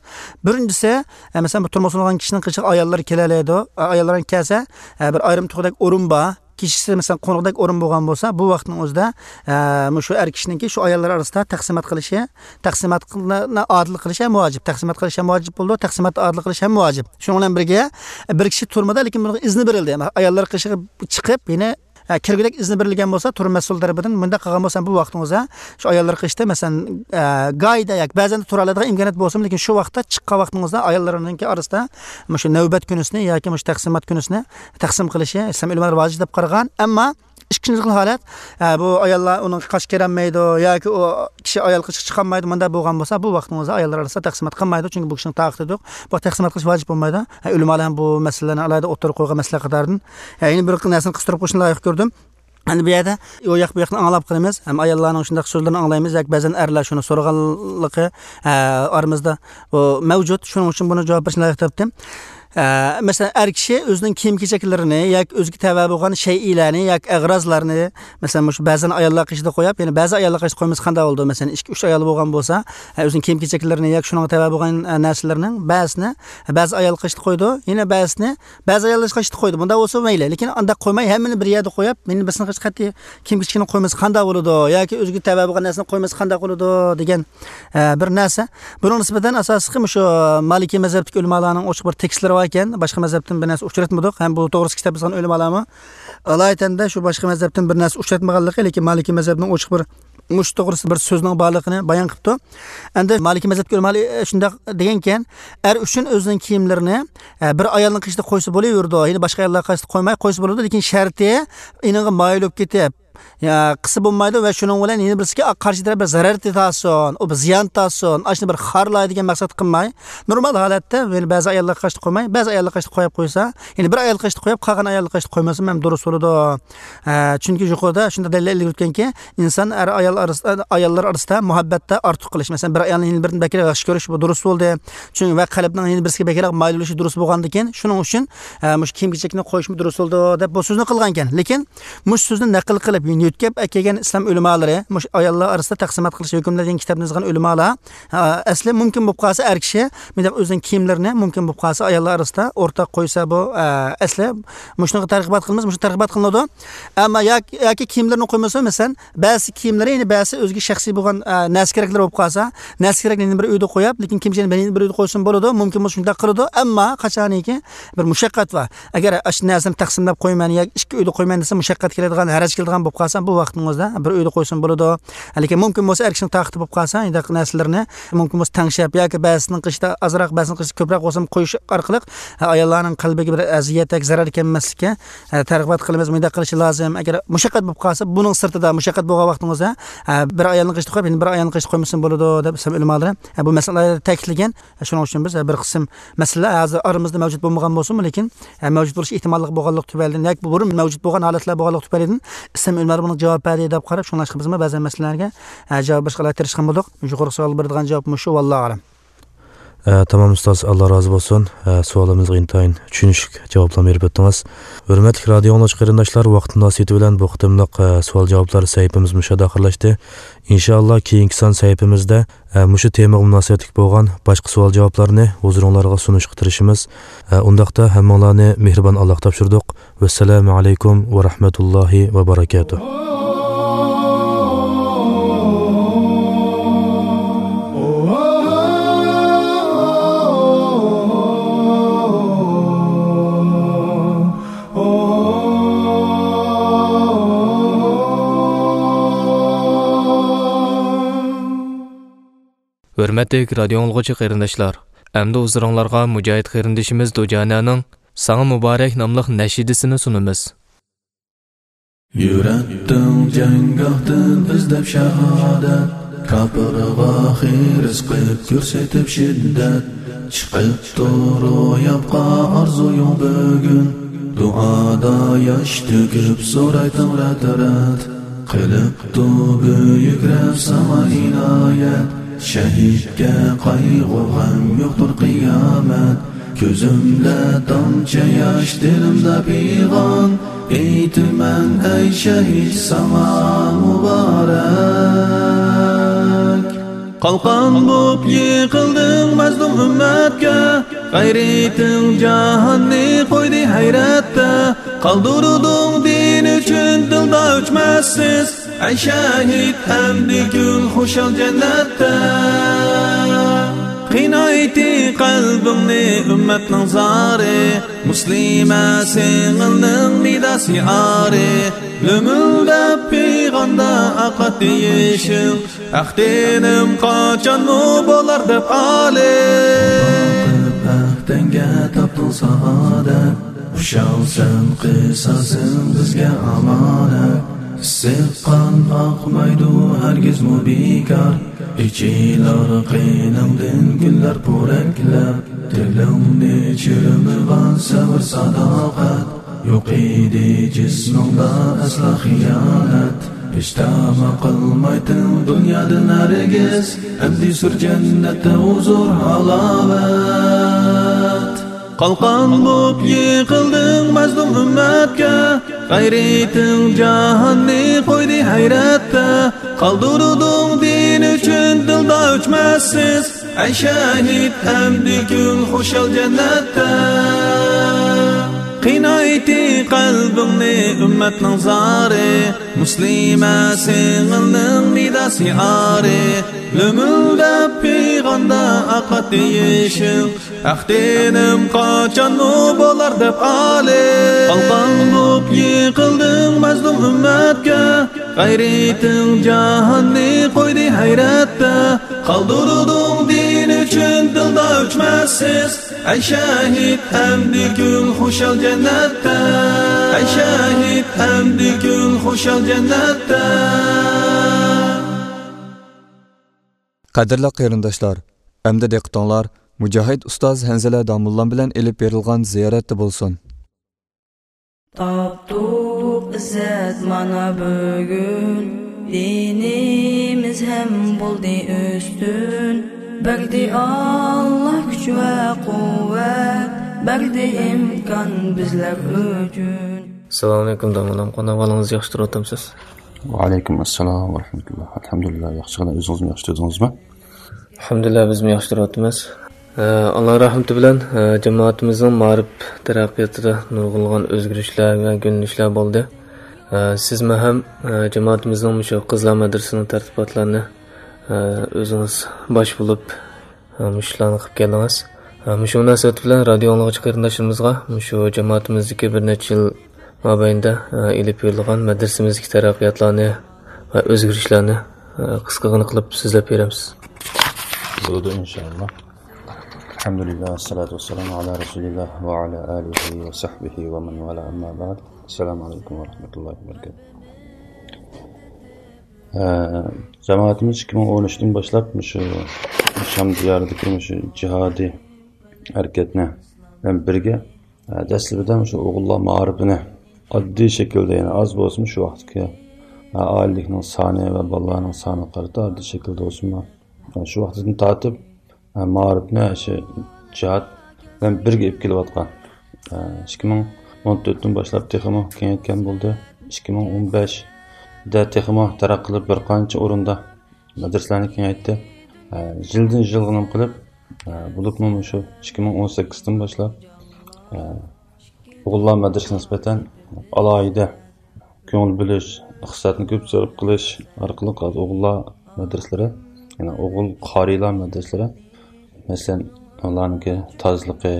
بىرىنچىسى، ئە، مەسىلەن، بۇ تۇرمۇققا سولىنىدىغان كىشىنىڭ قېشىغا ئاياللىرى كېلەلەيدۇ. ئە، ئاياللىرى كەلسە، ئە، بىر ئايرىم تۇغدەك ئورۇن بار. كېچىسى، مەسىلەن، قونۇقدەك ئورۇن بولغان بولسا، بۇ ۋاقىتنىڭ ئۆزىدە، ئە، مۇشۇ ئەر كىشىنىڭكى شۇ ئاياللار ئارىسىدا تەقسىمات قىلىشى، تەقسىماتنى ئادىل قىلىش ھەم ۋاجىپ. تەقسىمات قىلىش ھەم ۋاجىپ بولىدۇ، تەقسىماتنى ئادىل قىلىش ھەم ۋاجىپ. شۇنىڭ بىلەن بىرگە، بىر كىشى تۈرمىدە، لېكىن بۇنىڭغا ئىزنى بېرىلدى. ئاياللار قېشىغا چىقىپ، يەنە، ئە، كىرگۈدەك ئىزنى بېرىلگەن بولسا، تۈرمە مەسئۇل تەرىپىدىن، مۇنداق قىلغان بولسا، بۇ ۋاقتىڭىزدا شۇ ئاياللار قېشىدا، مەسىلەن، ئە، گاھىدا ياكى بەزەن تۇرالايدىغان ئىمكانىيەت بولسىمۇ، لېكىن شۇ ۋاقىتتا چىققان ۋاقتىڭىزدا ئاياللارنىڭكى ئارىسىدا مۇشۇ نۆۋەت كۈنىسىنى ياكى مۇشۇ تەقسىمات كۈنىسىنى تەقسىم قىلىشى ئىسلام ئۆلىمالىرى ۋاجىپ دەپ قارىغان. ئەمما ئىككىنچى خىل ھالەت، ئە، بۇ ئاياللار ئۇنىڭغا قارشى كېلەلمەيدۇ ياكى ئۇ كىشى ئايال قېشىغا چىقالمايدۇ، مۇنداق بولغان بولسا، بۇ ۋاقىتنىڭ ئۆزىدە ئاياللار ئارىسىدا تەقسىمات قىلمايدۇ، چۈنكى بۇ كىشىنىڭ تاقىتى يوق. بۇ تەقسىمات قىلىش ۋاجىپ بولمايدۇ. ئە، ئۆلىمالار ھەم بۇ مەسىلىلەرنى ئالاھىدە ئوتتۇرىغا قويغان مەسىلە قاتارىدىن. ئە، يەنە بىر نەرسىنى قىستۇرۇپ قويۇشنى لايىق كۆردۈم. ئەمدى بۇ يەردە ئۇ ياق بۇ ياقنى ئاڭلاپ قالىمىز ھەم ئاياللارنىڭ شۇنداق سۆزلىرىنى ئاڭلايمىز ياكى بەزەن ئەرلەر شۇنى سورىغانلىقى، ئە، ئارىمىزدا بۇ مەۋجۇت. شۇنىڭ ئۈچۈن بۇنى جاۋاب بېرىشنى لايىق تاپتىم. ئە، مەسىلەن، ئەر كىشى ئۆزىنىڭ كىيىم-كېچەكلىرىنى ياكى ئۆزىگە تەۋە بولغان شەيئىلەرنى ياكى ئەغرازلارنى، مەسىلەن، مۇشۇ بەزەن ئاياللار قېشىدا قويۇپ، يەنە بەزى ئاياللار قېشىدا قويمىسا قانداق بولىدۇ؟ مەسىلەن، ئىككى، ئۈچ ئايال بولغان بولسا، ئە، ئۆزىنىڭ كىيىم-كېچەكلىرىنى ياكى شۇنىڭغا تەۋە بولغان، ئە، نەرسىلىرىنىڭ بەزىسىنى بەزى ئايال قېشىدا قويىدۇ، يەنە بەزىسىنى بەزى ئاياللار قېشىدا قويىدۇ. بۇنداق بولسا مەيلى، لېكىن ئانداق قويماي، ھەممىنى بىر يەردە قويۇپ، مېنى بىرسىنىڭ قېشىدا قەتئىي كىيىم-كېچىكىنى قويمىسا قانداق بولىدۇ؟ ياكى ئۆزىگە تەۋە بولغان نەرسىنى قويمىسا قانداق بولىدۇ دېگەن، ئە، بىر نەرسە. بۇنىڭ نىسبەتەن ئاساسلىقى مۇشۇ مالىكىي مەزھەپتىكى ئۆلىمالارنىڭ ئوچۇق بىر تېكىستلىرى بار ئىكەن. باشقا مەزھەپتىن بىر نەرسە ئۇچراتمىدۇق. ھەم بۇ توغرىسىدا كىتاب يازغان ئۆلىمالارمۇ ئالايىتەندە شۇ باشقا مەزھەپتىن بىر نەرسە ئۇچراتمىغانلىقى، لېكىن مالىكىي مەزھەپنىڭ ئوچۇق بىر مۇشۇ توغرىسىدا بىر سۆزنىڭ بارلىقىنى بايان قىپتۇ. ئەمدى مالىكىي مەزھەپتىكى ئۆلىمالار، ئە، شۇنداق دېگەنكەن، ئەر ئۈچۈن ئۆزىنىڭ كىيىملىرىنى، ئە، بىر ئايالنىڭ قېشىدا قويسا بولۇۋېرىدۇ، يەنى باشقا ئاياللار قېشىدا قويماي قويسا بولىدۇ، لېكىن شەرتى ئېنىڭغا مايىل بولۇپ كېتىپ، يا، قىلسا بولمايدۇ ۋە شۇنىڭ بىلەن يەنە بىرسىگە قارشى تەرەپ بىر زەرەر تارتسۇن، ئۇ بىر زىيان تارتسۇن، ئاشۇنى بىر خارلاي دېگەن مەقسەت قىلماي، نورمال ھالەتتە يەنە بەزى ئاياللار قېشىدا قويماي، بەزى ئاياللار قېشىدا قويۇپ قويسا، يەنە بىر ئايال قېشىدا قويۇپ، قالغان ئاياللار قېشىدا قويمىسىمۇ ھەم دۇرۇس بولىدۇ. ئە، چۈنكى يۇقىرىدا شۇنداق دەلىل ئىلگىرى ئۆتكەنكى، ئىنسان ئەر ئايال ئارىسىدا، ئاياللار ئارىسىدا مۇھەببەتتە ئارتۇق قىلىش. مەسىلەن، بىر ئايالنى يەنە بىرىدىن بەكرەك ياخشى كۆرۈش، بۇ دۇرۇس بولدى. چۈنكى ۋە قەلبنىڭ يەنە بىرسىگە بەكرەك مايىل بولۇشى دۇرۇس بولغاندىكىن، شۇنىڭ ئۈچۈن، ئە، مۇشۇ كىيىم-كېچەكنى قويۇشمۇ دۇرۇس بولىدۇ دەپ بۇ سۆزنى قىلغانىكەن. لېكىن مۇشۇ سۆزنى نەقىل قىلىپ، يۆتكەپ ئەكەلگەن ئىسلام ئۆلىمالىرى، مۇشۇ ئاياللار ئارىسىدا تەقسىمات قىلىش ھۆكۈملىرى دېگەن كىتابنى يازغان ئۆلىمالار، ئە، ئەسلى مۇمكىن بولۇپ قالسا ئەر كىشى مۇنداق ئۆزىنىڭ كىيىملىرىنى مۇمكىن بولۇپ قالسا ئاياللار ئارىسىدا ئورتاق قويسا بۇ، ئە، ئەسلى مۇشۇنىڭغا تەرغىبات قىلىمىز، مۇشۇ تەرغىبات قىلىنىدۇ. ئەمما ياكى، ياكى كىيىملىرىنى قويمىسا، مەسىلەن، بەزى كىيىملىرى، يەنى بەزى ئۆزىگە شەخسىي بولغان، ئە، نەرسە كېرەكلىرى بولۇپ قالسا، نەرسە كېرەكلىرىنى بىر ئۆيدە قويۇپ، لېكىن كىيىم-كېچەكنى بىر ئۆيدە قويسىمۇ بولىدۇ، مۇمكىن بولسا شۇنداق قىلىدۇ. ئەمما قاچانكى بىر مۇشەققەت بار. ئەگەر ئاشۇ نەرسىنى تەقسىملەپ قويىمەن ياكى ئىككى ئۆيدە قويىمەن دېسە، مۇشەققەت كېلىدىغان، ھەرەج كېلىدىغان بولۇپ قالسا، بۇ ۋاقتىڭىزدا بىر ئۆيدە قويسىمۇ بولىدۇ. لېكىن مۇمكىن بولسا ئەر كىشىنىڭ تاقىتى بولۇپ قالسا، شۇنداق نەرسىلىرىنى مۇمكىن بولسا تەڭشەپ ياكى بەزىسىنىڭ قىشىدا ئازراق، بەزىسىنىڭ قىشىدا كۆپرەك بولسىمۇ قويۇش ئارقىلىق، ھە، ئاياللارنىڭ قەلبىگە بىر ئەزىيەت ياكى زەرەر كەلمەسلىككە، ھە، تەرغىبات قىلىمىز. مۇنداق قىلىشى لازىم. ئەگەر مۇشەققەت بولۇپ قالسا، بۇنىڭ سىرتىدا مۇشەققەت بولغان ۋاقتىڭىزدا، ھە، بىر ئايالنىڭ قىشىدا قويۇپ، يەنە بىر ئايالنىڭ قىشىدا قويمىسىمۇ بولىدۇ، دەپ ئىسلام ئۆلىمالىرى، ھە، بۇ مەسىلىلەردە تەكىتلىگەن. شۇنىڭ ئۈچۈن بىز، ھە، بىر قىسىم مەسىلىلەر ھازىر ئارىمىزدا مەۋجۇت بولمىغان بولسىمۇ، لېكىن، ھە، مەۋجۇت بولۇش ئېھتىماللىقى بولغانلىقى تۈپەيلىدىن ياكى بۇرۇن مەۋجۇت بولغان ھالەتلەر بولغانلىقى تۈپەيلىدىن ئىسلام ئۆلىمالىرى بۇنىڭغا جاۋاب بەردى دەپ قاراپ، شۇڭلاشقا بىزمۇ بەزەن مەسىلىلەرگە، ھە، جاۋاب بېرىشقا تىرىشقان بولدۇق. يۇقىرىقى سوئالغا بېرىدىغان جاۋاب مۇشۇ، ۋاللاھۇ ئەلەم. ئە، تامام ئۇستاز، ئاللا رازى بولسۇن. ئە، سوئالىمىزغا ئىنتايىن چۈشىنىشلىك جاۋابلارنى بېرىپ ئۆتتىڭىز. ھۆرمەتلىك رادىئو ئاڭلىغۇچى قېرىنداشلار، ۋاقىت مۇناسىۋىتى بىلەن بۇ قېتىملىق، ئە، سوئال جاۋابلار سەھىپىمىز مۇشۇ يەردە ئاخىرلاشتى. ئىنشائاللا، كېيىنكى سان سەھىپىمىزدە، ئە، مۇشۇ تېمىغا مۇناسىۋەتلىك بولغان باشقا سوئال جاۋابلارنى ھۇزۇرۇڭلارغا سۇنۇشقا تىرىشىمىز. ئە، ئۇنداقتا ھەممىڭلارنى مېھرىبان ئاللاغا تاپشۇردۇق. ۋەسسالامۇ ئەلەيكۇم ۋە رەھمەتۇللاھى ۋە بەرەكاتۇھ. ھۆرمەتلىك رادىئو ئاڭلىغۇچى قېرىنداشلار، ئەمدى ھۇزۇرۇڭلارغا مۇجاھىد قېرىندىشىمىز دۇجانەنىڭ ساڭا مۇبارەك ناملىق نەشىدىسىنى سۇنىمىز. يۈرەتتىڭ جەڭگاھتىن ئىزدەپ شاھادەت، كاپىرغا خىرىس قىپ كۆرسىتىپ شىددەت، چىقىپتۇ روياپقا ئارزۇيۇڭ بۈگۈن، دۇئادا ياش تۆكۈپ سورايتىڭ رەت-رەت. قىلىپتۇ بۈيۈك رەب ساڭا ئىنايەت، شەھىدكە قايغۇ-غەم يوقتۇر قىيامەت. كۆزۈمدە تامچە ياش، دىلىمدا پىغان، ئېيتىمەن ئەي شەھىد ساڭا مۇبارەك. قالقان بوپ يىقىلدىڭ مەزلۇم ئۈممەتكە، غەيرىتىڭ جاھاننى قويدى ھەيرەتتە. قالدۇردۇڭ دىن ئۈچۈن دىلدا ئۆچمەسسىز، ئەي شەھىد ئەمدى كۈل خۇشال جەننەتتە. قىينايتتى قەلبىڭنى ئۈممەتنىڭ زارى، مۇسلىمە سىڭىلنىڭ نىدا شىئارى. لۆمۈلدەپ پىغاندا ئاقاتتى يېشىڭ، ھەق دىنىم قاچانمۇ بولار دەپ ئالىي. قىلىپ ھەق دىنگە تاپتىڭ سائادەت، خۇشالسەن قىساسىڭ بىزگە ئامانەت. ئىسسىق قان ئاقمايدۇ ھەرگىزمۇ بىكار، ئېچىلار قېنىڭدىن گۈللەر پورەكلەپ. دىلىڭنى چىرمىغان سەۋر ساداقەت، يوق ئىدى جىسمىڭدا ئەسلا خىيانەت. ھېچ تەمە قىلمايتتىڭ دۇنيادىن ھەرگىز، ئەمدى سۈر جەننەتتە ھۇزۇر ھالاۋەت. قالقان بوپ يىقىلدىڭ مەزلۇم ئۈممەتكە، غەيرىتىڭ جاھاننى قويدى ھەيرەتتە. قالدۇردۇڭ دىن ئۈچۈن دىلدا ئۆچمەسسىز، ئەي شەھىد ئەمدى كۈل خۇشال جەننەتتە. قىينايتتى قەلبىڭنى ئۈممەتنىڭ زارى، مۇسلىمە سىڭىلنىڭ نىدا شىئارى. لۆمۈلدەپ پىغاندا ئاقاتتى يېشىڭ، ھەق دىنىم قاچانمۇ بولار دەپ ئالىي. قالقان بوپ يىقىلدىڭ مەزلۇم ئۈممەتكە، غەيرىتىڭ جاھاننى قويدى ھەيرەتتە. قالدۇردۇڭ دىن ئۈچۈن دىلدا ئۆچمەسسىز، ئەي شەھىد ئەمدى كۈل خۇشال جەننەتتە. ئەي شەھىد ئەمدى كۈل خۇشال جەننەتتە. قەدىرلىك قېرىنداشلار، ئەمدى دىققىتىڭلار مۇجاھىد ئۇستاز ھەنزىلە داموللام بىلەن ئېلىپ بېرىلغان زىيارەتتە بولسۇن. تاپتۇق ئىززەت مانا بۈگۈن، دىنىمىز ھەم بولدى ئۈستۈن. بەردى ئاللا كۈچ ۋە قۇۋۋەت، بەردى ئىمكان بىزلەر ئۈچۈن. ئەسسالامۇئەلەيكۇم داموللام، قانداق ئەھۋالىڭىز، ياخشى تۇرۇۋاتامسىز؟ ۋەئەلەيكۇم ئەسسالام ۋەرەھمەتۇللا. ئەلھەمدۇلىللا، ياخشىغىنا، ئۆزىڭىزمۇ ياخشى تۇردىڭىزمۇ؟ ئەلھەمدۇلىللا، بىزمۇ ياخشى تۇرۇۋاتىمىز. ئە، ئاللا رەھمىتى بىلەن، ئە، جامائىتىمىزنىڭ مائارىپ تەرەققىياتىدا نۇرغۇنلىغان ئۆزگىرىشلەر ۋە يۆنىلىشلەر بولدى. ئە، سىزمۇ ھەم، ئە، جامائىتىمىزنىڭ مۇشۇ قىزلار مەدرىسىنىڭ تەرتىباتلارنى، ئە، ئۆزىڭىز باش بولۇپ، ئە، مۇشۇلارنى قىلىپ كەلدىڭىز. ئە، مۇشۇ مۇناسىۋەت بىلەن رادىئو ئاڭلىغۇچى قېرىنداشلىرىمىزغا مۇشۇ جامائىتىمىزدىكى بىر نەچچە يىل مابەينىدە، ئە، ئېلىپ بېرىلغان مەدرىسىمىزدىكى تەرەققىياتلارنى ۋە ئۆزگىرىشلەرنى، ئە، قىسقىغىنە قىلىپ سۆزلەپ بېرەمىز. بولىدۇ، ئىنشائاللا. ئەلھەمدۇلىللا، ۋەسسالاتۇ ۋەسسالامۇ ئالا رەسۇلىللا ۋە ئالا ئالىھى ۋە سەھبىھى ۋە مەن ۋالا، ئەمما بەئد. ئەسسالامۇ ئەلەيكۇم ۋە رەھمەتۇللاھى ۋە بەرىكاتۇھ. ئە، جامائىتىمىز ئىككى مىڭ ئون ئۈچتىن باشلاپ مۇشۇ شام دىيارىدىكى مۇشۇ جىھادىي ھەرىكەتنى بىلەن بىرگە، ئە، دەسلىپىدە مۇشۇ ئوغۇللار مائارىپىنى ئاددىي شەكىلدە، يەنى ئاز بولسىمۇ شۇ ۋاقىتتىكى، ئە، ئائىلىلىكنىڭ سانى ۋە بالىلارنىڭ سانىغا قارىتا ئاددىي شەكىلدە بولسىمۇ، ئە، شۇ ۋاقىتتىن تارتىپ، ئە، مائارىپنى شۇ جىھاد بىلەن بىرگە ئېلىپ كېلىۋاتقان. ئە، ئىككى مىڭ ئون تۆتتىن باشلاپ تېخىمۇ كېڭەيتكەن بولدى. ئىككى مىڭ ئون بەشتە تېخىمۇ تەرەققىي قىلىپ، بىر قانچە ئورۇندا مەدرىسىلەرنى كېڭەيتتى. ئە، يىلدىن يىلغا نېمە قىلىپ، ئە، بولۇپمۇ مۇشۇ ئىككى مىڭ ئون سەككىزدىن باشلاپ، ئە، ئوغۇللار مەدرىسىگە نىسبەتەن ئالاھىدە كۆڭۈل بۆلۈش، ئىقتىسادنى كۆپ سەرپ قىلىش ئارقىلىق ئوغۇللار مەدرىسىلىرى، يەنى ئوغۇل قارىيلار مەدرىسىلىرى، مەسىلەن، ئۇلارنىڭكى تازىلىقى،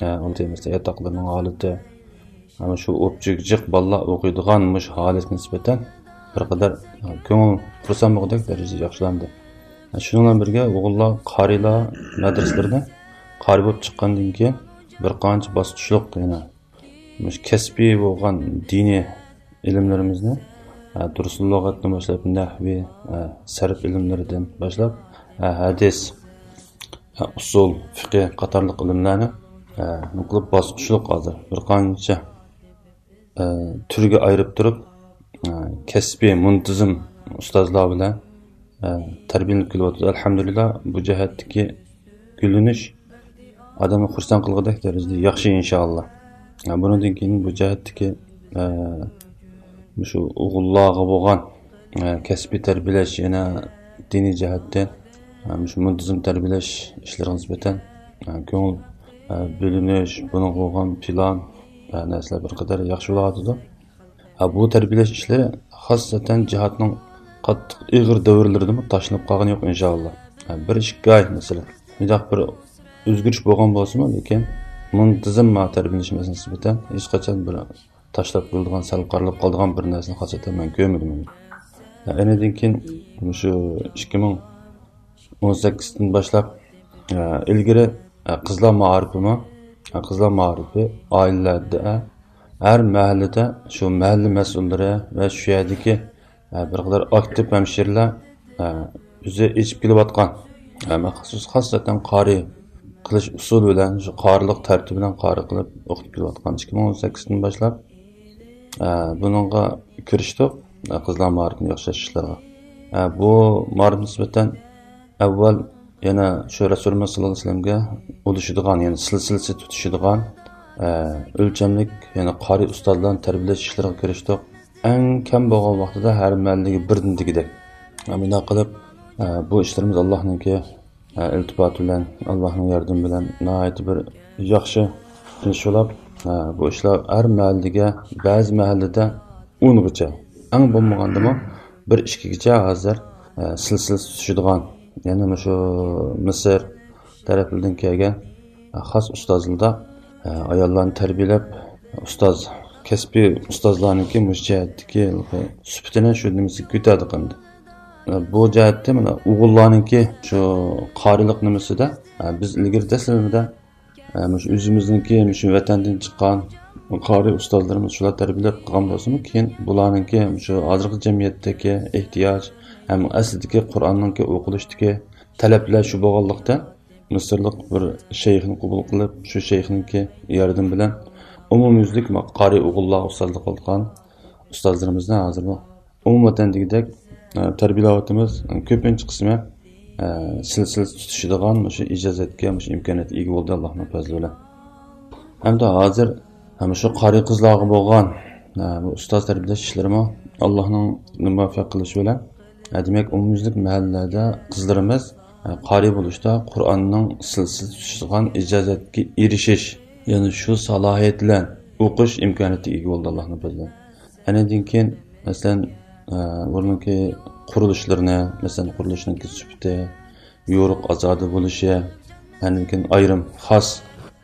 ئە، ئۇندىن مەسىلەن، ياتاقلىرىنىڭ ھالىتى، ئەنە شۇ ئوپچىگىجىق بالىلار ئوقۇيدىغان مۇشۇ ھالەتكە نىسبەتەن بىر قەدەر كۆڭۈل خۇرسەن بولغۇدەك دەرىجىدە ياخشىلاندى. شۇنىڭ بىلەن بىرگە، ئوغۇللار قارىيلار مەدرىسىلىرىدە قارىي بولۇپ چىققاندىن كېيىن، بىر قانچە باسقۇچلۇق يەنە مۇشۇ كەسپىي بولغان دىنىي ئىلىملىرىمىزنى، ئە، دۇرۇس لۇغەتتىن باشلاپ، نەھۋى، ئە، سەرپ ئىلىملىرىدىن باشلاپ، ئە، ھەدىس، ئە، ئۇسۇل، فىقھى قاتارلىق ئىلىملەرنى، ئە، نېمە قىلىپ باسقۇچلۇق ھازىر بىر قانچە، ئە، تۈرگە ئايرىپ تۇرۇپ، ئە، كەسپىي، مۇنتىزىم ئۇستازلار بىلەن، ئە، تەربىيەلىنىپ كېلىۋاتىدۇ. ئەلھەمدۇلىللا، بۇ جەھەتتىكى گۈللىنىش ئادەمنى خۇرسەن قىلغۇدەك دەرىجىدە ياخشى، ئىنشائاللا. ئە، بۇنىڭدىن كېيىن بۇ جەھەتتىكى، ئە، مۇشۇ ئوغۇللارغا بولغان، ئە، كەسپىي تەربىيەلەش، يەنە دىنىي جەھەتتىن، ئە، مۇشۇ مۇنتىزىم تەربىيەلەش ئىشلىرىغا نىسبەتەن، ئە، كۆڭۈل، ئە، بۆلۈنۈش، بۇنىڭغا بولغان پىلان، ئە، نەرسىلەر بىر قەدەر ياخشى بولۇۋاتىدۇ. ھە، بۇ تەربىيەلەش ئىشلىرى خاسسەتەن جىھادنىڭ قاتتىق ئېغىر دەۋرلىرىدىمۇ تاشلىنىپ قالغىنى يوق، ئىنشائاللا. ھە، بىر ئىككى ئاي، مەسىلەن، مۇنداق بىر ئۆزگىرىش بولغان بولسىمۇ، لېكىن مۇنتىزىم تەربىيەلىنىش مەسىلىسىگە نىسبەتەن ھېچقاچان بىر تاشلاپ قويۇلىدىغان، سەل قارىلىپ قالىدىغان بىر نەرسىنى خاسسەتەن مەن كۆرمىدىم. ھە، ئەنىدىن كېيىن مۇشۇ ئىككى مىڭ ئون سەككىزدىن باشلاپ، ئە، ئىلگىرى، ئە، قىزلار مائارىپىمۇ، ئە، قىزلار مائارىپى ئائىلىلەردە، ئە، ھەر مەھەللىدە شۇ مەھەللە مەسئۇللىرى ۋە شۇ يەردىكى، ئە، بىر قەدەر ئاكتىپ ھەمشىرىلەر، ئە، ئۆزى ئېچىپ كېلىۋاتقان، ئە، مەخسۇس خاسسەتەن قارىي قىلىش ئۇسۇلى بىلەن، شۇ قارىلىق تەرتىپى بىلەن قارىي قىلىپ ئوقۇتۇپ كېلىۋاتقان. ئىككى مىڭ ئون سەككىزدىن باشلاپ، ئە، بۇنىڭغا كىرىشتۇق، ئە، قىزلار مائارىپىنى ياخشىلاش ئىشلىرىغا. ئە، بۇ مائارىپقا نىسبەتەن ئەۋۋەل يەنە شۇ رەسۇلىمىز ساللاللاھۇ ئەلەيھى ۋەسەللەمگە ئۇلىشىدىغان، يەنى سىلسىلىسى تۇتىشىدىغان، ئە، ئۆلچەملىك، يەنى قارىي ئۇستازلارنى تەربىيەلەش ئىشلىرىغا كىرىشتۇق. ئەڭ كەم بولغان ۋاقتىدا ھەر مەھەللىگە بىردىن دېگۈدەك. ئە، مۇنداق قىلىپ، ئە، بۇ ئىشلىرىمىز ئاللاھنىڭكى، ئە، ئىلتىپاتى بىلەن، ئاللاھنىڭ ياردىمى بىلەن ناھايىتى بىر ياخشى ئىش بولۇپ، ئە، بۇ ئىشلار ھەر مەھەللىگە، بەزى مەھەللىدە ئونغىچە، ئەڭ بولمىغاندىمۇ بىر ئىككىگىچە ھازىر، ئە، سىلسىلىسى تۇتۇشىدىغان، يەنى مۇشۇ مىسىر تەرەپلىرىدىن كەلگەن، ئە، خاس ئۇستازلاردا، ئە، ئاياللارنى تەربىيەلەپ، ئۇستاز، كەسپىي ئۇستازلارنىڭكى مۇشۇ جەھەتتىكى سۈپىتىنى شۇ نېمىسىگە كۆتەردى قىلدى. ئە، بۇ جەھەتتە مانا ئوغۇللارنىڭكى شۇ قارىيلىق نېمىسىدە، ئە، بىز ئىلگىرى دەسلىمىدە ئە، مۇشۇ ئۆزىمىزنىڭكى، مۇشۇ ۋەتەندىن چىققان قارىي ئۇستازلىرىمىز شۇلار تەربىيەلەپ قىلغان بولسىمۇ، كېيىن بۇلارنىڭكى مۇشۇ ھازىرقى جەمئىيەتتىكى ئېھتىياج ھەم ئەسلىدىكى قۇرئاننىڭكى ئوقۇلۇشىدىكى تەلەپلەر شۇ بولغانلىقتىن، مىسىرلىق بىر شەيخنى قوبۇل قىلىپ، شۇ شەيخنىڭكى ياردىمى بىلەن ئومۇميۈزلۈك قارىي ئوغۇللارغا ئۇستازلىق قىلىدىغان ئۇستازلىرىمىزنى ھازىرمۇ ئومۇمەن دېگۈدەك، ئە، تەربىيەلەۋاتىمىز. كۆپىنچە قىسمى، ئە، سىلسىلىسى تۇتىشىدىغان مۇشۇ ئىجازەتكە، مۇشۇ ئىمكانىيەتكە ئىگە بولدى، ئاللاھنىڭ پەزلى بىلەن. ھەمدە ھازىر، ھە، مۇشۇ قارىي قىزلارغا بولغان، ئە، بۇ ئۇستاز تەربىيەلەش ئىشلىرىمۇ ئاللاھنىڭ مۇۋەپپەق قىلىشى بىلەن، ئە، دېمەك، ئومۇميۈزلۈك مەھەللىلەردە قىزلىرىمىز، ئە، قارىي بولۇشتا قۇرئاننىڭ سىلسىلىسى تۇتۇشىدىغان ئىجازەتكە ئېرىشىش، يەنى شۇ سالاھىيەت بىلەن ئوقۇش ئىمكانىيىتىگە ئىگە بولدى، ئاللاھنىڭ پەزلى بىلەن. ئەنىدىن كېيىن، مەسىلەن، ئە، ئۇنىڭكى قۇرۇلۇشلىرىنى، مەسىلەن، قۇرۇلۇشنىڭكى سۈپىتى، يورۇق ئازادە بولۇشى، ئاندىن كېيىن ئايرىم خاس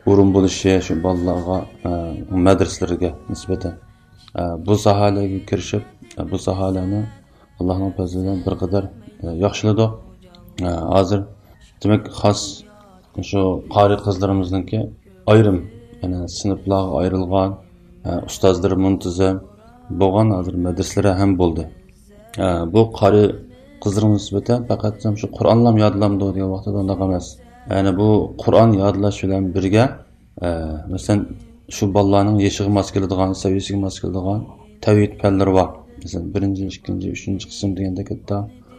ئورۇن بولۇشى شۇ بالىلارغا، ئە، مەدرىسىلىرىگە نىسبەتەن. ئە، بۇ ساھەلەرگە كىرىشىپ، ئە، بۇ ساھەلەرنى ئاللاھنىڭ پەزلى بىلەن بىر قەدەر، ئە، ياخشىلىدۇق. ئە، ھازىر دېمەك خاس شۇ قارىي قىزلىرىمىزنىڭكى ئايرىم، يەنى سىنىپلارغا ئايرىلغان، ئە، ئۇستازلىرى مۇنتىزىم بولغان ھازىر مەدرىسىلىرى ھەم بولدى. ئە، بۇ قارىي قىزلىرىمىز نىسبەتەن پەقەت شۇ قۇرئانلام يادلامدۇ دېگەن ۋاقىتتا ئۇنداق ئەمەس. يەنى بۇ قۇرئان يادلاش بىلەن بىرگە، ئە، مەسىلەن، شۇ بالىلارنىڭ يېشىغا ماس كېلىدىغان، سەۋىيەسىگە ماس كېلىدىغان تەۋھىد پەنلىرى بار. مەسىلەن، بىرىنچى، ئىككىنچى، ئۈچىنچى قىسىم دېگەندەك ھەتتا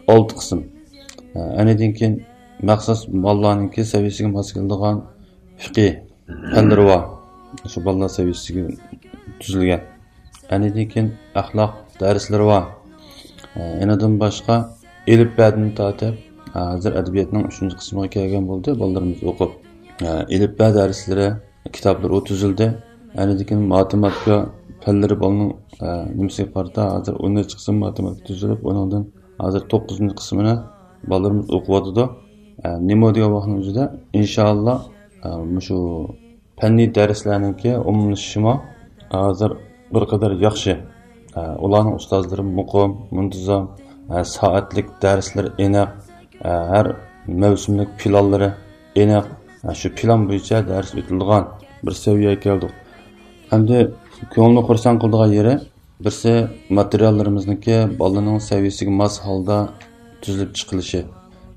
ئالتە قىسىم. ئە، ئەنىدىن كېيىن مەخسۇس بالىلارنىڭكى سەۋىيەسىگە ماس كېلىدىغان فىقھى پەنلىرى بار. شۇ بالىلار سەۋىيەسىگە تۈزۈلگەن. ئەنىدىن كېيىن ئەخلاق دەرسلىرى بار. ئە، ئېنىدىن باشقا ئېلىپبەدىن تارتىپ، ھازىر ئەدەبىياتنىڭ ئۈچىنچى قىسمىغا كەلگەن بولدى، بالىلىرىمىز ئوقۇپ. ئە، ئېلىپبە دەرسلىرى، كىتابلىرى ئۇ تۈزۈلدى. ئەنىدىن كېيىن ماتېماتىكا پەنلىرى بالىنىڭ، ئە، نېمىسىگە قارىتا، ھازىر ئون نەچچە قىسىم ماتېماتىكا تۈزۈلۈپ، ئۇنىڭدىن ھازىر توققۇزىنچى قىسمىنى بالىلىرىمىز ئوقۇۋاتىدۇ. ئە، نېمە دېگەن ۋاقىتنىڭ ئۆزىدە، ئىنشائاللا، ئە، مۇشۇ پەننىي دەرسلەرنىڭكى ئومۇملىشىشىمۇ ھازىر بىر قەدەر ياخشى. ئە، ئۇلارنىڭ ئۇستازلىرى مۇقىم، مۇنتىزام، ئە، سائەتلىك دەرسلىرى ئېنىق، ئە، ھەر مەۋسۇملۇق پىلانلىرى ئېنىق. ئە، شۇ پىلان بويىچە دەرس ئۆتۈلىدىغان بىر سەۋىيەگە كەلدۇق. ئەمدى كۆڭۈلنى خۇرسەن قىلىدىغان يېرى، بىرسى، ماتېرىياللىرىمىزنىڭكى بالىنىڭ سەۋىيەسىگە ماس ھالدا تۈزۈلۈپ چىقىلىشى.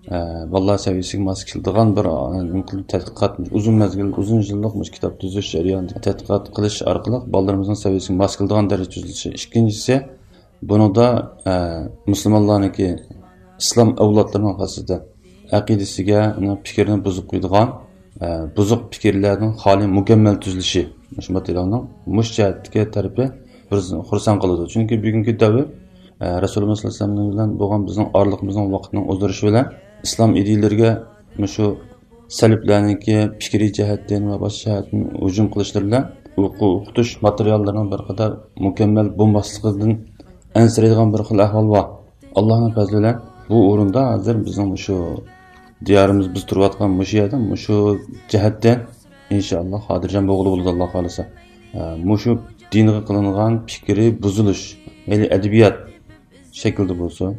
ئە، بالىلار سەۋىيەسىگە ماس كېلىدىغان بىر، ئە، نېمە قىلىپ تەتقىقات، ئۇزۇن مەزگىل، ئۇزۇن يىللىق مۇشۇ كىتاب تۈزۈش جەريانىدا تەتقىقات قىلىش ئارقىلىق بالىلىرىمىزنىڭ سەۋىيەسىگە ماس كېلىدىغان دەرىجىدە تۈزۈلۈشى. ئىككىنچىسى، بۇنىڭدا، ئە، مۇسۇلمانلارنىڭكى، ئىسلام ئەۋلادلىرىنىڭ خاسسىتى ئەقىدىسىگە، ئۇنىڭ پىكرىنى بۇزۇپ قويىدىغان، ئە، بۇزۇق پىكىرلەردىن خالىي مۇكەممەل تۈزۈلۈشى مۇشۇ ماتېرىيالنىڭ مۇشۇ جەھەتتىكى تەرىپى بىزنى خۇرسەن قىلىدۇ. چۈنكى بۈگۈنكى دەۋر، ئە، رەسۇلىمىز سەللەللاھۇ ئەلەيھى ۋەسەللەم بىلەن بولغان بىزنىڭ ئارىلىقىمىزنىڭ ۋاقىتنىڭ ئۇزىرىشى بىلەن ئىسلام ئىدىيىلىرىگە مۇشۇ سەلىپلەرنىڭكى پىكرىي جەھەتتىن ۋە باشقا جەھەتتىن ھۇجۇم قىلىشلىرى بىلەن ئوقۇ-، ئوقۇتۇش ماتېرىياللىرىنىڭ بىر قەدەر مۇكەممەل بولماسلىقىدىن ئەنسىرەيدىغان بىر خىل ئەھۋال بار. ئاللاھنىڭ پەزلى بىلەن بۇ ئورۇندا ھازىر بىزنىڭ مۇشۇ دىيارىمىز، بىز تۇرۇۋاتقان مۇشۇ يەردە مۇشۇ جەھەتتىن ئىنشائاللا خاتىرجەم بولغىلى بولىدۇ، ئاللا خالىسا. ئە، مۇشۇ دىنغا قىلىنغان پىكرى بۇزۇلۇش، مەيلى ئەدەبىيات شەكلىدە بولسۇن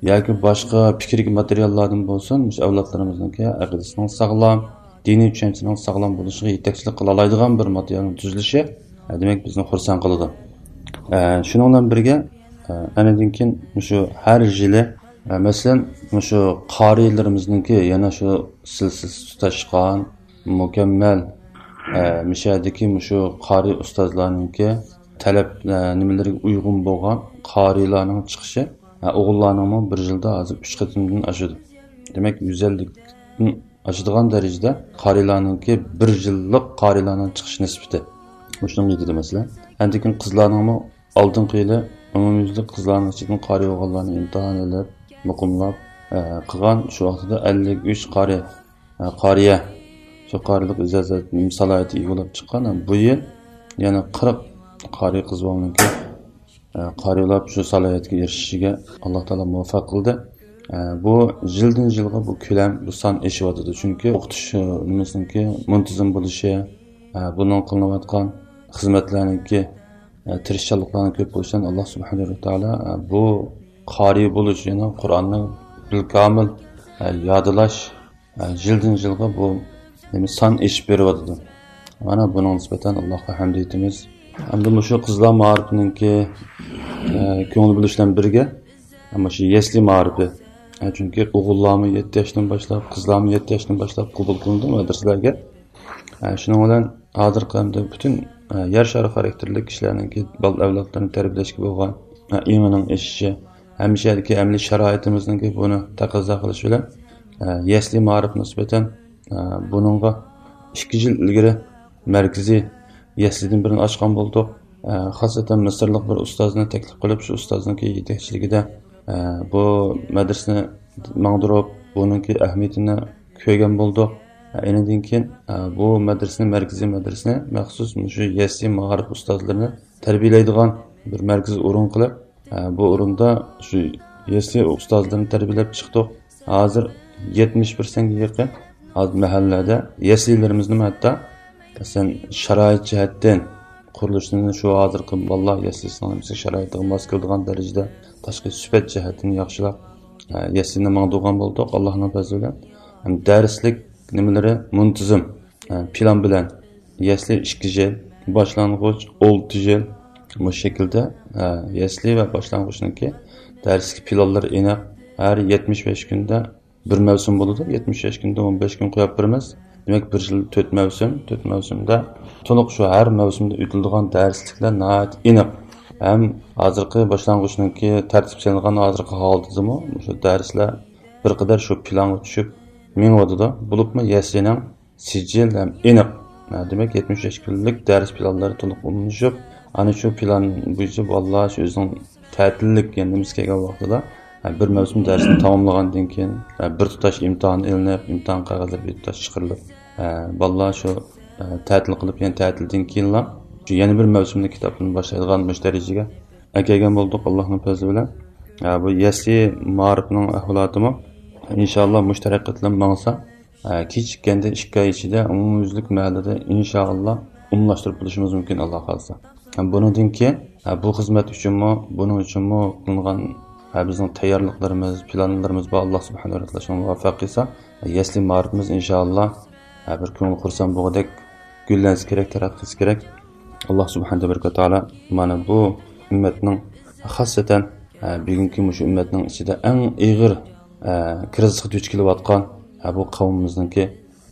ياكى باشقا پىكىرلىك ماتېرىياللاردىن بولسۇن، مۇشۇ ئەۋلادلىرىمىزنىڭكى ئەقىدىسىنىڭ ساغلام، دىنىي چۈشەنچىسىنىڭ ساغلام بولۇشىغا يېتەكچىلىك قىلالايدىغان بىر ماتېرىيالنىڭ تۈزۈلۈشى، ئە، دېمەك، بىزنى خۇرسەن قىلىدۇ. ئە، شۇنىڭ بىلەن بىرگە، ئە، ئەنىدىن كېيىن مۇشۇ ھەر يىلى، ئە، مەسىلەن، مۇشۇ قارىيلىرىمىزنىڭكى يەنە شۇ سىلسىلىسى تۇتاشقان، مۇكەممەل، ئە، مۇشۇ يەردىكى مۇشۇ قارىي ئۇستازلارنىڭكى تەلەپ، ئە، نېمىلىرىگە ئۇيغۇن بولغان قارىيلارنىڭ چىقىشى، ئە، ئوغۇللارنىڭمۇ بىر يىلدا ھازىر ئۈچ قېتىمدىن ئاشىدۇ. دېمەك، يۈز ئەللىكتىن ئاشىدىغان دەرىجىدە قارىيلارنىڭكى بىر يىللىق قارىيلارنىڭ چىقىش نىسبىتى. مۇشۇنىڭغا يېتىدۇ مەسىلەن. ئاندىن كېيىن قىزلارنىڭمۇ ئالدىنقى يىلى ئومۇميۈزلۈك قىزلارنىڭ ئىچىدىن قارىي بولغانلارنى ئىمتىھان ئېلىپ، مۇقىملاپ، ئە، قىلغان، شۇ ۋاقتىدا ئەللىك ئۈچ قارىي، ئە، قارىيە، شۇ قارىيلىق ئىجازەت سالاھىيىتى ئىگە بولۇپ چىققان. بۇ يىل يەنە قىرىق قارىي قىز بالىنىڭكى، ئە، قارىي بولۇپ شۇ سالاھىيەتكە ئېرىشىشىگە ئاللا تائالا مۇۋەپپەق قىلدى. ئە، بۇ يىلدىن يىلغا بۇ كۆلەم، بۇ سان ئېشىۋاتىدۇ. چۈنكى ئوقۇتۇش، ئە، نېمىسىنىڭكى مۇنتىزىم بولۇشى، ئە، بۇنىڭ قىلىنىۋاتقان خىزمەتلەرنىڭكى، ئە، تىرىشچانلىقلارنىڭ كۆپ بولۇشىدىن ئاللا سۇبھانەھۇ ۋە تائالا، ئە، بۇ قارىي بولۇش، يەنى قۇرئاننى بىلكامىل، ئە، يادلاش، ئە، يىلدىن يىلغا بۇ نېمە سان ئېشىپ بېرىۋاتىدۇ. مانا بۇنىڭغا نىسبەتەن ئاللاغا ھەمد ئېيتىمىز. ئەمدى مۇشۇ قىزلار مائارىپىنىڭكى، ئە، كۆڭۈل بۆلۈش بىلەن بىرگە، ئە، مۇشۇ يەسلى مائارىپى. ئە، چۈنكى ئوغۇللارمۇ يەتتە ياشتىن باشلاپ، قىزلارمۇ يەتتە ياشتىن باشلاپ قوبۇل قىلىنىدۇ مەدرىسىلەرگە. ئە، شۇنىڭ بىلەن ھازىرقى ئەمدى پۈتۈن، ئە، يەر شارى خاراكتېرلىك كىشىلەرنىڭكى بالا ئەۋلادلىرىنى تەربىيەلەشكە بولغان، ئە، ئېڭىنىڭ ئېشىشى، ھەممە شەھەردىكى ئەمەلىي شارائىتىمىزنىڭكى بۇنى تەقەززا قىلىشى بىلەن، ئە، يەسلى مائارىپقا نىسبەتەن، ئە، بۇنىڭغا ئىككى يىل ئىلگىرى مەركىزىي يەسلىدىن بىرنى ئاچقان بولدۇق. ئە، خاسسەتەن مىسىرلىق بىر ئۇستازنى تەكلىپ قىلىپ، شۇ ئۇستازنىڭكى يېتەكچىلىكىدە، ئە، بۇ مەدرىسىنى ماڭدۇرۇپ، بۇنىڭكى ئەھمىيىتىنى كۆرگەن بولدۇق. ئە، ئېنىدىن كېيىن، ئە، بۇ مەدرىسىنى، مەركىزىي مەدرىسىنى مەخسۇس مۇشۇ يەسلى مائارىپ ئۇستازلىرىنى تەربىيەلەيدىغان بىر مەركىزىي ئورۇن قىلىپ، ئە، بۇ ئورۇندا شۇ يەسلى ئۇستازلىرىنى تەربىيەلەپ چىقتۇق. ھازىر يەتمىش پىرسەنتكە يېقىن ھازىر مەھەللىلەردە يەسلىلىرىمىزنىمۇ ھەتتا، مەسىلەن، شارائىت جەھەتتىن قۇرۇلۇشىنى شۇ ھازىرقى بالىلار يەسلىسىنىڭ نېمىسى شارائىتىغا ماس كېلىدىغان دەرىجىدە تاشقى سۈپەت جەھەتتىن ياخشىلاپ، ئە، يەسلىنى ماڭدۇرغان بولدۇق، ئاللاھنىڭ پەزلى بىلەن. ھەم دەرسلىك نېمىلىرى مۇنتىزىم، ئە، پىلان بىلەن يەسلى ئىككى يىل، باشلانغۇچ ئالتە يىل، مۇشۇ شەكىلدە، ئە، يەسلى ۋە باشلانغۇچنىڭكى دەرسلىك پىلانلىرى ئېنىق. ھەر يەتمىش بەش كۈندە بىر مەۋسۇم بولىدۇ. يەتمىش بەش كۈندە ئون بەش كۈن قويۇپ بېرىمىز. دېمەك، بىر يىل تۆت مەۋسۇم، تۆت مەۋسۇمدا تولۇق شۇ ھەر مەۋسۇمدا ئۆتۈلىدىغان دەرسلىكلەر ناھايىتى ئېنىق. ھەم ھازىرقى باشلانغۇچنىڭكى تەرتىپ سېلىنغان ھازىرقى ھالىتىدىمۇ مۇشۇ دەرسلەر بىر قەدەر شۇ پىلانغا چۈشۈپ مېڭىۋاتىدۇ. بولۇپمۇ يەسلىنىڭ سىجىل ھەم ئېنىق. ھە، دېمەك، يەتمىش بەش كۈنلۈك دەرس پىلانلىرى تولۇق ئومۇملىشىپ، ئەنە شۇ پىلان بويىچە بالىلار شۇ ئۆزىنىڭ تەتىللىك، يەنى نېمىسى كەلگەن ۋاقتىدا، ھە، بىر مەۋسۇم دەرسنى تاماملىغاندىن كېيىن، ھە، بىر تۇتاش ئىمتىھان ئېلىنىپ، ئىمتىھان قەغەزلىرى بىر تۇتاش چىقىرىلىپ، ھە، بالىلار شۇ، ھە، تەتىل قىلىپ، يەنە تەتىلدىن كېيىنلا شۇ يەنە بىر مەۋسۇمنى كىتابتىن باشلايدىغان مۇشۇ دەرىجىگە ئەكەلگەن بولدۇق، ئاللاھنىڭ پەزلى بىلەن. ھە، بۇ يەسلى مائارىپنىڭ ئەھۋالاتىمۇ، ئىنشائاللا، مۇشۇ تەرەققىي قىلىپ ماڭسا، ئە، كېچىككەندە ئىككى ئاي ئىچىدە ئومۇميۈزلۈك مەھەللىدە ئىنشائاللا ئومۇملاشتۇرۇپ بولۇشىمىز مۇمكىن، ئاللا خالىسا. ھەم بۇنىڭدىن كېيىن، ئە، بۇ خىزمەت ئۈچۈنمۇ، بۇنىڭ ئۈچۈنمۇ قىلىنغان، ئە، بىزنىڭ تەييارلىقلىرىمىز، پىلانلىرىمىز بار. ئاللا سۇبھانەھۇ ۋە تائالا شۇنى مۇۋەپپەق قىلسا، يەسلى مائارىپىمىز ئىنشائاللا، ئە، بىر كۆڭۈل خۇرسەن بولغۇدەك گۈللەنسە كېرەك، تەرەققىي قىلسا كېرەك. ئاللا سۇبھانەھۇ ۋە تائالا مانا بۇ ئۈممەتنىڭ، خاسسەتەن، ئە، بۈگۈنكى مۇشۇ ئۈممەتنىڭ ئىچىدە ئەڭ ئېغىر، ئە، كىرىزىسقا دۇچ كېلىۋاتقان، ئە، بۇ قەۋمىمىزنىڭكى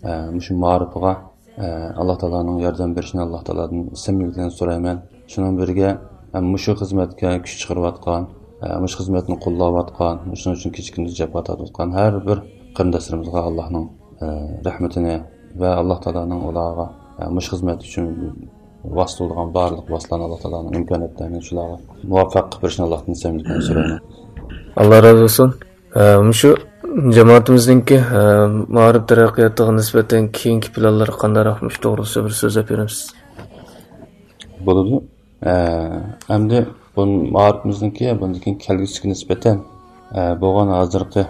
ئە، مۇشۇ مائارىپىغا، ئە، ئاللا تائالانىڭ ياردەم بېرىشىنى ئاللا تائالادىن سەمىمىيلىك بىلەن سورايمەن. شۇنىڭ بىرگە، ئە، مۇشۇ خىزمەتكە كۈچ چىقىرىۋاتقان، ئە، مۇشۇ خىزمەتنى قوللاۋاتقان، شۇنىڭ ئۈچۈن كېچە-كۈندۈز جاپا تارتىۋاتقان ھەر بىر قېرىنداشلىرىمىزغا ئاللانىڭ، ئە، رەھمىتىنى ۋە ئاللا تائالانىڭ ئۇلارغا، ئە، مۇشۇ خىزمەت ئۈچۈن ۋاسىتە بولىدىغان بارلىق ۋاسىتىلەرنى ئاللا تائالانىڭ ئىمكانىيەتلىرىنى شۇلارغا مۇۋەپپەق قىلىپ بېرىشىنى ئاللاھتىن سەمىمىيلىك بىلەن سورايمەن. ئاللا رازى بولسۇن. ئە، مۇشۇ جامائىتىمىزنىڭكى، ئە، مائارىپ تەرەققىياتىغا نىسبەتەن كېيىنكى پىلانلىرى قانداقراق، مۇشۇ توغرىسىدا بىر سۆزلەپ بېرىمىز. بولىدۇ. ئە، ئەمدى بۇ مائارىپىمىزنىڭكى بۇندىن كېيىن كەلگۈسىگە نىسبەتەن، ئە، بولغان ھازىرقى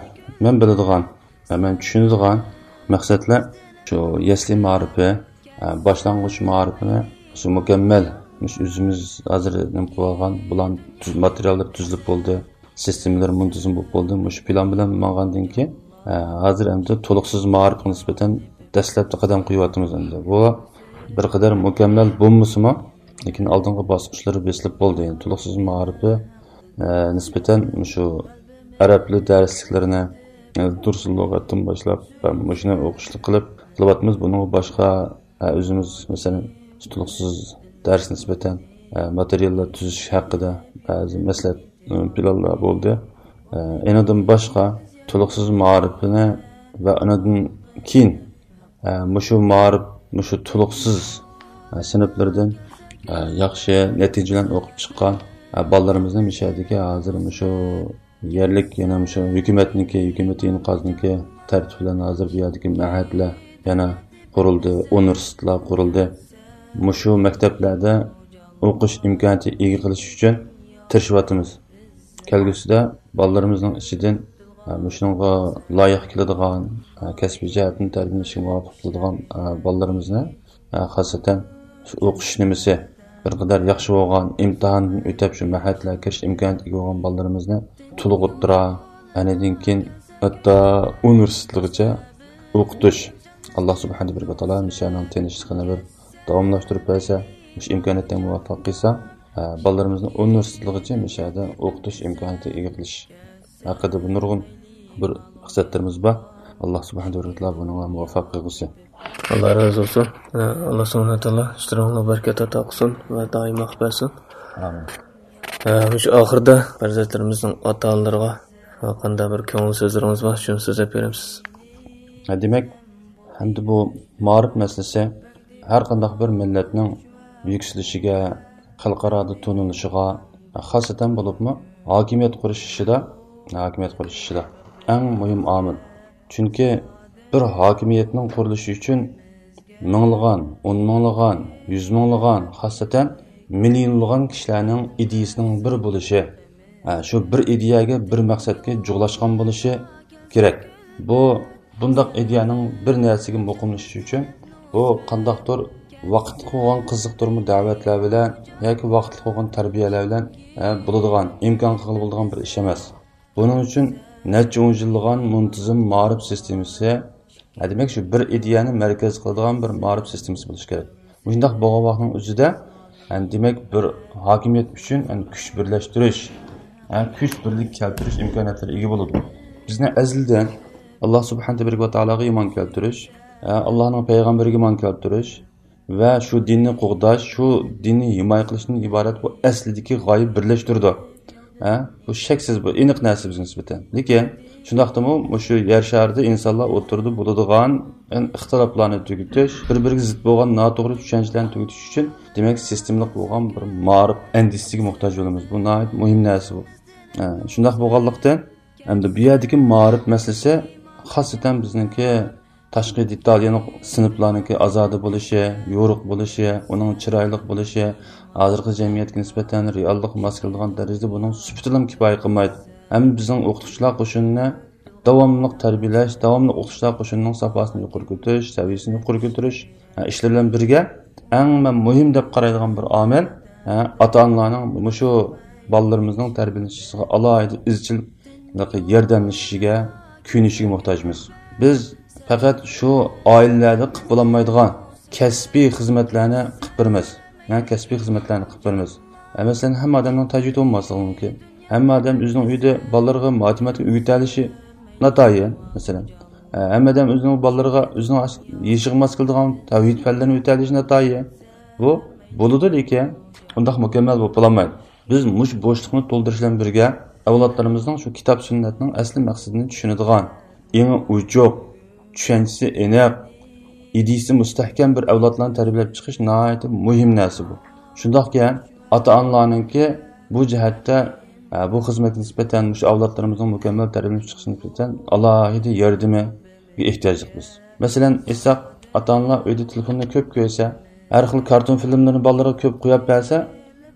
مەن بىلىدىغان ۋە مەن چۈشىنىدىغان مەقسەتلەر شۇ يەسلى مائارىپى، ئە، باشلانغۇچ مائارىپىنى شۇ مۇكەممەل، مۇشۇ ئۆزىمىز ھازىر نېمە قىلىۋالغان، بۇلارنى تۈز-، ماتېرىياللىرى تۈزۈلۈپ بولدى. سىستېمىلىرى مۇنتىزىم بولۇپ بولدى. مۇشۇ پىلان بىلەن ماڭغاندىن كېيىن، ئە، ھازىر ئەمدى تولۇقسىز مائارىپقا نىسبەتەن دەسلەپتە قەدەم قويۇۋاتىمىز ئەمدى. بۇ بىر قەدەر مۇكەممەل بولمىسىمۇ، لېكىن ئالدىنقى باسقۇچلىرى بېسىلىپ بولدى. يەنى تولۇقسىز مائارىپى، ئە، نىسبەتەن مۇشۇ ئەرەب تىلى دەرسلىكلىرىنى، ئە، دۇرسۇل لۇغەتتىن باشلاپ، ئە، مۇشۇنى ئوقۇشلۇق قىلىپ قىلىۋاتىمىز. بۇنىڭغا باشقا ئە، ئۆزىمىز، مەسىلەن، تولۇقسىز دەرس نىسبەتەن، ئە، ماتېرىياللار تۈزۈش ھەققىدە بەزى مەسلىھەت، ئە، پىلانلار بولدى. ئە، ئېنىڭدىن باشقا، تولۇقسىز مائارىپىنى ۋە ئانىڭدىن كېيىن، ئە، مۇشۇ مائارىپ، مۇشۇ تولۇقسىز، ئە، سىنىپلىرىدىن، ئە، ياخشى نەتىجە بىلەن ئوقۇپ چىققان، ئە، بالىلىرىمىزنى مۇشۇ يەردىكى ھازىر مۇشۇ يەرلىك يەنە مۇشۇ ھۆكۈمەتنىڭكى، ھۆكۈمىتى ئىنقازنىڭكى تەرتىپى بىلەن ھازىر بۇ يەردىكى مەھەدلەر يەنە قۇرۇلدى، ئۇنىۋېرسىتېتلار قۇرۇلدى. مۇشۇ مەكتەپلەردە ئوقۇش ئىمكانىيىتى ئىگە قىلىش ئۈچۈن تىرىشىۋاتىمىز. كەلگۈسىدە بالىلىرىمىزنىڭ ئىچىدىن، ئە، مۇشۇنىڭغا لايىق كېلىدىغان، ئە، كەسپىي جەھەتتىن تەربىيەلىنىشكە مۇۋاپىق كېلىدىغان، ئە، بالىلىرىمىزنى، ئە، خاسسەتەن شۇ ئوقۇش نېمىسى بىر قەدەر ياخشى بولغان، ئىمتىھاندىن ئۆتۈپ، شۇ مەھەدلەرگە كىرىش ئىمكانىيىتىگە بولغان بالىلىرىمىزنى تولۇق ئوتتۇرا، ئەنىدىن كېيىن ھەتتا ئۇنىۋېرسىتېتلىغىچە ئوقۇتۇش. ئاللا سۇبھانەھۇ ۋە تائالا مۇشۇنىڭ تىنچلىقىنى بىر داۋاملاشتۇرۇپ بەرسە، مۇشۇ ئىمكانىيەتنى مۇۋەپپەق قىلسا، ئە، بالىلىرىمىزنى ئۇنىۋېرسىتېتلىغىچە مۇشۇ يەردە ئوقۇتۇش ئىمكانىيىتى ئىگە قىلىش ھەققىدە بىر نۇرغۇن بىر مەقسەتلىرىمىز بار. ئاللا سۇبھانەھۇ ۋە تائالا بۇنىڭغا مۇۋەپپەق قىلغۇسى. ئاللا رازى بولسۇن. ئاللا سۇبھانەھۇ ۋە تائالا ئىشلىرىڭلارغا بەرىكەت ئاتا قىلسۇن ۋە دائىم بەخت بەرسۇن. ئامىن. مۇشۇ ئاخىردا پەرزەنتلىرىمىزنىڭ ئاتا-ئانىلىرىغا قانداق بىر كۆڭۈل سۆزلىرىڭىز بار، شۇنى سۆزلەپ بېرەمسىز؟ ھە، دېمەك، ئەمدى بۇ مائارىپ مەسىلىسى ھەر قانداق بىر مىللەتنىڭ يۈكسىلىشىگە، خەلقئارادا تونۇلۇشىغا، خاسسەتەن بولۇپمۇ ھاكىمىيەت قۇرۇش ئىشىدا، ھاكىمىيەت قۇرۇش ئىشىدا ئەڭ مۇھىم ئامىل. چۈنكى بىر ھاكىمىيەتنىڭ قۇرۇلۇشى ئۈچۈن مىڭلىغان، ئون مىڭلىغان، يۈز مىڭلىغان، خاسسەتەن مىليونلىغان كىشىلەرنىڭ ئىدىيىسىنىڭ بىر بولۇشى، ھە، شۇ بىر ئىدىيەگە، بىر مەقسەتكە جۇغلاشقان بولۇشى كېرەك. بۇ، بۇنداق ئىدىيەنىڭ بىر نەرسىگە مۇقىملىشىشى ئۈچۈن بۇ قانداقتۇر ۋاقىتلىق بولغان قىزىقتۇرما دەۋەتلەر بىلەن ياكى ۋاقىتلىق بولغان تەربىيەلەر بىلەن، ھە، بولىدىغان، ئىمكان قىلغىلى بولىدىغان بىر ئىش ئەمەس. بۇنىڭ ئۈچۈن نەچچە ئون يىللىغان مۇنتىزىم مائارىپ سىستېمىسى، ھە، دېمەك، شۇ بىر ئىدىيەنى مەركەز قىلىدىغان بىر مائارىپ سىستېمىسى بولۇشى كېرەك. مۇشۇنداق بولغان ۋاقىتنىڭ ئۆزىدە، ھە، دېمەك، بىر ھاكىمىيەت ئۈچۈن، ھە، كۈچ بىرلەشتۈرۈش، ھە، كۈچ بىرلىك كەلتۈرۈش ئىمكانىيەتلىرىگە ئىگە بولىدۇ. بىزنى ئەزەلدىن ئاللا سۇبھانەھۇ ۋە تائالاغا ئىمان كەلتۈرۈش، ھە، ئاللانىڭ پەيغەمبىرىگە ئىمان كەلتۈرۈش، ۋە شۇ دىننى قوغداش، شۇ دىننى ھىمايە قىلىشتىن ئىبارەت بۇ ئەسلىدىكى غايە بىرلەشتۈرىدۇ. ھە؟ بۇ شەكسىز، بۇ ئېنىق نەرسە بىزگە نىسبەتەن. لېكىن شۇنداقتىمۇ مۇشۇ يەر شارىدا ئىنسانلار ئوتتۇرىدا بولىدىغان، يەنى ئىختىلاپلارنى تۈگىتىش، بىر-بىرىگە زىت بولغان ناتوغرا چۈشەنچىلەرنى تۈگىتىش ئۈچۈن، دېمەك، سىستېمىلىق بولغان بىر مائارىپ ئەندىزىسىگە موھتاج بولىمىز. بۇ ناھايىتى مۇھىم نەرسە بۇ. ھە، شۇنداق بولغانلىقتىن، ئەمدى بۇ يەردىكى مائارىپ مەسىلىسى خاسسىتەن بىزنىڭكى تاشقى دېتال، يەنى سىنىپلارنىڭكى ئازادە بولۇشى، يورۇق بولۇشى، ئۇنىڭ چىرايلىق بولۇشى، ھازىرقى جەمئىيەتكە نىسبەتەن رېئاللىققا ماس كېلىدىغان دەرىجىدە بۇنىڭ سۈپىتىلا كۇپايە قىلمايدۇ. ھەم بىزنىڭ ئوقۇتقۇچىلار قوشۇنىنى داۋاملىق تەربىيەلەش، داۋاملىق ئوقۇتقۇچىلار قوشۇنىنىڭ ساپاسىنى يۇقىرى كۆتۈرۈش، سەۋىيەسىنى يۇقىرى كۆتۈرۈش، ھە، ئىشلىرى بىلەن بىرگە، ئەڭ مەن مۇھىم دەپ قارايدىغان بىر ئامىل، ھە، ئاتا-ئانىلارنىڭ مۇشۇ بالىلىرىمىزنىڭ تەربىيەلىنىشىگە ئالاھىدە ئىزچىل ياردەملىشىشىگە، كۆيۈنۈشىگە موھتاجمىز. بىز پەقەت شۇ ئائىلىلەردە قىلىپ بولالمايدىغان كەسپىي خىزمەتلەرنى قىلىپ بېرىمىز. ھە، كەسپىي خىزمەتلەرنى قىلىپ بېرىمىز. ھە، مەسىلەن، ھەممە ئادەمنىڭ تەجرىبىسى بولماسلىقى مۇمكىن. ھەممە ئادەم ئۆزىنىڭ ئۆيىدە بالىلىرىغا ماتېماتىكا ئۆگىتەلىشى ناتايىن، مەسىلەن. ھە، ھەممە ئادەم ئۆزىنىڭ بالىلىرىغا، ئۆزىنىڭ يېشىغا ماس كېلىدىغان تەۋھىد پەنلىرىنى ئۆگىتەلىشى ناتايىن. بۇ بولىدۇ، لېكىن ئۇنداق مۇكەممەل بولۇپ بولالمايدۇ. بىز مۇشۇ بوشلۇقنى تولدۇرۇش بىلەن بىرگە، ئەۋلادلىرىمىزنىڭ شۇ كىتاب سۈننەتنىڭ ئەسلى مەقسىتىنى چۈشىنىدىغان، ئېڭى ئوچۇق، چۈشەنچىسى ئېنىق، ئىدىيىسى مۇستەھكەم بىر ئەۋلادلارنى تەربىيەلەپ چىقىش ناھايىتى مۇھىم نەرسە بۇ. شۇنداقكەن، ئاتا-ئانىلارنىڭكى بۇ جەھەتتە، ئە، بۇ خىزمەتكە نىسبەتەن، مۇشۇ ئەۋلادلىرىمىزنىڭ مۇكەممەل تەربىيەلىنىپ چىقىشىغا نىسبەتەن ئالاھىدە ياردىمى ئېھتىياجلىق بىز. مەسىلەن، ئېيتساق، ئاتا-ئانىلار ئۆيدە تېلېفوننى كۆپ كۆرسە، ھەر خىل كارتون فىلىملىرىنى بالىلىرىغا كۆپ قويۇپ بەرسە،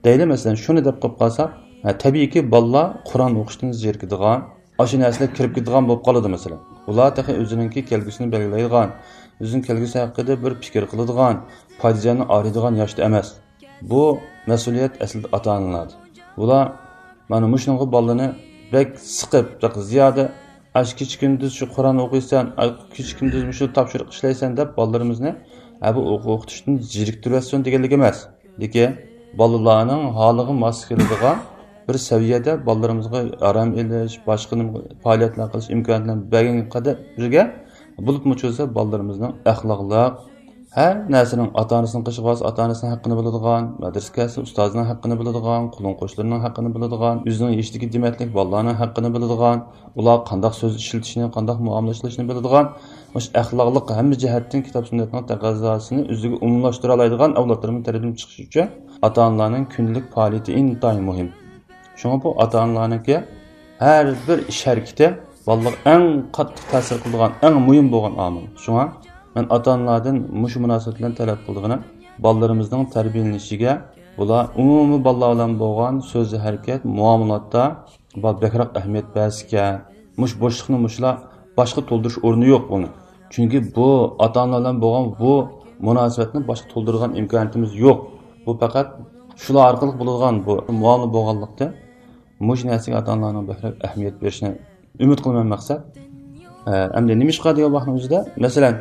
دەيلى، مەسىلەن، شۇنى دەپ قويۇپ قالساق، ھە، تەبىئىيكى، بالىلار قۇرئان ئوقۇشتىن زېرىكىدىغان، ئاشۇ نەرسىلەر كىرىپ كېتىدىغان بولۇپ قالىدۇ، مەسىلەن. ئۇلار تېخى ئۆزىنىڭكى كەلگۈسىنى بەلگىلەيدىغان، ئۆزىنىڭ كەلگۈسى ھەققىدە بىر پىكىر قىلىدىغان، پايدىجاننى ئايرىيدىغان ياشتا ئەمەس. بۇ مەسئۇلىيەت ئەسلىدە ئاتا-ئانىلاردا. بۇلار مانا مۇشۇنىڭغا بالىنى بەك سىقىپ، بەك زىيادە، ئاش كېچە-كۈندۈز شۇ قۇرئان ئوقۇيسەن، ئاي كېچە-كۈندۈز مۇشۇ تاپشۇرۇق ئىشلەيسەن دەپ بالىلىرىمىزنى، ھە، بۇ ئوقۇ-، ئوقۇتۇشتىن زېرىكتۈرۈۋەتسۇن دېگەنلىك ئەمەس. لېكىن بالىلارنىڭ ھالىغا ماس كېلىدىغان بىر سەۋىيەدە بالىلىرىمىزغا ئارام ئېلىش، باشقا نېمە پائالىيەتلەر قىلىش ئىمكانىيەتلەرنى بەرگەنگە قەدەر بىرگە، بولۇپمۇ چۈشىسە بالىلىرىمىزنىڭ ئەخلاقلىق، ھەر نەرسىنىڭ، ئاتا-ئانىسىنىڭ قېشىغا بارسا ئاتا-ئانىسىنىڭ ھەققىنى بىلىدىغان، مەدرىسىگە كەلسە ئۇستازىنىڭ ھەققىنى بىلىدىغان، قولۇم-قوشنىلىرىنىڭ ھەققىنى بىلىدىغان، ئۆزىنىڭ يېشىدىكى دېمەتلىك بالىلارنىڭ ھەققىنى بىلىدىغان، ئۇلارغا قانداق سۆز ئىشلىتىشنى، قانداق مۇئامىلە ئىشلىتىشنى بىلىدىغان، مۇشۇ ئەخلاقلىق ھەممە جەھەتتىن كىتاب سۈننەتنىڭ تەقەززاسىنى ئۆزىگە ئومۇملاشتۇرالايدىغان ئەۋلادلىرىمىز تەربىيەلىنىپ چىقىشى ئۈچۈن ئاتا-ئانىلارنىڭ كۈندىلىك پائالىيىتى ئىنتايىن مۇھىم. شۇڭا بۇ ئاتا-ئانىلارنىڭكى ھەر بىر ئىش ھەرىكىتى بالىلارغا ئەڭ قاتتىق تەسىر قىلىدىغان، ئەڭ مۇھىم بولغان ئامىل. شۇڭا مەن ئاتا-ئانىلاردىن مۇشۇ مۇناسىۋەت بىلەن تەلەپ قىلىدىغىنىم، بالىلىرىمىزنىڭ تەربىيەلىنىشىگە بۇلار ئومۇمىي بالىلار بىلەن بولغان سۆز ھەرىكەت، مۇئامىلاتتا بۇ بەكرەك ئەھمىيەت بەرسىكەن. مۇشۇ بوشلۇقنى مۇشۇلار باشقا تولدۇرۇش ئورنى يوق بۇنى. چۈنكى بۇ ئاتا-ئانىلار بىلەن بولغان بۇ مۇناسىۋەتنى باشقا تولدۇرىدىغان ئىمكانىيىتىمىز يوق. بۇ پەقەت شۇلار ئارقىلىق بولىدىغان بۇ مۇئامىلە بولغانلىقتىن، مۇشۇ نەرسىگە ئاتا-ئانىلارنىڭ بەكرەك ئەھمىيەت بېرىشىنى ئۈمىد قىلىمەن، مەقسەت. ئە، ئەمدى نېمىشقا دېگەن ۋاقىتنىڭ ئۆزىدە، مەسىلەن،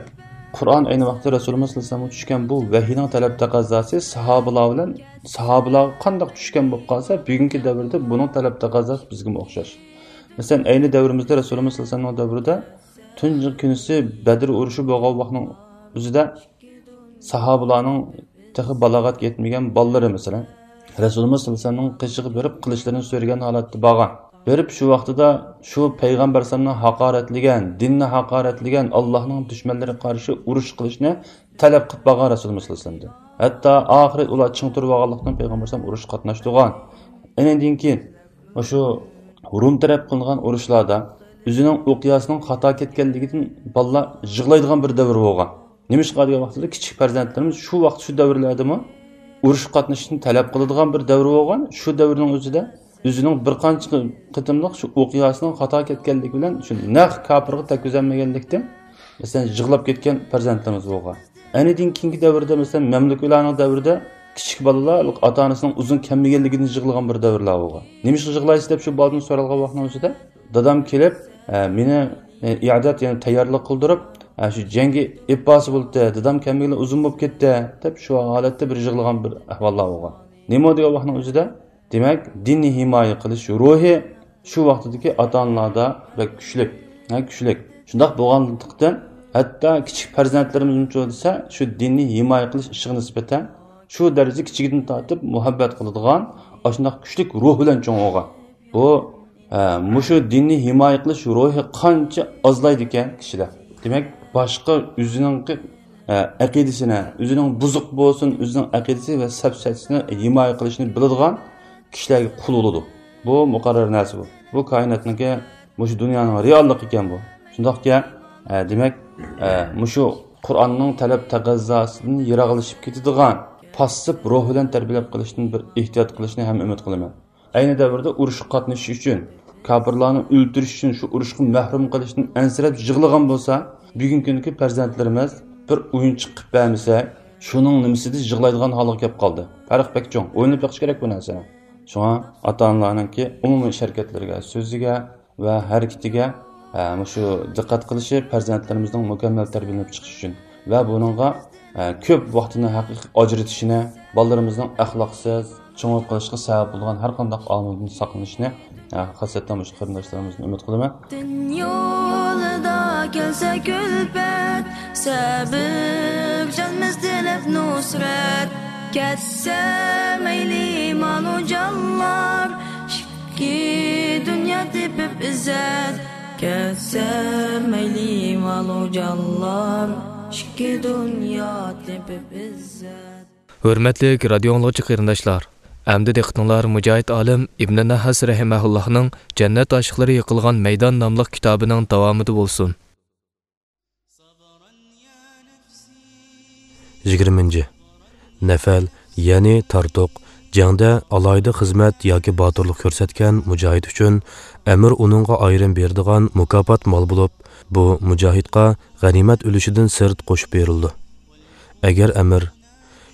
قۇرئان ئەينى ۋاقىتتا رەسۇلىمىز سەللەللاھۇ ئەلەيھى ۋەسەللەمگە چۈشكەن بۇ ۋەھىينىڭ تەلەپ تەقەززاسى ساھابىلار بىلەن، ساھابىلارغا قانداق چۈشكەن بولۇپ قالسا، بۈگۈنكى دەۋردە بۇنىڭ تەلەپ تەقەززاسى بىزگىمۇ ئوخشاش. مەسىلەن، ئەينى دەۋرىمىزدە رەسۇلىمىز سەللەللاھۇ ئەلەيھى ۋەسەللەمنىڭ دەۋرىدە تۇنجى كۈنىسى بەدر ئۇرۇشى بولغان ۋاقىتنىڭ ئۆزىدە ساھابىلارنىڭ تېخى بالاغەتكە يەتمىگەن بالىلىرى، مەسىلەن، رەسۇلىمىز سەللەللاھۇ ئەلەيھى ۋەسەللەمنىڭ قېشىغا بېرىپ قىلىچلىرىنى سۆرىگەن ھالەتتە بارغان. بېرىپ شۇ ۋاقتىدا شۇ پەيغەمبەر ئەلەيھىسسالامنى ھاقارەتلىگەن، دىننى ھاقارەتلىگەن، ئاللاھنىڭ دۈشمەنلىرىگە قارشى ئۇرۇش قىلىشنى تەلەپ قىلىپ بارغان رەسۇلىمىز سەللەللاھۇ ئەلەيھى ۋەسەللەمدىن. ھەتتا ئاخىرى ئۇلار چىڭ تۇرۇپ ئالغانلىقتىن پەيغەمبەر ئەلەيھىسسالام ئۇرۇشقا قاتناشتۇرغان. ئېنىڭدىن كېيىن مۇشۇ رۇم تەرەپ قىلىنغان ئۇرۇشلاردا ئۆزىنىڭ ئوقياسىنىڭ خاتا كەتكەنلىكىدىن بالىلار يىغلايدىغان بىر دەۋر بولغان. نېمىشقا دېگەن ۋاقتىدا كىچىك پەرزەنتلىرىمىز شۇ ۋاقىت، شۇ دەۋرلەردىمۇ ئۇرۇشقا قاتنىشىشنى تەلەپ قىلىدىغان بىر دەۋر بولغان. شۇ دەۋرنىڭ ئۆزىدە ئۆزىنىڭ بىر قانچە قېتىملىق شۇ ئوقياسىنىڭ خاتا كەتكەنلىكى بىلەن شۇ نەق كاپىرغا تەگكۈزەلمىگەنلىكتىن، مەسىلەن، يىغلاپ كەتكەن پەرزەنتلىرىمىز بولغان. ئەنىدىن كېيىنكى دەۋردە، مەسىلەن، مەملۇكلارنىڭ دەۋرىدە كىچىك بالىلار ئاتا-ئانىسىنىڭ ئۇزۇن كەلمىگەنلىكىدىن يىغلىغان بىر دەۋرلەر بولغان. نېمىشقا يىغلايسىز دەپ شۇ بالىدىن سورالغان ۋاقىتنىڭ ئۆزىدە، دادام كېلىپ، ئە، مېنى، ئە، ئىئادەت، يەنى تەييارلىق قىلدۇرۇپ، ئە، شۇ جەڭگە ئېلىپ بارسا بولاتتى، دادام كەلمىگىلى ئۇزۇن بولۇپ كەتتى، دەپ شۇ ھالەتتە بىر يىغلىغان بىر ئەھۋاللار بولغان. نېمە دېگەن ۋاقىتنىڭ ئۆزىدە، دېمەك، دىننى ھىمايە قىلىش روھى شۇ ۋاقتىدىكى ئاتا-ئانىلاردا بەك كۈچلۈك، ھە، كۈچلۈك. شۇنداق بولغانلىقتىن، ھەتتا كىچىك پەرزەنتلىرىمىزمۇچۇ دېسە، شۇ دىننى ھىمايە قىلىش ئىشىغا نىسبەتەن شۇ دەرىجىدە كىچىكىدىن تارتىپ مۇھەببەت قىلىدىغان، ئاشۇنداق كۈچلۈك روھ بىلەن چوڭ بولغان. بۇ، ئە، مۇشۇ دىننى ھىمايە قىلىش روھى قانچە ئازلايدىكەن كىشىدە. دېمەك، باشقا ئۆزىنىڭكى، ئە، ئەقىدىسىنى، ئۆزىنىڭ بۇزۇق بولسۇن، ئۆزىنىڭ ئەقىدىسى ۋە سەپسەتىسىنى ھىمايە قىلىشنى بىلىدىغان كىشىلەرگە قۇل بولىدۇ. بۇ مۇقەررەر نەرسە بۇ. بۇ كائىناتنىڭكى، مۇشۇ دۇنيانىڭ رېئاللىقى ئىكەن بۇ. شۇنداقكەن، ئە، دېمەك، ئە، مۇشۇ قۇرئاننىڭ تەلەپ تەقەززاسىدىن يىراقلىشىپ كېتىدىغان پاسسىپ روھ بىلەن تەربىيەلەپ قېلىشتىن بىر ئېھتىيات قىلىشنى ھەم ئۈمىد قىلىمەن. ئەينى دەۋردە ئۇرۇشقا قاتنىشىش ئۈچۈن، كاپىرلارنى ئۆلتۈرۈش ئۈچۈن، شۇ ئۇرۇشقا مەھرۇم قىلىشتىن ئەنسىرەپ يىغلىغان بولسا، بۈگۈنكى كۈنكى پەرزەنتلىرىمىز بىر ئويۇنچۇق قىلىپ بەرمىسەك، شۇنىڭ نېمىسىدە يىغلايدىغان ھالغا كەپ قالدى. پەرق بەك چوڭ. ئويلىنىپ بېقىش كېرەك بۇ نەرسىنى. شۇڭا ئاتا-ئانىلارنىڭكى ئومۇمىي ئىش-ھەرىكەتلىرىگە، سۆزىگە ۋە ھەرىكىتىگە، ئە، مۇشۇ دىققەت قىلىشى پەرزەنتلىرىمىزنىڭ مۇكەممەل تەربىيەلىنىپ چىقىشى ئۈچۈن ۋە بۇنىڭغا، ئە، كۆپ ۋاقتىنى ھەقىقىي ئاجرىتىشىنى، بالىلىرىمىزنىڭ ئەخلاقسىز، چوڭىيىپ قېلىشقا سەۋەب بولىدىغان ھەر قانداق ئامىلدىن ساقلىنىشىنى، ھە، خاسسەتەن مۇشۇ قېرىنداشلىرىمىزدىن ئۈمىد قىلىمەن. دىن يولىدا كەلسە كۈلپەت، سەۋەبلىشەلمەس تىلەپ نۇسرەت. كەتسە مەيلى مالۇ جانلار، ئىككى دۇنيا تېپىپ ئىززەت. كەتسە مەيلى مالۇ جانلار، ئىككى دۇنيا تېپىپ ئىززەت. ھۆرمەتلىك رادىيو ئاڭلىغۇچى قېرىنداشلار، ئەمدى دىققىتىڭلار مۇجاھىد ئالىم ئىبنى نەھاس رەھىمەھۇللاھنىڭ جەننەت ئاشىقلىرى يىقىلغان مەيدان ناملىق كىتابىنىڭ داۋامىدا بولسۇن. يىگىرمىنچى. نەفەل، يەنى تارتۇق، جەڭدە ئالاھىدە خىزمەت ياكى باتۇرلۇق كۆرسەتكەن مۇجاھىد ئۈچۈن ئەمىر ئۇنىڭغا ئايرىم بېرىدىغان مۇكاپات مال بولۇپ، بۇ مۇجاھىدقا غەنىيمەت ئۈلۈشىدىن سىرت قوشۇپ بېرىلىدۇ. ئەگەر ئەمىر،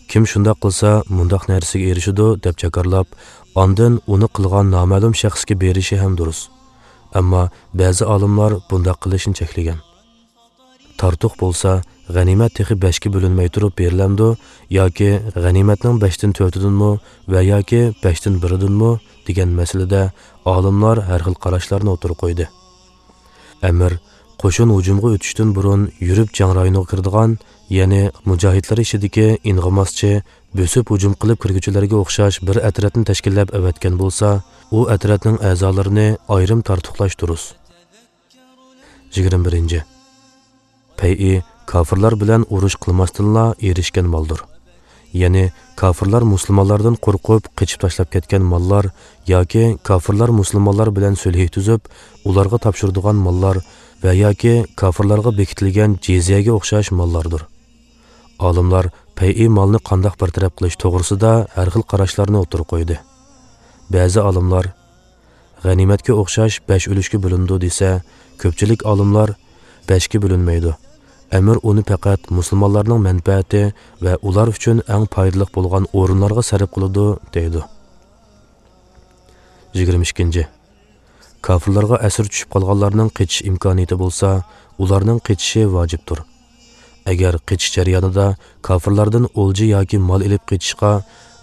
كىم شۇنداق قىلسا، مۇنداق نەرسىگە ئېرىشىدۇ، دەپ جاكارلاپ، ئاندىن ئۇنى قىلغان نامەلۇم شەخسكە بېرىشى ھەم دۇرۇس. ئەمما بەزى ئالىملار بۇنداق قىلىشنى چەكلىگەن. تارتۇق بولسا، غەنىيمەت تېخى بەشكە بۆلۈنمەي تۇرۇپ بېرىلەمدۇ ياكى غەنىيمەتنىڭ بەشتىن تۆتىدىنمۇ ۋە ياكى بەشتىن بىرىدىنمۇ دېگەن مەسىلىدە ئالىملار ھەر خىل قاراشلارنى ئوتتۇرىغا قويدى. ئەمىر قوشۇن ھۇجۇمغا ئۆتۈشتىن بۇرۇن يۈرۈپ جەڭ رايونىغا كىرىدىغان، يەنى مۇجاھىدلار ئىچىدىكى ئىنغىماسچى، بۆسۈپ ھۇجۇم قىلىپ كىرگۈچىلەرگە ئوخشاش بىر ئەترەتنى تەشكىللەپ ئەۋەتكەن بولسا، ئۇ ئەترەتنىڭ ئەزالىرىنى ئايرىم تارتۇقلاش دۇرۇس. يىگىرمە بىرىنچى. پەيئى كاپىرلار بىلەن ئۇرۇش قىلماستىنلا ئېرىشكەن مالدۇر. يەنى كاپىرلار مۇسۇلمانلاردىن قورقۇپ قېچىپ تاشلاپ كەتكەن ماللار ياكى كاپىرلار مۇسۇلمانلار بىلەن سۈلھى تۈزۈپ، ئۇلارغا تاپشۇرىدىغان ماللار ۋە ياكى كاپىرلارغا بېكىتىلگەن جىزيەگە ئوخشاش ماللاردۇر. ئالىملار پەيئى مالنى قانداق بىر تەرەپ قىلىش توغرىسىدا ھەر خىل قاراشلارنى ئوتتۇرىغا قويدى. بەزى ئالىملار غەنىيمەتكە ئوخشاش بەش ئۈلۈشكە بۆلۈنىدۇ دېسە، كۆپچىلىك ئالىملار بەشكە بۆلۈنمەيدۇ. ئەمىر ئۇنى پەقەت مۇسۇلمانلارنىڭ مەنپەئەتى ۋە ئۇلار ئۈچۈن ئەڭ پايدىلىق بولغان ئورۇنلارغا سەرپ قىلىدۇ، دەيدۇ. يىگىرمە ئىككىنچى. كاپىرلارغا ئەسىر چۈشۈپ قالغانلارنىڭ قېچىش ئىمكانىيىتى بولسا، ئۇلارنىڭ قېچىشى ۋاجىپتۇر. ئەگەر قېچىش جەريانىدا كاپىرلاردىن ئولجا ياكى مال ئېلىپ قېچىشقا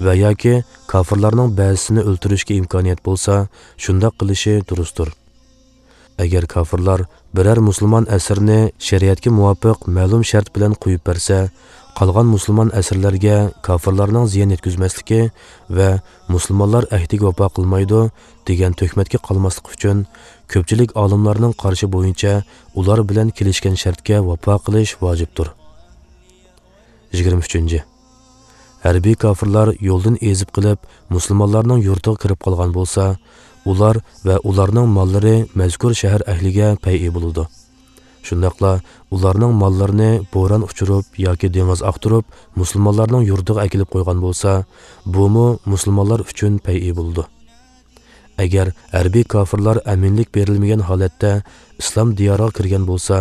ۋە ياكى كاپىرلارنىڭ بەزىسىنى ئۆلتۈرۈشكە ئىمكانىيەت بولسا، شۇنداق قىلىشى دۇرۇستۇر. ئەگەر كاپىرلار بىرەر مۇسۇلمان ئەسىرنى شەرىئەتكە مۇۋاپىق مەلۇم شەرت بىلەن قويۇپ بەرسە، قالغان مۇسۇلمان ئەسىرلەرگە كاپىرلارنىڭ زىيان يەتكۈزمەسلىكى ۋە مۇسۇلمانلار ئەھدىگە ۋاپا قىلمايدۇ دېگەن تۆھمەتكە قالماسلىق ئۈچۈن، كۆپچىلىك ئالىملارنىڭ قارىشى بويىچە ئۇلار بىلەن كېلىشكەن شەرتكە ۋاپا قىلىش ۋاجىپتۇر. يىگىرمە ئۈچىنچى. ھەربىي كاپىرلار يولدىن ئېزىپ قېلىپ، مۇسۇلمانلارنىڭ يۇرتىغا كىرىپ قالغان بولسا، ئۇلار ۋە ئۇلارنىڭ ماللىرى مەزكۇر شەھەر ئەھلىگە پەيئى بولىدۇ. شۇنداقلا ئۇلارنىڭ ماللىرىنى بوران ئۇچۇرۇپ ياكى دېڭىز ئاقتۇرۇپ مۇسۇلمانلارنىڭ يۇرتىغا ئەكېلىپ قويغان بولسا، بۇمۇ مۇسۇلمانلار ئۈچۈن پەيئى بولىدۇ. ئەگەر ھەربىي كاپىرلار ئەمىنلىك بېرىلمىگەن ھالەتتە ئىسلام دىيارىغا كىرگەن بولسا،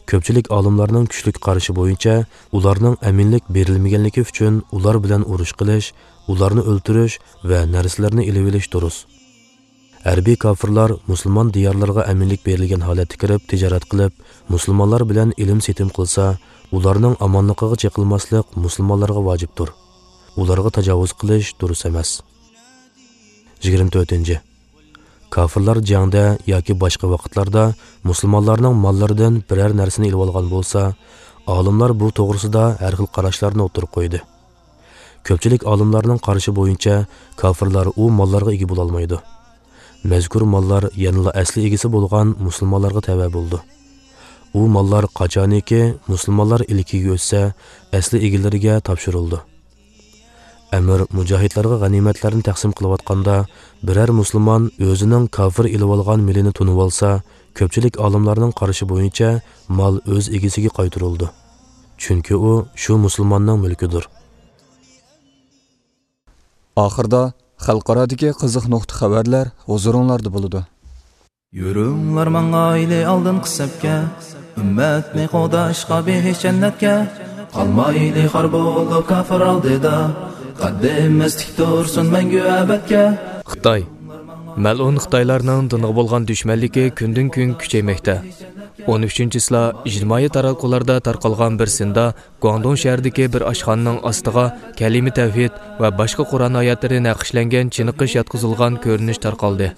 كۆپچىلىك ئالىملارنىڭ كۈچلۈك قارىشى بويىچە ئۇلارنىڭ ئەمىنلىك بېرىلمىگەنلىكى ئۈچۈن ئۇلار بىلەن ئۇرۇش قىلىش، ئۇلارنى ئۆلتۈرۈش ۋە نەرسىلەرنى ئېلىۋېلىش دۇرۇس. ھەربىي كاپىرلار مۇسۇلمان دىيارلىرىغا ئەمىنلىك بېرىلگەن ھالەتتە كىرىپ تىجارەت قىلىپ، مۇسۇلمانلار بىلەن ئېلىم-سېتىم قىلسا، ئۇلارنىڭ ئامانلىقىغا چېقىلماسلىق مۇسۇلمانلارغا ۋاجىپتۇر. ئۇلارغا تاجاۋۇز قىلىش دۇرۇس ئەمەس. يىگىرمە تۆتىنچى. كاپىرلار جەڭدە ياكى باشقا ۋاقىتلاردا مۇسۇلمانلارنىڭ ماللىرىدىن بىرەر نەرسىنى ئېلىۋالغان بولسا، ئالىملار بۇ توغرىسىدا ھەر خىل قاراشلارنى ئوتتۇرىغا قويدى. كۆپچىلىك ئالىملارنىڭ قارىشى بويىچە، كاپىرلار ئۇ ماللارغا ئىگە بولالمايدۇ. مەزكۇر ماللار يەنىلا ئەسلى ئىگىسى بولغان مۇسۇلمانلارغا تەۋە بولىدۇ. ئۇ ماللار قاچانىكى مۇسۇلمانلار ئىلكىگە ئۆتسە، ئەسلى ئىگىلىرىگە تاپشۇرۇلىدۇ. ئەمىر مۇجاھىدلارغا غەنىيمەتلەرنى تەقسىم قىلىۋاتقاندا، بىرەر مۇسۇلمان ئۆزىنىڭ كاپىر ئېلىۋالغان مېلىنى تونۇۋالسا، كۆپچىلىك ئالىملارنىڭ قارىشى بويىچە مال ئۆز ئىگىسىگە قايتۇرۇلىدۇ. چۈنكى ئۇ شۇ مۇسۇلماننىڭ مۈلكىدۇر. ئاخىردا خەلقئارادىكى قىزىق نۇقتا خەۋەرلەر ھۇزۇرۇڭلاردا بولىدۇ. يۈرۈڭلار ماڭايلى ئالدىنقى سەپكە، ئۈممەتنى قوغداشقا بېھىش جەننەتكە. قالمايلى خار بولۇپ كاپىر ئالدىدا، قەددىمىز تىك تۇرسۇن مەڭگۈ ئەبەدكە. خىتاي. مەلئۇن خىتايلارنىڭ دىنغا بولغان دۈشمەنلىكى كۈندىن-كۈن كۈچەيمەكتە. ئون ئۈچىنچى چىسلا ئىجتىمائىي تاراتقۇلاردا تارقالغان بىر سىندا گۇاڭدۇڭ شەھىرىدىكى بىر ئاشخانىنىڭ ئاستىغا كەلىمە تەۋھىد ۋە باشقا قۇرئان ئايەتلىرى نەقىشلەنگەن چېنىقىش ياتقۇزۇلغان كۆرۈنۈش تارقالدى.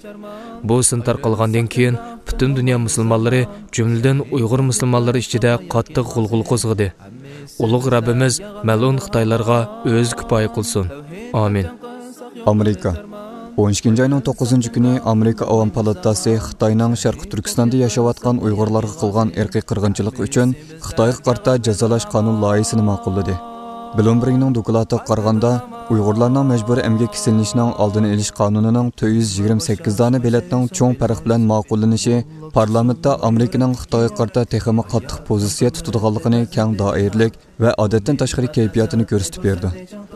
بۇ سىن تارقالغاندىن كېيىن، پۈتۈن دۇنيا مۇسۇلمانلىرى، جۈملىدىن ئۇيغۇر مۇسۇلمانلىرى ئىچىدە قاتتىق غۇلغۇلا قوزغىدى. ئۇلۇغ رەببىمىز مەلئۇن خىتايلارغا ئۆزى كۇپايە قىلسۇن. ئامىن. ئامېرىكا. ئون ئىككىنچى ئاينىڭ توققۇزىنچى كۈنى ئامېرىكا ئاۋام پالاتاسى خىتاينىڭ شەرقىي تۈركىستاندا ياشاۋاتقان ئۇيغۇرلارغا قىلغان ئىرقىي قىرغىنچىلىقى ئۈچۈن خىتايغا قارىتا جازالاش قانۇن لايىھىسىنى ماقۇللىدى. بلومبېرگنىڭ دوكلاتىغا قارىغاندا، ئۇيغۇرلارنىڭ مەجبۇرىي ئەمگەككە سېلىنىشىنىڭ ئالدىنى ئېلىش قانۇنىنىڭ تۆت يۈز يىگىرمە سەككىز دانە بېلەتنىڭ چوڭ پەرق بىلەن ماقۇللىنىشى پارلامېنتتا ئامېرىكىنىڭ خىتايغا قارىتا تېخىمۇ قاتتىق پوزىتسىيە تۇتىدىغانلىقىنى كەڭ دائىرىلىك ۋە ئادەتتىن تاشقىرى كەيپىياتىنى كۆرسىتىپ بېرىدۇ.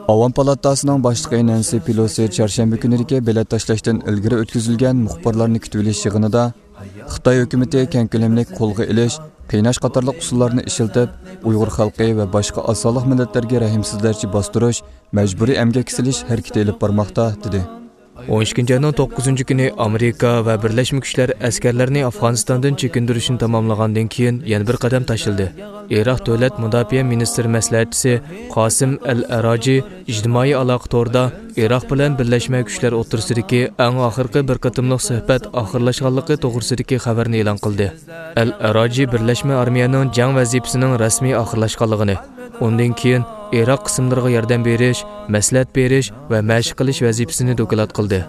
ئاۋام پالاتاسىنىڭ باشلىقى نەنسى پېلوسى چارشەنبە كۈنىدىكى بېلەت تاشلاشتىن ئىلگىرى ئۆتكۈزۈلگەن مۇخبىرلارنى كۈتۈۋېلىش يىغىنىدا، خىتاي ھۆكۈمىتى كەڭ كۆلەملىك قولغا ئېلىش، قىيناش قاتارلىق ئۇسۇللارنى ئىشلىتىپ، ئۇيغۇر خەلقى ۋە باشقا ئاز سانلىق مىللەتلەرگە رەھىمسىزلەرچە باستۇرۇش، مەجبۇرىي ئەمگەككە سېلىش ھەرىكىتى ئېلىپ بارماقتا، دېدى. ئون ئىككىنچى ئاينىڭ توققۇزىنچى كۈنى ئامېرىكا ۋە بىرلەشمە كۈچلەر ئەسكەرلەرنى ئافغانىستاندىن چېكىندۈرۈشنى تاماملىغاندىن كېيىن، يەنە بىر قەدەم تاشلىدى. ئىراق دۆلەت مۇداپىئە مىنىستىر مەسلىھەتچىسى قاسىم ئەل ئەراجى ئىجتىمائىي ئالاقە تورىدا ئىراق بىلەن بىرلەشمە كۈچلەر ئوتتۇرىسىدىكى ئەڭ ئاخىرقى بىر قېتىملىق سۆھبەت ئاخىرلاشقانلىقى توغرىسىدىكى خەۋەرنى ئېلان قىلدى. ئەل ئەراجى بىرلەشمە ئارمىيەنىڭ جەڭ ۋەزىپىسىنىڭ رەسمىي ئاخىرلاشقانلىقىنى، ئۇندىن كېيىن ئىراق قىسىملىرىغا ياردەم بېرىش، مەسلىھەت بېرىش ۋە مەشىق قىلىش ۋەزىپىسىنى دوكلات قىلدى.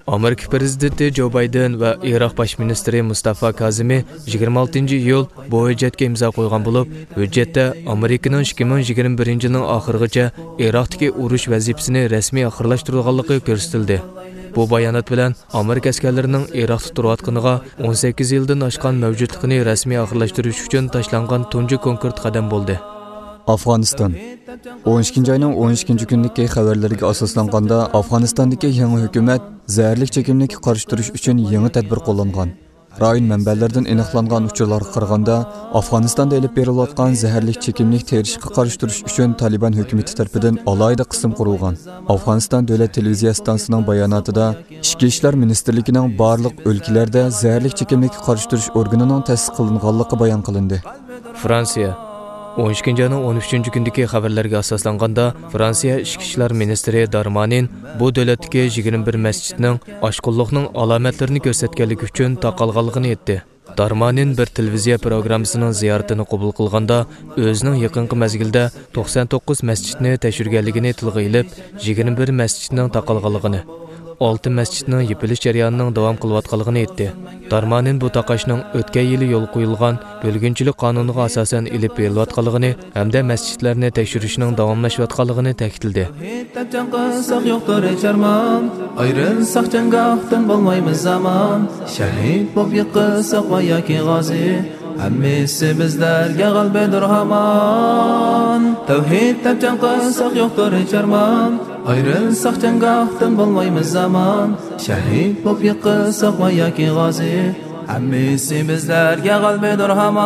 ئامېرىكا پىرېزىدېنتى جو بايدېن ۋە ئىراق باش مىنىستىرى مۇستافا كازىمى يىگىرمە ئالتىنچى ئىيۇل بۇ ھۆججەتكە ئىمزا قويغان بولۇپ، ھۆججەتتە ئامېرىكىنىڭ ئىككى مىڭ يىگىرمە بىرىنچى يىلنىڭ ئاخىرىغىچە ئىراقتىكى ئۇرۇش ۋەزىپىسىنى رەسمىي ئاخىرلاشتۇرىدىغانلىقى كۆرسىتىلدى. بۇ بايانات بىلەن ئامېرىكا ئەسكەرلىرىنىڭ ئىراقتا تۇرۇۋاتقىنىغا، ئون سەككىز يىلدىن ئاشقان مەۋجۇتلۇقىنى رەسمىي ئاخىرلاشتۇرۇش ئۈچۈن تاشلانغان تۇنجى كونكرېت قەدەم بولدى. ئافغانىستان. ئون ئىككىنچى ئاينىڭ ئون ئىككىنچى كۈنىدىكى خەۋەرلىرىگە ئاساسلانغاندا، ئافغانىستاندىكى يېڭى ھۆكۈمەت زەھەرلىك چېكىملىككە قارشى تۇرۇش ئۈچۈن يېڭى تەدبىر قوللانغان. رايون مەنبەلىرىدىن ئېنىقلانغان ئۇچۇرلارغا قارىغاندا، ئافغانىستاندا ئېلىپ بېرىلىۋاتقان زەھەرلىك چېكىملىك تېرىشقا قارشى تۇرۇش ئۈچۈن تالىبان ھۆكۈمىتى تەرىپىدىن ئالاھىدە قىسىم قۇرۇلغان. ئافغانىستان دۆلەت تېلېۋىزىيە ئىستانسىسىنىڭ باياناتىدا ئىچكى ئىشلار مىنىستىرلىكىنىڭ بارلىق ئۆلكىلەردە زەھەرلىك چېكىملىككە قارشى تۇرۇش ئورگىنىنىڭ تەسىس قىلىنغانلىقى بايان قىلىندى. فرانسىيە. ئون ئىككىنچى ئاينىڭ ئون ئۈچىنچى كۈنىدىكى خەۋەرلەرگە ئاساسلانغاندا، فرانسىيە ئىچكى ئىشلار مىنىستىرى دارمانىن بۇ دۆلەتتىكى يىگىرمە بىر مەسچىتنىڭ ئاشقۇنلۇقنىڭ ئالامەتلىرىنى كۆرسەتكەنلىكى ئۈچۈن تاقالغانلىقىنى ئېيتتى. دارمانىن بىر تېلېۋىزىيە پروگراممىسىنىڭ زىيارىتىنى قوبۇل قىلغاندا، ئۆزىنىڭ يېقىنقى مەزگىلدە توقسان توققۇز مەسچىتنى تەكشۈرگەنلىكىنى تىلغا ئېلىپ، يىگىرمە بىر مەسچىتنىڭ تاقالغانلىقىنى، ئالتە مەسچىتنىڭ يېپىلىش جەريانىنىڭ داۋام قىلىۋاتقانلىقىنى ئېيتتى. دارمانىن بۇ تاقاشنىڭ ئۆتكەن يىلى يولغا قويۇلغان بۆلگۈنچىلىك قانۇنىغا ئاساسەن ئېلىپ بېرىلىۋاتقانلىقىنى ھەمدە مەسچىتلەرنى تەكشۈرۈشنىڭ داۋاملاشىۋاتقانلىقىنى تەكىتلىدى. شېھىت دەپ جەڭ قىلساق يوقتۇر ھېچ ئارمان، ئايرىلساق جەڭگاھتىن بولمايمىز ئامان. شەھىت بولۇپ يىقىلساق ۋە ياكى غازى، ھەممىسى بىزلەرگە غەلىبىدۇر ھامان. تەۋھىد دەپ جەڭ قىلساق يوقتۇر ھېچ ئارمان، ئايرىلساق جەڭگاھتىن بولمايمىز ئامان. شەھىد بولۇپ يىقىلساق ۋە ياكى غازى، ھەممىسى بىزلەرگە غەلىبىدۇر ھامان،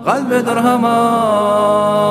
غەلىبىدۇر ھامان.